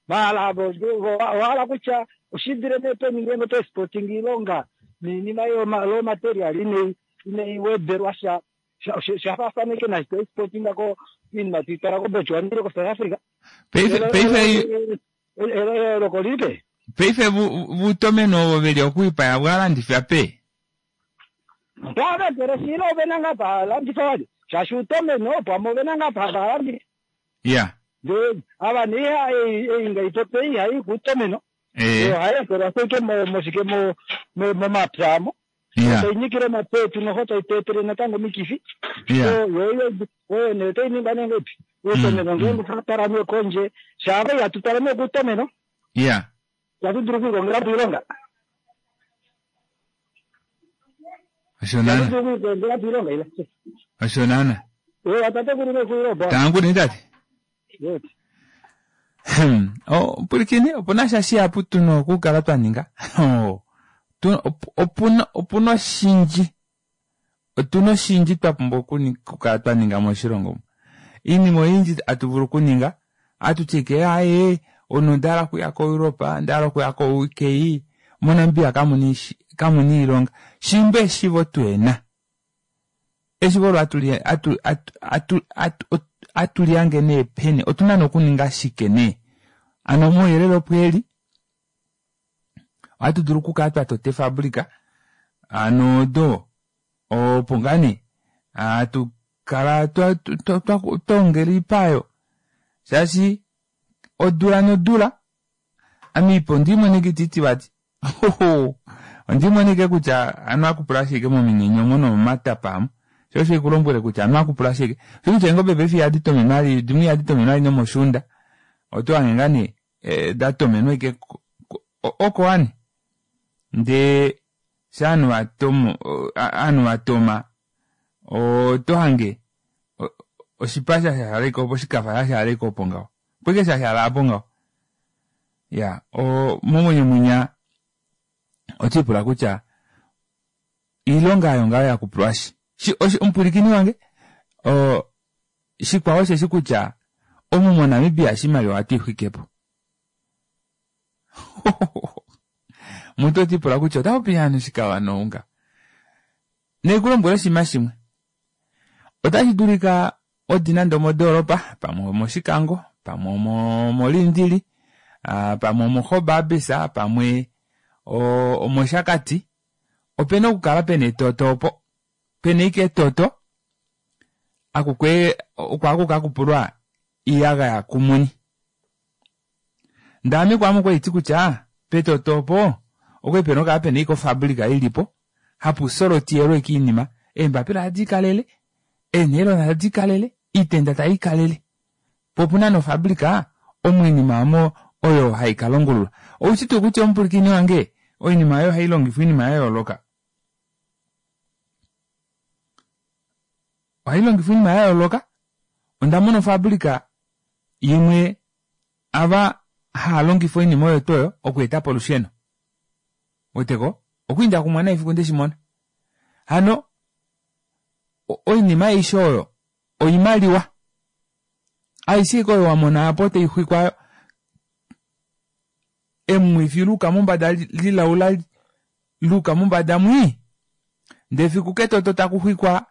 Speaker 13: maala owa hala kutya oshidile nee peni ngeenge oto exporting iilonga niinima yo raw material inai inai wedelwa sha sha faafana ike naashi to exportinga ko iinima tui twala ko Botswana ile ko South Africa.
Speaker 1: Paife paife
Speaker 13: eyooloko lili peni?
Speaker 1: Paife vutomeno ovo veli okuipaya vwalandifwa pe?
Speaker 13: Mpaka ndele ove na ngaa pa landifa vali shaashi uutomeno pamwe ove na ngaa pa hava landifa.
Speaker 1: Ya.
Speaker 13: Ndee ava nee iha ei ei nga ipopi ei ihai kuutomeno.
Speaker 1: Ee.
Speaker 13: Yo ohai ekelwa ashike mo moshike mo mo momapya amo.
Speaker 1: Ya.
Speaker 13: Tai nyikile omapya etu noho tai tu etele natango omikifi.
Speaker 1: Ya.
Speaker 13: So yo yo oyo nee otai ningwa nee ngahelipi? Uutomeno ngeenge otwa twala nee kondje shaava ihatu twala nee kuutomeno.
Speaker 1: Ya.
Speaker 13: Itatu dulu okwiikongela po oilonga.
Speaker 1: Osho naana.
Speaker 13: Itatu dulu okwiikongela po oilonga ila.
Speaker 1: Osho naana.
Speaker 13: Ewa tatekulu nekuilo ba.
Speaker 1: Tangu nee tate.
Speaker 13: Yes.
Speaker 1: Oh, pwilikine, opu na sha shihapu tu na okukala twa ninga. Oh, tu, opu na, opu na oshindji. Otu na oshindji twa pumbwa okukala twa ninga moshilongo omu. Iinima oyindji atu vulu okuninga, atu ti ike aye, omunhu onda hala okuya koEurope, onda hala okuya koUK, moNamibia kamu na kamu na iilonga. Shimba eshivo tu ena. Eshivo olo atu li atu atu atu atu atu li hange nee peni, otu na nee okuninga shike nee? Ano omauyelele opo eli. Ohatu dulu okukala twa tota efabrika ano odo opo ngaa nee hatu kala twa twa twa ongela oipa oyo shaashi odula nodula ame ipa ondi imonike ititi vati ondi imonike kutya anu akupula ashike mominyenye omo nomomatapa amo sho osho ikulombwele kutya anu akupula ashike osho kutya eengobe paife ihadi tomenwa vali dimwe ihadi tomenwa vali nomoshuunda oto hange ngaa nee Eh, da tomenwa ike oko wani ndee sha ovanhu va tomo ovanhu va toma oto hange oshipa sha shashala ike opo oshikafa sha shashala ike opo ngaho opo ike shashala apo ngaho ya o momwenyo mwinya oto ipula kutya iilonga oyo ngaho ya kupulwashi shi omupwilikini wange o Shikwao osheshi kutya omu moNamibia oshimaliwa ohatu i xwike po. Omuntu oti ipula kutya ota popi hano shika wanounga. Ne ku lombwele oshinima shimwe. Otashi dulika odi nande omodoolopa, pamwe omOshikango, pamwe omoLindili, pamwe omoGobabis, pamwe omOshakati. Opena okukala pena etoto opo. Pena ike etoto akukwe oko aku ka kupulwa iiyagaya kumuni. Ndee ame kwaame okwali ti kutya petoto opo okwali pena okukala pena ike ofabrika ilipo hapu solotiyelwa ike iinima, eembapila tadi ikalele, eenailona tadi ikalele, iitenda tai ikalele. Po opuna nofabrika omo oinima omo oyo hai ka longululwa. Oushi tuu kutya omupwilikini wange oinima oyo ohai longifwa oinima ya yooloka? Ohai longifwa oinima ya yooloka. Onda mona ofabrika imwe ava hava longifa oinima oyo tuu oyo okweeta po olusheno. Weteko? Okwiinda kumwe nai fiku ndeshi mona. Hano oinima aishe oyo oimaliwa. Aishe ike oyo wa mona apo tai xwikwa emwifi luuka mombada lilaula luuka mombada mwii ndee fiku ketoto taku xwikwa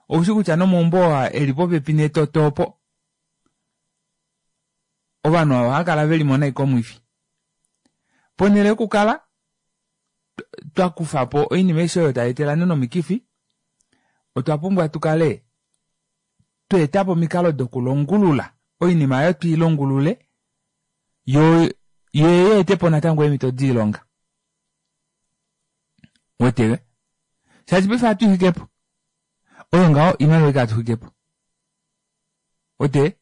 Speaker 1: oushi kutya nomaumbo oo eli popepi netoto opo ovanhu ava ohava kala ve li mo nai komwifi. Ponhele yokukala twa kufa po oinima aishe oyo tai etele ovanhu nomikifi, otwa pumbwa tu kale twa eta po omikalo dokulongulula oinima oyo twi longulule yo yo yeete po natango eemhito doilonga. Wetele? Shaashi paife ohatu i xwike po. Oyo ngaho oimaliwa ike hatu xwike po. Wete?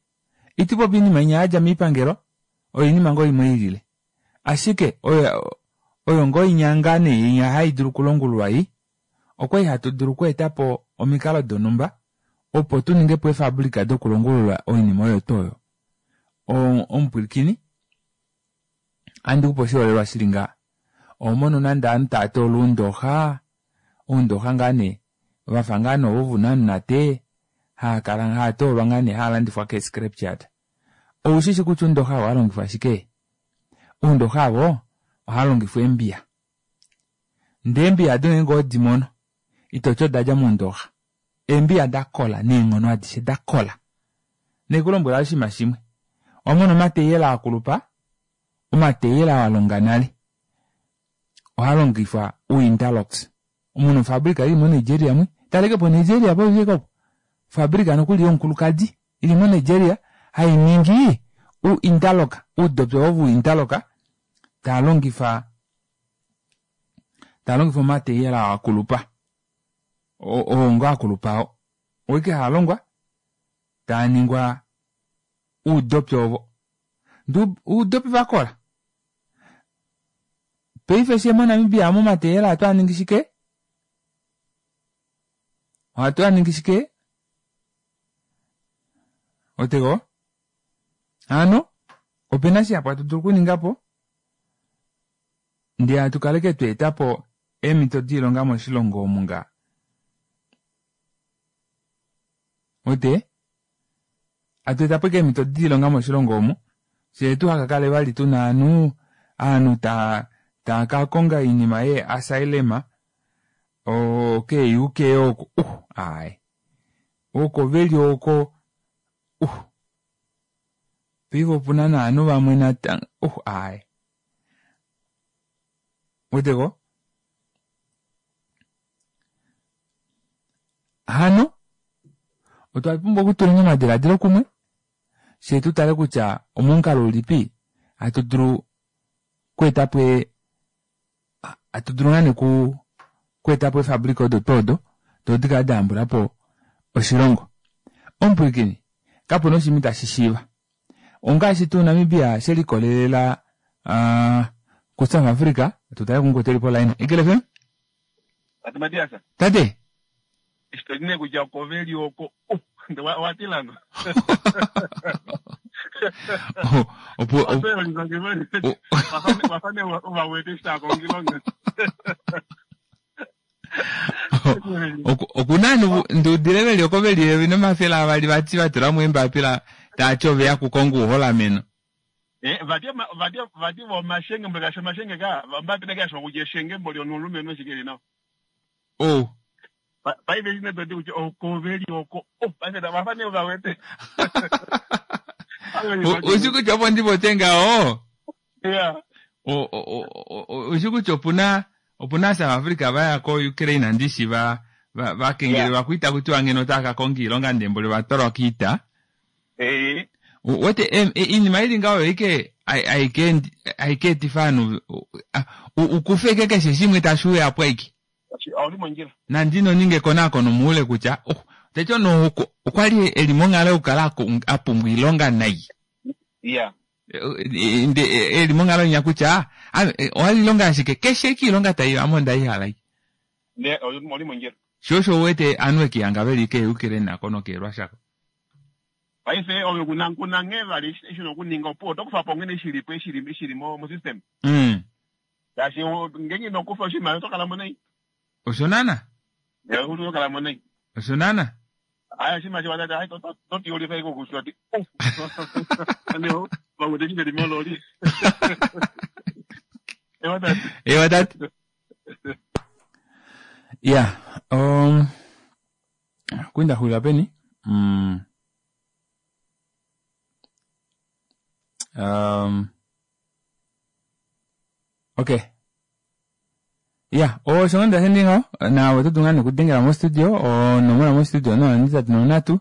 Speaker 1: Iti popi oinima inya ya dja moipangelo, oyo oinima ngoo imwe ilile. Ashike oyo oyo ngoo inya ngaa nee inya hai dulu okulongululwa ei, okwali hatu dulu okweeta po omikalo donhumba opo tu ninge po eefaabulika dokulongulula oinima oyo tuu oyo. Omupwilikini, ohandi ku pe oshiholelwa shi li ngaha. Oho mono nande ovanhu tava toola oundooxa, oundooxa ngaa nee va fa ngaa nee ovo vounamunate, haa kala haa toolwa ngaa nee haa landifwa keescrapyard. Ou shi shi kutya oundooxa ovo ohava longifwa shike? Oundooxa ovo ohava longifwa eembiya. Ndee eembiya ado ngeenge owedi mono, ito ti oda dja moundooxa. Eembiya da kola neenghono adishe, da kola. Ne ku lombwela oshinima shimwe. Owa mona omateyela a kulupa, omateyela wa longa nale, ohaa longifwa uinterlocks. Omu na ofabrika ili moNigeria mwi. Taleke po Nigeria po vike opo. Ofabrika nokuli yomukulukadi ili moNigeria hai ningi uinterlock, uudopi ovo vuinterlock taa longifa taa longifa omateyela a kulupa. Oo ngo a kulupa oo. Oike haa longwa taa ningwa uudopi ovo. Ndee uudopi va kola. Paife fye moNamibia momateyela ohatu a ningi shike? Ohatu a ningi shike? Otego? Hano, opena shihapu hatu dulu okuninga po ndee hatu kaleke twa eta po eemhito doilonga moshilongo omu nga. Ote? Hatu eta po ashike eemhito doilonga moshilongo omu, fyee tuha ka kale vali tuna ovanhu, ovanhu taa taa ka konga oinima yee asylum kee UK oko, uh aaye. Oko veli oko, uh. Paife opuna novanhu vamwe natango, uh aaye. Weteko? Hano, otwa pumbwa okutula omadiladilo kumwe, fye tu tale kutya omomukalo ulipi hatu dulu okweeta po hatu dulu ngaa nee okweeta po eefabrika odo tuu odo, doo di kale da yambula po oshilongo. Omupwilikini, kapu na oshinima itashi shiiva. Ongaashi tuu Namibia she likolelela kuSouth Africa, tu tale kumukwetu eli poline. Eagle FM?
Speaker 12: Tate Matias.
Speaker 1: Tate.
Speaker 12: Eshi to li nee kutya oko ve li oko, uh, wa tila no.
Speaker 1: Opo
Speaker 12: Wafa nee uva wete eshi tava kongo oilonga.
Speaker 1: Oku na ovanhu ndi udile ve li oko ve li eyovi nomafele avali vati va tula mo eembapila tava ti ove ya kukonga ouholameno.
Speaker 12: Eh, vati vati vati vo omashenge mboli kashi omashenge ka ombapila ke yashangwa kutya eshenge mboli omulumenhu eshi ke li nawa.
Speaker 1: Oh.
Speaker 12: Paife eshi nee toti kutya oko ve li oko. Oh, paife tava fa nee va wete.
Speaker 1: Ushi kutya opo ndi popye ngaho?
Speaker 12: Yeah.
Speaker 1: Ushi kutya opuna opuna South Africa va ya ko Ukraine ndishi va va va kengelelwa kuita kutiwa ngeno otava ka konga iilonga ndee mboli ova twalwa kiita.
Speaker 12: Eh.
Speaker 1: Wete iinima ili ngaho oyo ike hai ka etifa ovanhu u kufe ike keshe shimwe tashi uya po aike.
Speaker 12: Ouli mondjila.
Speaker 1: Nande ino ninga ekonakono moule kutya oh, teti omunhu okwa li e li monghalo yokukala a pumbwa oilonga nai.
Speaker 12: Yeah.
Speaker 1: Nde e li monghalo inya kutya owa li ilonga ashike keshe ike ilonga tai ame onda i hala.
Speaker 12: Ne oli mondjila.
Speaker 1: Sho osho u wete ovanhu ve kihanga ve li keeUkraine nako nokeeRussia ko.
Speaker 12: Paife ove kuna kuna nghee vali eshi una okuninga opo oto kufa po nghene shili po eshi shili mo mo system. Shaashi ngeenge ino kufa oshimaliwa oto kala mo nai.
Speaker 1: Osho naana.
Speaker 12: Eh, oto kala mo nai.
Speaker 1: Osho naana.
Speaker 12: Aya oshinima shi watati ai to to tiyolifa iko kushoti. Aneo vamwe teshi veli mololi. Ewa tati.
Speaker 1: Ewa tati. Ya, um, kwinda xulila peni? Mm. Um, Okay. Ya, osho ngoo ndashe ndi ngaho, naave oto dulu ngaa nee okudengela mostudio, onomola mostudio 083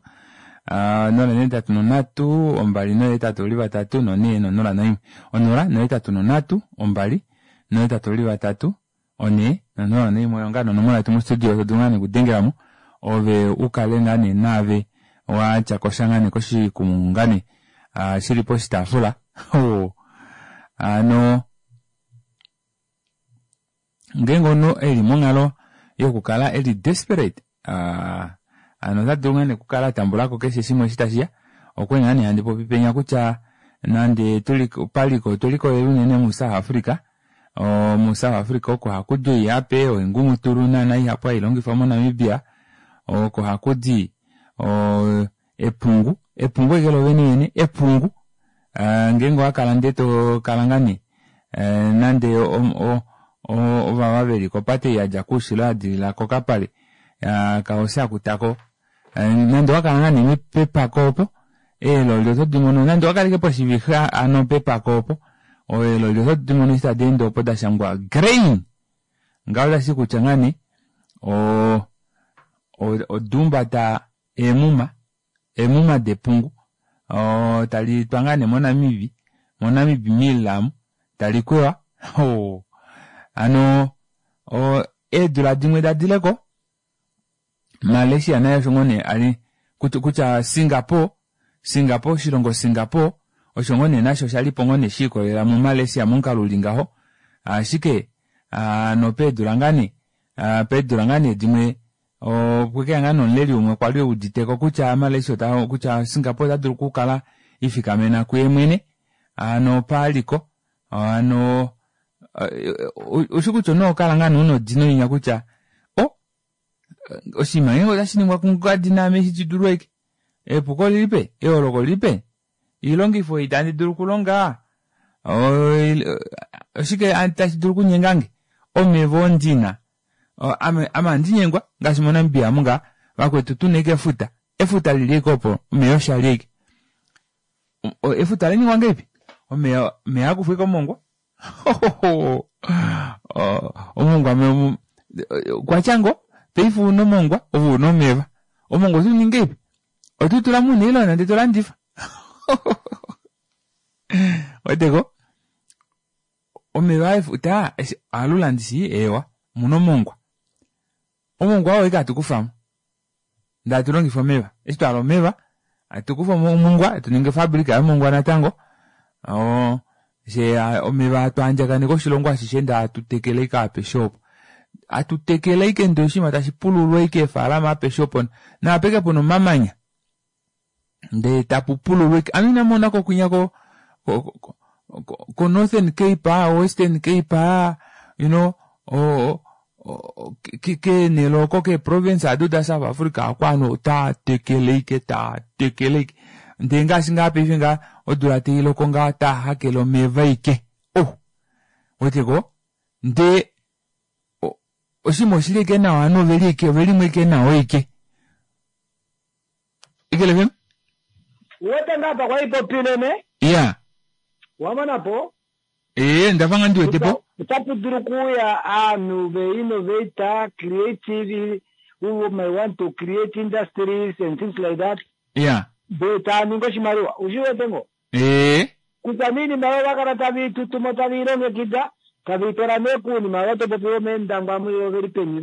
Speaker 1: 083 283 4 0 1. 083 283 4 0 1 oyo ngaa nee onomola yetu mostudio to dulu ngaa nee okudengela mo ove u kale ngaa nee naave wa tya ko sha ngaa nee koshikumungu ngaa nee shi li poshitaafula. Hano ngeenge omunhu e li monghalo yokukala e li desperate hano ota dulu ngaa nee okukala a tambula ko keshe shimwe eshi tashi ya. Okwe ngaa nee handi popi penya kutya nande tuli paliko otwe likolelela unene muSouth Africa, muSouth Africa oko haku di oihape, oingumutulu naana ihapu hai longifwa moNamibia, oko haku di epungu, epungu ashike lo vene vene, epungu ngeenge owa kala ndee to kala ngaa nee nande ovava veli kopate ei yadja koushilo ya dilila kokapale kaHosea Kutako, nande owa kala ngaa nee pepako opo, eeloli oto di mono nande owa kaleke poshivixa ano pepako opo, eeloli oto di mono eshi tadi ende opo da shangwa grain, ngaho otashi ti kutya ngaa nee oda umbata eemuma, eemuma depungu tali twa ngaa nee moNamibi, moNamib Mill amu, tali kwewa, hano eedula dimwe da dile ko, Malaysia naye osho ngoo nee ali kutya Singapore, Singapore, oshilongo Singapore osho ngoo nee nasho osha lipo ngoo nee shi ikolelela muMalaysia momukalo uli ngaho, ashike nopeedula ngaa nee, peedula ngaa nee dimwe Opwe ke ya ngaa nee omuleli umwe kwa li e udite ko kutya Malaysia ota, kutya Singapore ota dulu okukala ifikamena kuye mwene, hano paliko, hano ushi kutya omunhu oho kala ngaa nee una odino inya kutya o, oshinima ngeenge otashi ningwa kungadi naame eshi shi dulu ashike. Epuko olili peni? Eyooloko olili peni? Oilongifo ei itandi dulu okulonga, oshike tashi dulu okunyengange? Omeva oo ndi na, ame ame ohandi nyengwa ngaashi moNamibia amu ngaa vakwetu tuna ashike efuta, efuta lili ashike opo omeya osho ali ashike. Efuta ola ningwa ngahelipi? Omeya omeya haakufwa ashike omongwa omongwa okwatya ngoo paife ouna omongwa ove una omeva omongwa oto ningi ngahelipi? Oto tula muunailona ndee to landifa weteko Omeva efuta ohalula ndishi eewa omuna omongwa. Omongwa oo ashike hatu kufamo ndee hatu longifa omeva. Eshi twahala omeva hatu kufa omongwa hatu ningi ofabrika yomongwa natango fyee omeva hatu andjakaneke oshilongo ashishe ndee hatu tekele ashike apeshe opo. Hatu tekele ashike ndee oshinima tashi pululwa ashike eefalama apeshe opo naapeke puna omamanya. ndee tapu pululwa ike ame ina mona ko kwinya ko ko ko ko Northern Cape ah, Western Cape ah, you know o keenhele oko keeprovince ado da South Africa oko ovanhu otaa tekele ike taa tekele ike ndee ngaashi ngaa paife ngaa odula tai loko ngaa taa hakele omeva ike oh weteko ndee oshinima oshili ike nawa ovanhu oveli ike ovelimwe ike nawa ike Eagle FM?
Speaker 13: Uwete ngaa apa kwali popile ne?
Speaker 1: Ya.
Speaker 13: Wa mona po?
Speaker 1: Ee, ndafa ngaa ndi wete po.
Speaker 13: Otapu dulu okuuya aanhu ve innovator, creative, who may want to create industries and things like that.
Speaker 1: Ya.
Speaker 13: Ndee taa ningi oshimaliwa. Ushi wete ngoo?
Speaker 1: Ee.
Speaker 13: Kutya nee iinima oyo ova kala tave i tutu mo, tave i longekida, tave i twala nee kuunima ovo to popi vomeendangwa amu ile oveli peni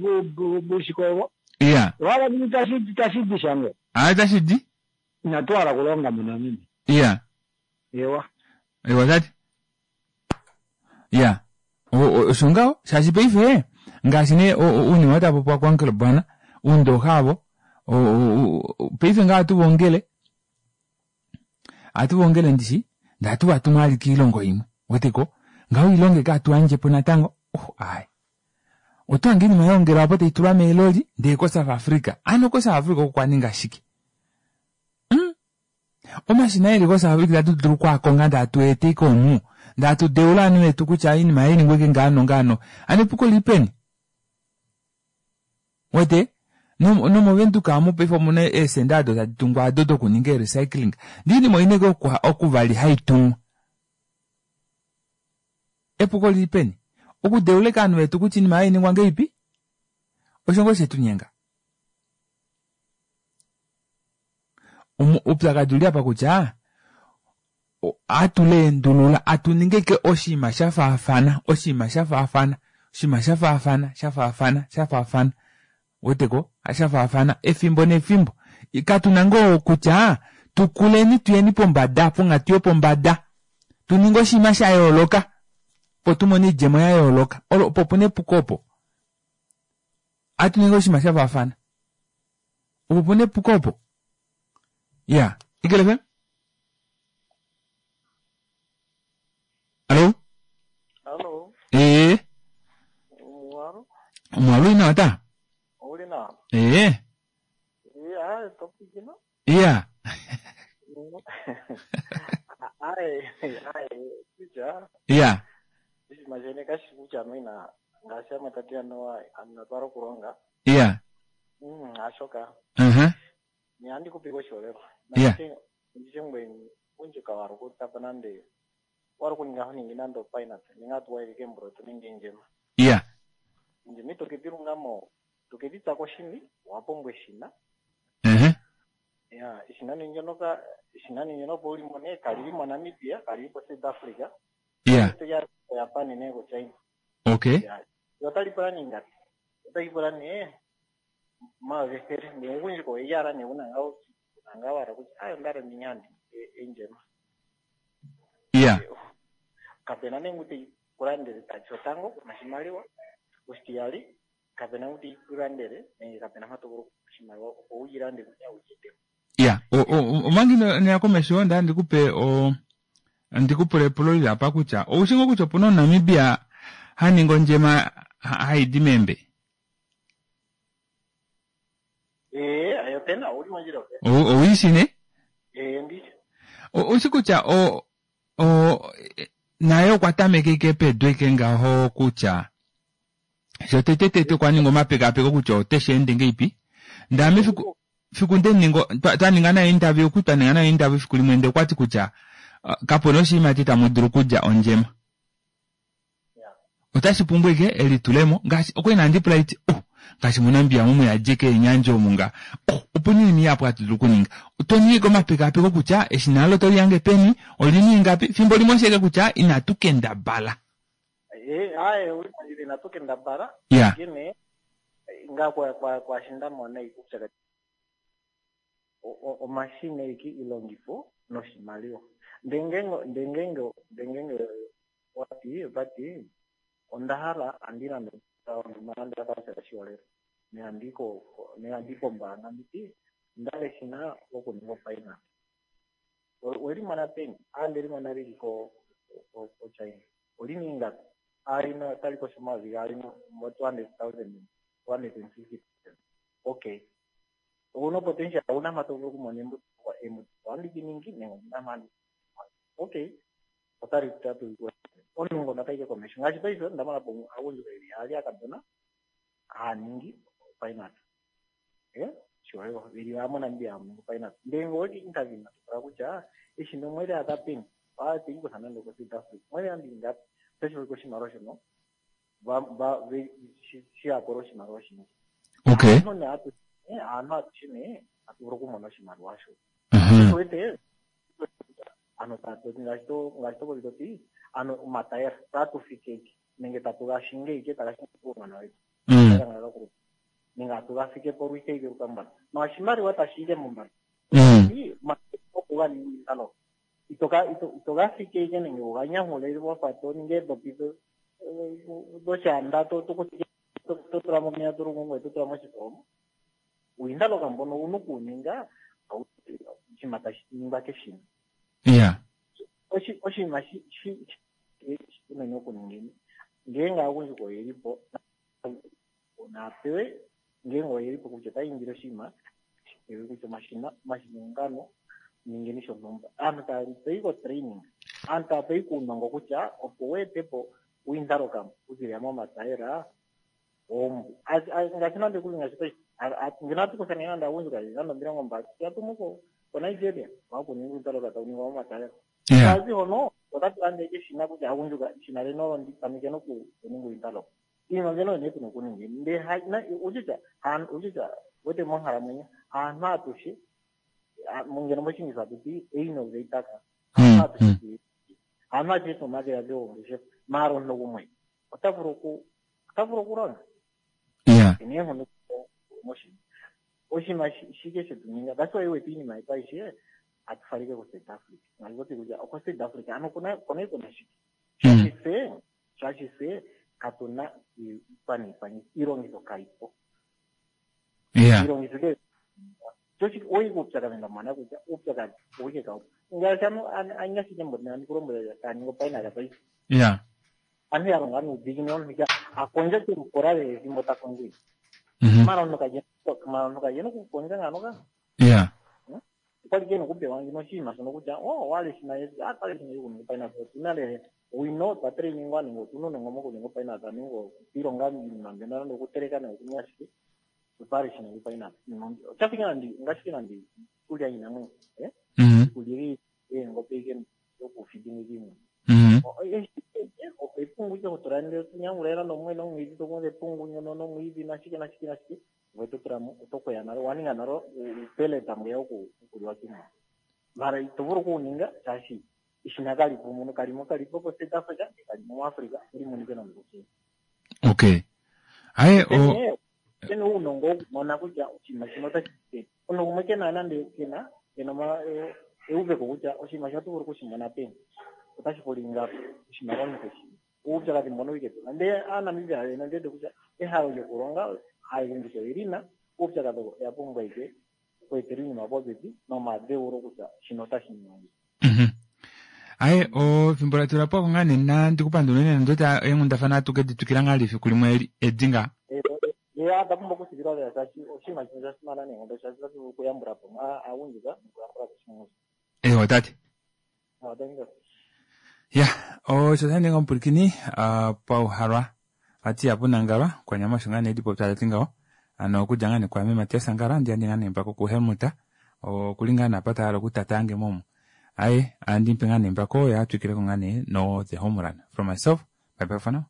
Speaker 13: vuushike ovo.
Speaker 1: Iya.
Speaker 13: Owa hala nini tashi tashi di sha ngoo?
Speaker 1: Aa tashi di.
Speaker 13: Inatu hala okulonga muNamibia.
Speaker 1: Iya.
Speaker 13: Ewa.
Speaker 1: Ewa tate. Iya. Osho ngaho shaashi paife ngaashi nee uunima oo tapopiwa kuUncle Bwana uundooxa avo paife ngaho ohatu va ongele Ohatu va ongele ndishi, ndee ohatu va tumu vali kiilongo imwe. Weteko? Ngaho oilonga eke hatu yandje po natango, oh, aaye. Oto hange oinima ya ongelwa apo tai tulwa meeloli ndee koSouth Africa. Ano koSouth Africa oko kwa ninga shike? Hum? Omashina eli koSouth Africa itatu dulu oku a konga ndee hatu a eta ike omu, ndee hatu deula ovanhu vetu kutya oinima ei ningwa ike ngaha nongaha. Ano epuko olili peni? Wete? NomOvenduka amu paife omuna eesenda ado tadi tungwa ado dokuninga ee-recycling. Ndee oinima oina ashike okuvali haitumwa. Epuko olili peni? Okudeula eke ovanhu vetu kutya oinima hainingwa ngeipi osho ngoo shetunyenga. Oupyakadi uli apa kutya atu leendulula atu ninge ike oshinima sha faafana oshinima sha faafana oshinima sha faafana sha faafana sha faafana weteko sha faafana efimbo nefimbo katuna ngoo kutya tukuleni tuyeni pombada ponghatu yopombada tu ninge oshinima sha yooloka opo tumone oidjemo ya yooloka olo opo puna epuko opo atu ninge oshinima sha faafana opo puna epuko opo ya Eagle FM Allo
Speaker 14: Allo
Speaker 1: ee
Speaker 14: Omuwalu
Speaker 1: Omuwalu uli nawa ta
Speaker 14: Ouli nawa
Speaker 1: ee
Speaker 14: Iya topikino
Speaker 1: Iya
Speaker 14: Aye aye kutya
Speaker 1: Iya
Speaker 14: oshinima shene kashi kutya noina ngaashi amwe tati anuwa anu twala okulonga
Speaker 1: Iya
Speaker 14: hashoka
Speaker 1: uh-huh.
Speaker 14: Nihandi kupika oshiholelwa
Speaker 1: Iya.
Speaker 14: ndishe ngweye undjuka wari okutapa nande wari okuninga honingi nande opainat ninga atuwaile keemboloto nenge endjema
Speaker 1: Iya.
Speaker 14: Endjema ito kedi lungamo to kedi tsa koshini owa pumbwa eshina
Speaker 1: Uh-huh.
Speaker 14: ya eshina nee ndyono ka eshina nee ndyono opo uli mo nee kalili moNamibia kalili koSouth Africa
Speaker 1: Iya.
Speaker 14: ya koJapan nee koChina
Speaker 1: Okay.
Speaker 14: ya otali pula nee ingapi otali pula nee omayovi ethele ndee omugundjuka oye ala nee una ngaa una ngaa wala kutya aye onda hala ndinyande endjema
Speaker 1: Iya.
Speaker 14: kapena nee ngu teyi kulandele tati shotango kuna oshimaliwa oshitiyali kapena ngu teyi kulandele nenge kapena mpa to vulu oshimaliwa opo wuyi lande kutya wuyi etepo
Speaker 1: Ya, omanga ino ya komesho onda ndikupe o ndikupule epulo lili apa kutya oushi ngoo kutya opuna omuNamibia ha ningi ondjema haidi meembe?
Speaker 14: Ee, aye opena, ouli mondjila opena.
Speaker 1: Owiishi ne?
Speaker 14: Ee, ndishi.
Speaker 1: Oushi kutya o o naye okwa tameka ike pedu ike ngaho kutya shotete tete okwa ninga omapekapeko kutya ote shi ende ngeipi. Ndee ame fiku fiku nde ninga twa ninga naye interview oku twa ninga naye interview fiku limwe ndee okwati kutya kapuna oshiimati tamu dulu okulya ondjema. Otashi pumbwa ike elitulemo ngaashi okwali nandi pula iti oh ngaashi moNamibia omu muyadi keenyandja omu nga oh opuna oinima ihapu hatu dulu okuninga. Oto ningi ike omapekapeko kutya eshina olo otoli hange peni olina ingapi fimbo limwe osho ike kutya inatu kendabala.
Speaker 14: Ee, aaye ouli mondjila inatu kendabala
Speaker 1: Ya.
Speaker 14: onkene ngaa kwa kwa kwaashi nda mona uupyakadhi omashina eke ilongifo noshimaliwa ndee ngeenge ndee ngeenge ndee ngeenge wati vati onda hala andi landa nande oshiholelwa nehandi ko nehandi kombaanga nditi onda hala eshina lokuninga opainate oweli mona peni a ndeli mona lili ko ko China olina ingapi a lina otali kosho omayovi gaali no 200,000 250,000 okay ouna potential ouna mpa to vulu okumona embuto embuto ohandi li ningi nenge ondina mpa handi okay otali tatu omuntu ngono ota yi komesho ngaashi paife onda mona po aagundjuka yeli yaali aakadhona haya ningi opainate eh oshiholelwa yeli yaali moNamibia haya ningi opainate ndele ngele oweki interview to pula kutya eshina omweli adha peni ohaa teli kutha nande oko South Africa omweli andi ingapi otashi vulika oshimaliwa shono va va shi ya pula oshimaliwa oshindji
Speaker 1: Okay.
Speaker 14: aantu nee atu aantu atushe nee atu vulu okumona oshimaliwa sho wete ano tatu ngaashi to ngaashi to popi toti ano omatayela tatu fike nenge tatu ga shinge ike taga shinge uunona wetu nenge atu ga fike po lwike ike lukambala no oshimaliwa tashi ike mombanda oku ga ninga ito ito ga fike ike nenge uga nyahule wafa to ninge eedhopi dhoshanda to to tula momeya to lungu ngoye to tula moshitholomo uuyindaloka mbono owuna okuwuninga oshinima tashi ningwa keshina
Speaker 1: Yeah.
Speaker 14: oshinima shi shi unene okuningeni ngeenge aagundjuka oyeli po naapewe ngeenge oyeli po kutya otaya indile oshinima pewe kutya omashina omashina ongano ningeni shontumba aantu taya peyi ko training aantu taya peyi kuunongo kutya opo wu ete po uuyindaloka okuzilila momatayela oombu ngaashi nande kuli ngaashi paife ngeno ohatu kutha nee nande aagundjuka yeli nande 20 ya tumu ko koNigeria wakuninga uuyindaloka tawu ningwa momatayela.
Speaker 1: Yeah.
Speaker 14: Kazi hono otatu landa ike eshina kutya agundjuka eshina leno olo ndi tameke noku ninga ointalo. Iinima mbyono oyo nee tuna okuninga. Ndee ha- na- utya han- utya wete monkalamwenyo aantu atushe ah, ngeno moshingisa atu ti einnovator ka. Aantu atushe tu- aantu atushe tuna omadhiladhilo gongeshefa. Maala omuntu gumwe ota vulu oku ota vulu okulonga.
Speaker 1: Yeah.
Speaker 14: Ena eenghono moshinima. Oshinima shi- shike shetu ninga. That's why wete iinima yetu aishe atu falike ko South Africa. Ngaashi toti kutya oko South Africa ano okuna okuna kuna shike. Shaashi fye shaashi fye katu na iikwaniipangitho iilongitho kayi po.
Speaker 1: Yeah.
Speaker 14: Iilongitho ke chochi oyi kuupyakadhi ndamona kutya uupyakadhi owike kawu. Ngaashi ano anyashike mbona andi kulombwela taya ningi opainala paife.
Speaker 1: Yeah.
Speaker 14: Aantu ya longa nuudhiginini omuntu kutya a kondja kemukola lela ethimbo ta kondjo. Mara omuntu kaje mara omuntu kaje nokukondja ngano ka.
Speaker 1: Yeah.
Speaker 14: Okwali ke nokupewa ngino oshinima shono kutya oh wale shina yesu ah twale shina yokuninga pineapple otuna lele owino twa trainingwa nenge otuna uunongo mokuninga pineapple nenge okwiilonga iinima mbyono nande okuteleka nenge okuninga shike otwale shina yoku pineapple Iinima mbi- oshafike nande ngaashi nande iikulya yiinamwenyo eh iikulya yeengombe ike yokufidinga iimuna epungu ike hotula ndele tunyangula nande omwene omwiidhi tokunza epungu nyono nomwiidhi nashike nashike nashike ngoye to tula mo oto kweya nalo owa ninga nalo uupeleta mbweya wokuliwa kiimuna mara ito vulu okuwuninga shaashi eshina kali po muno kalimo kalipo ko South Africa kalimo muAfrica oli monike nande kuchina
Speaker 1: Okay. Aye o
Speaker 14: pene pene uunongo wokumona kutya oshinima shino otashi peni omuntu gumwe kena nande kena kena oma- e- euveko kutya oshinima shino oto vulu okushimona peni otashi pula ingapi oshimaliwa omuntu keshi uupyakadhi mbono wike tuna ndee aaNamibia yoyene ondi wete kutya ehalo lyokulonga aagundjuka oyeli na uupyakadhi oya pumbwa ike okweetela iinima popepi nomadheulo kutya shino otashi ningwa ngiini.
Speaker 1: Aye o fimbo la tula po ngaa nena ndikupandula unene nondoti eenghundafana atu ke di twikila ngaa lifiku limwe eli- edi ngaa.
Speaker 14: Ya onda pumbwa okutsikila lela shaashi oshinima shimwe osha simana noonkondo shaashi otashi vulu okuyambula po aagundjuka nokuyambula po oshilongo shetu.
Speaker 1: Eewa tate.
Speaker 14: Ah, thank you.
Speaker 1: Ya, osho sha ninga omupwilikini ah, pauhalwa vati ihapu nangalwa kwanyama osho ngaa nee lipopya tati ngaho ano okudja ngaa nee kwaame Matias Angala ndi andi ngaa nee mpako kuHelmut okuli ngaa nee apa ta hala okutataange momu aye andi mupe ngaa nee mpako ye a twikileko ngaa nee no the home run from myself bye bye for now.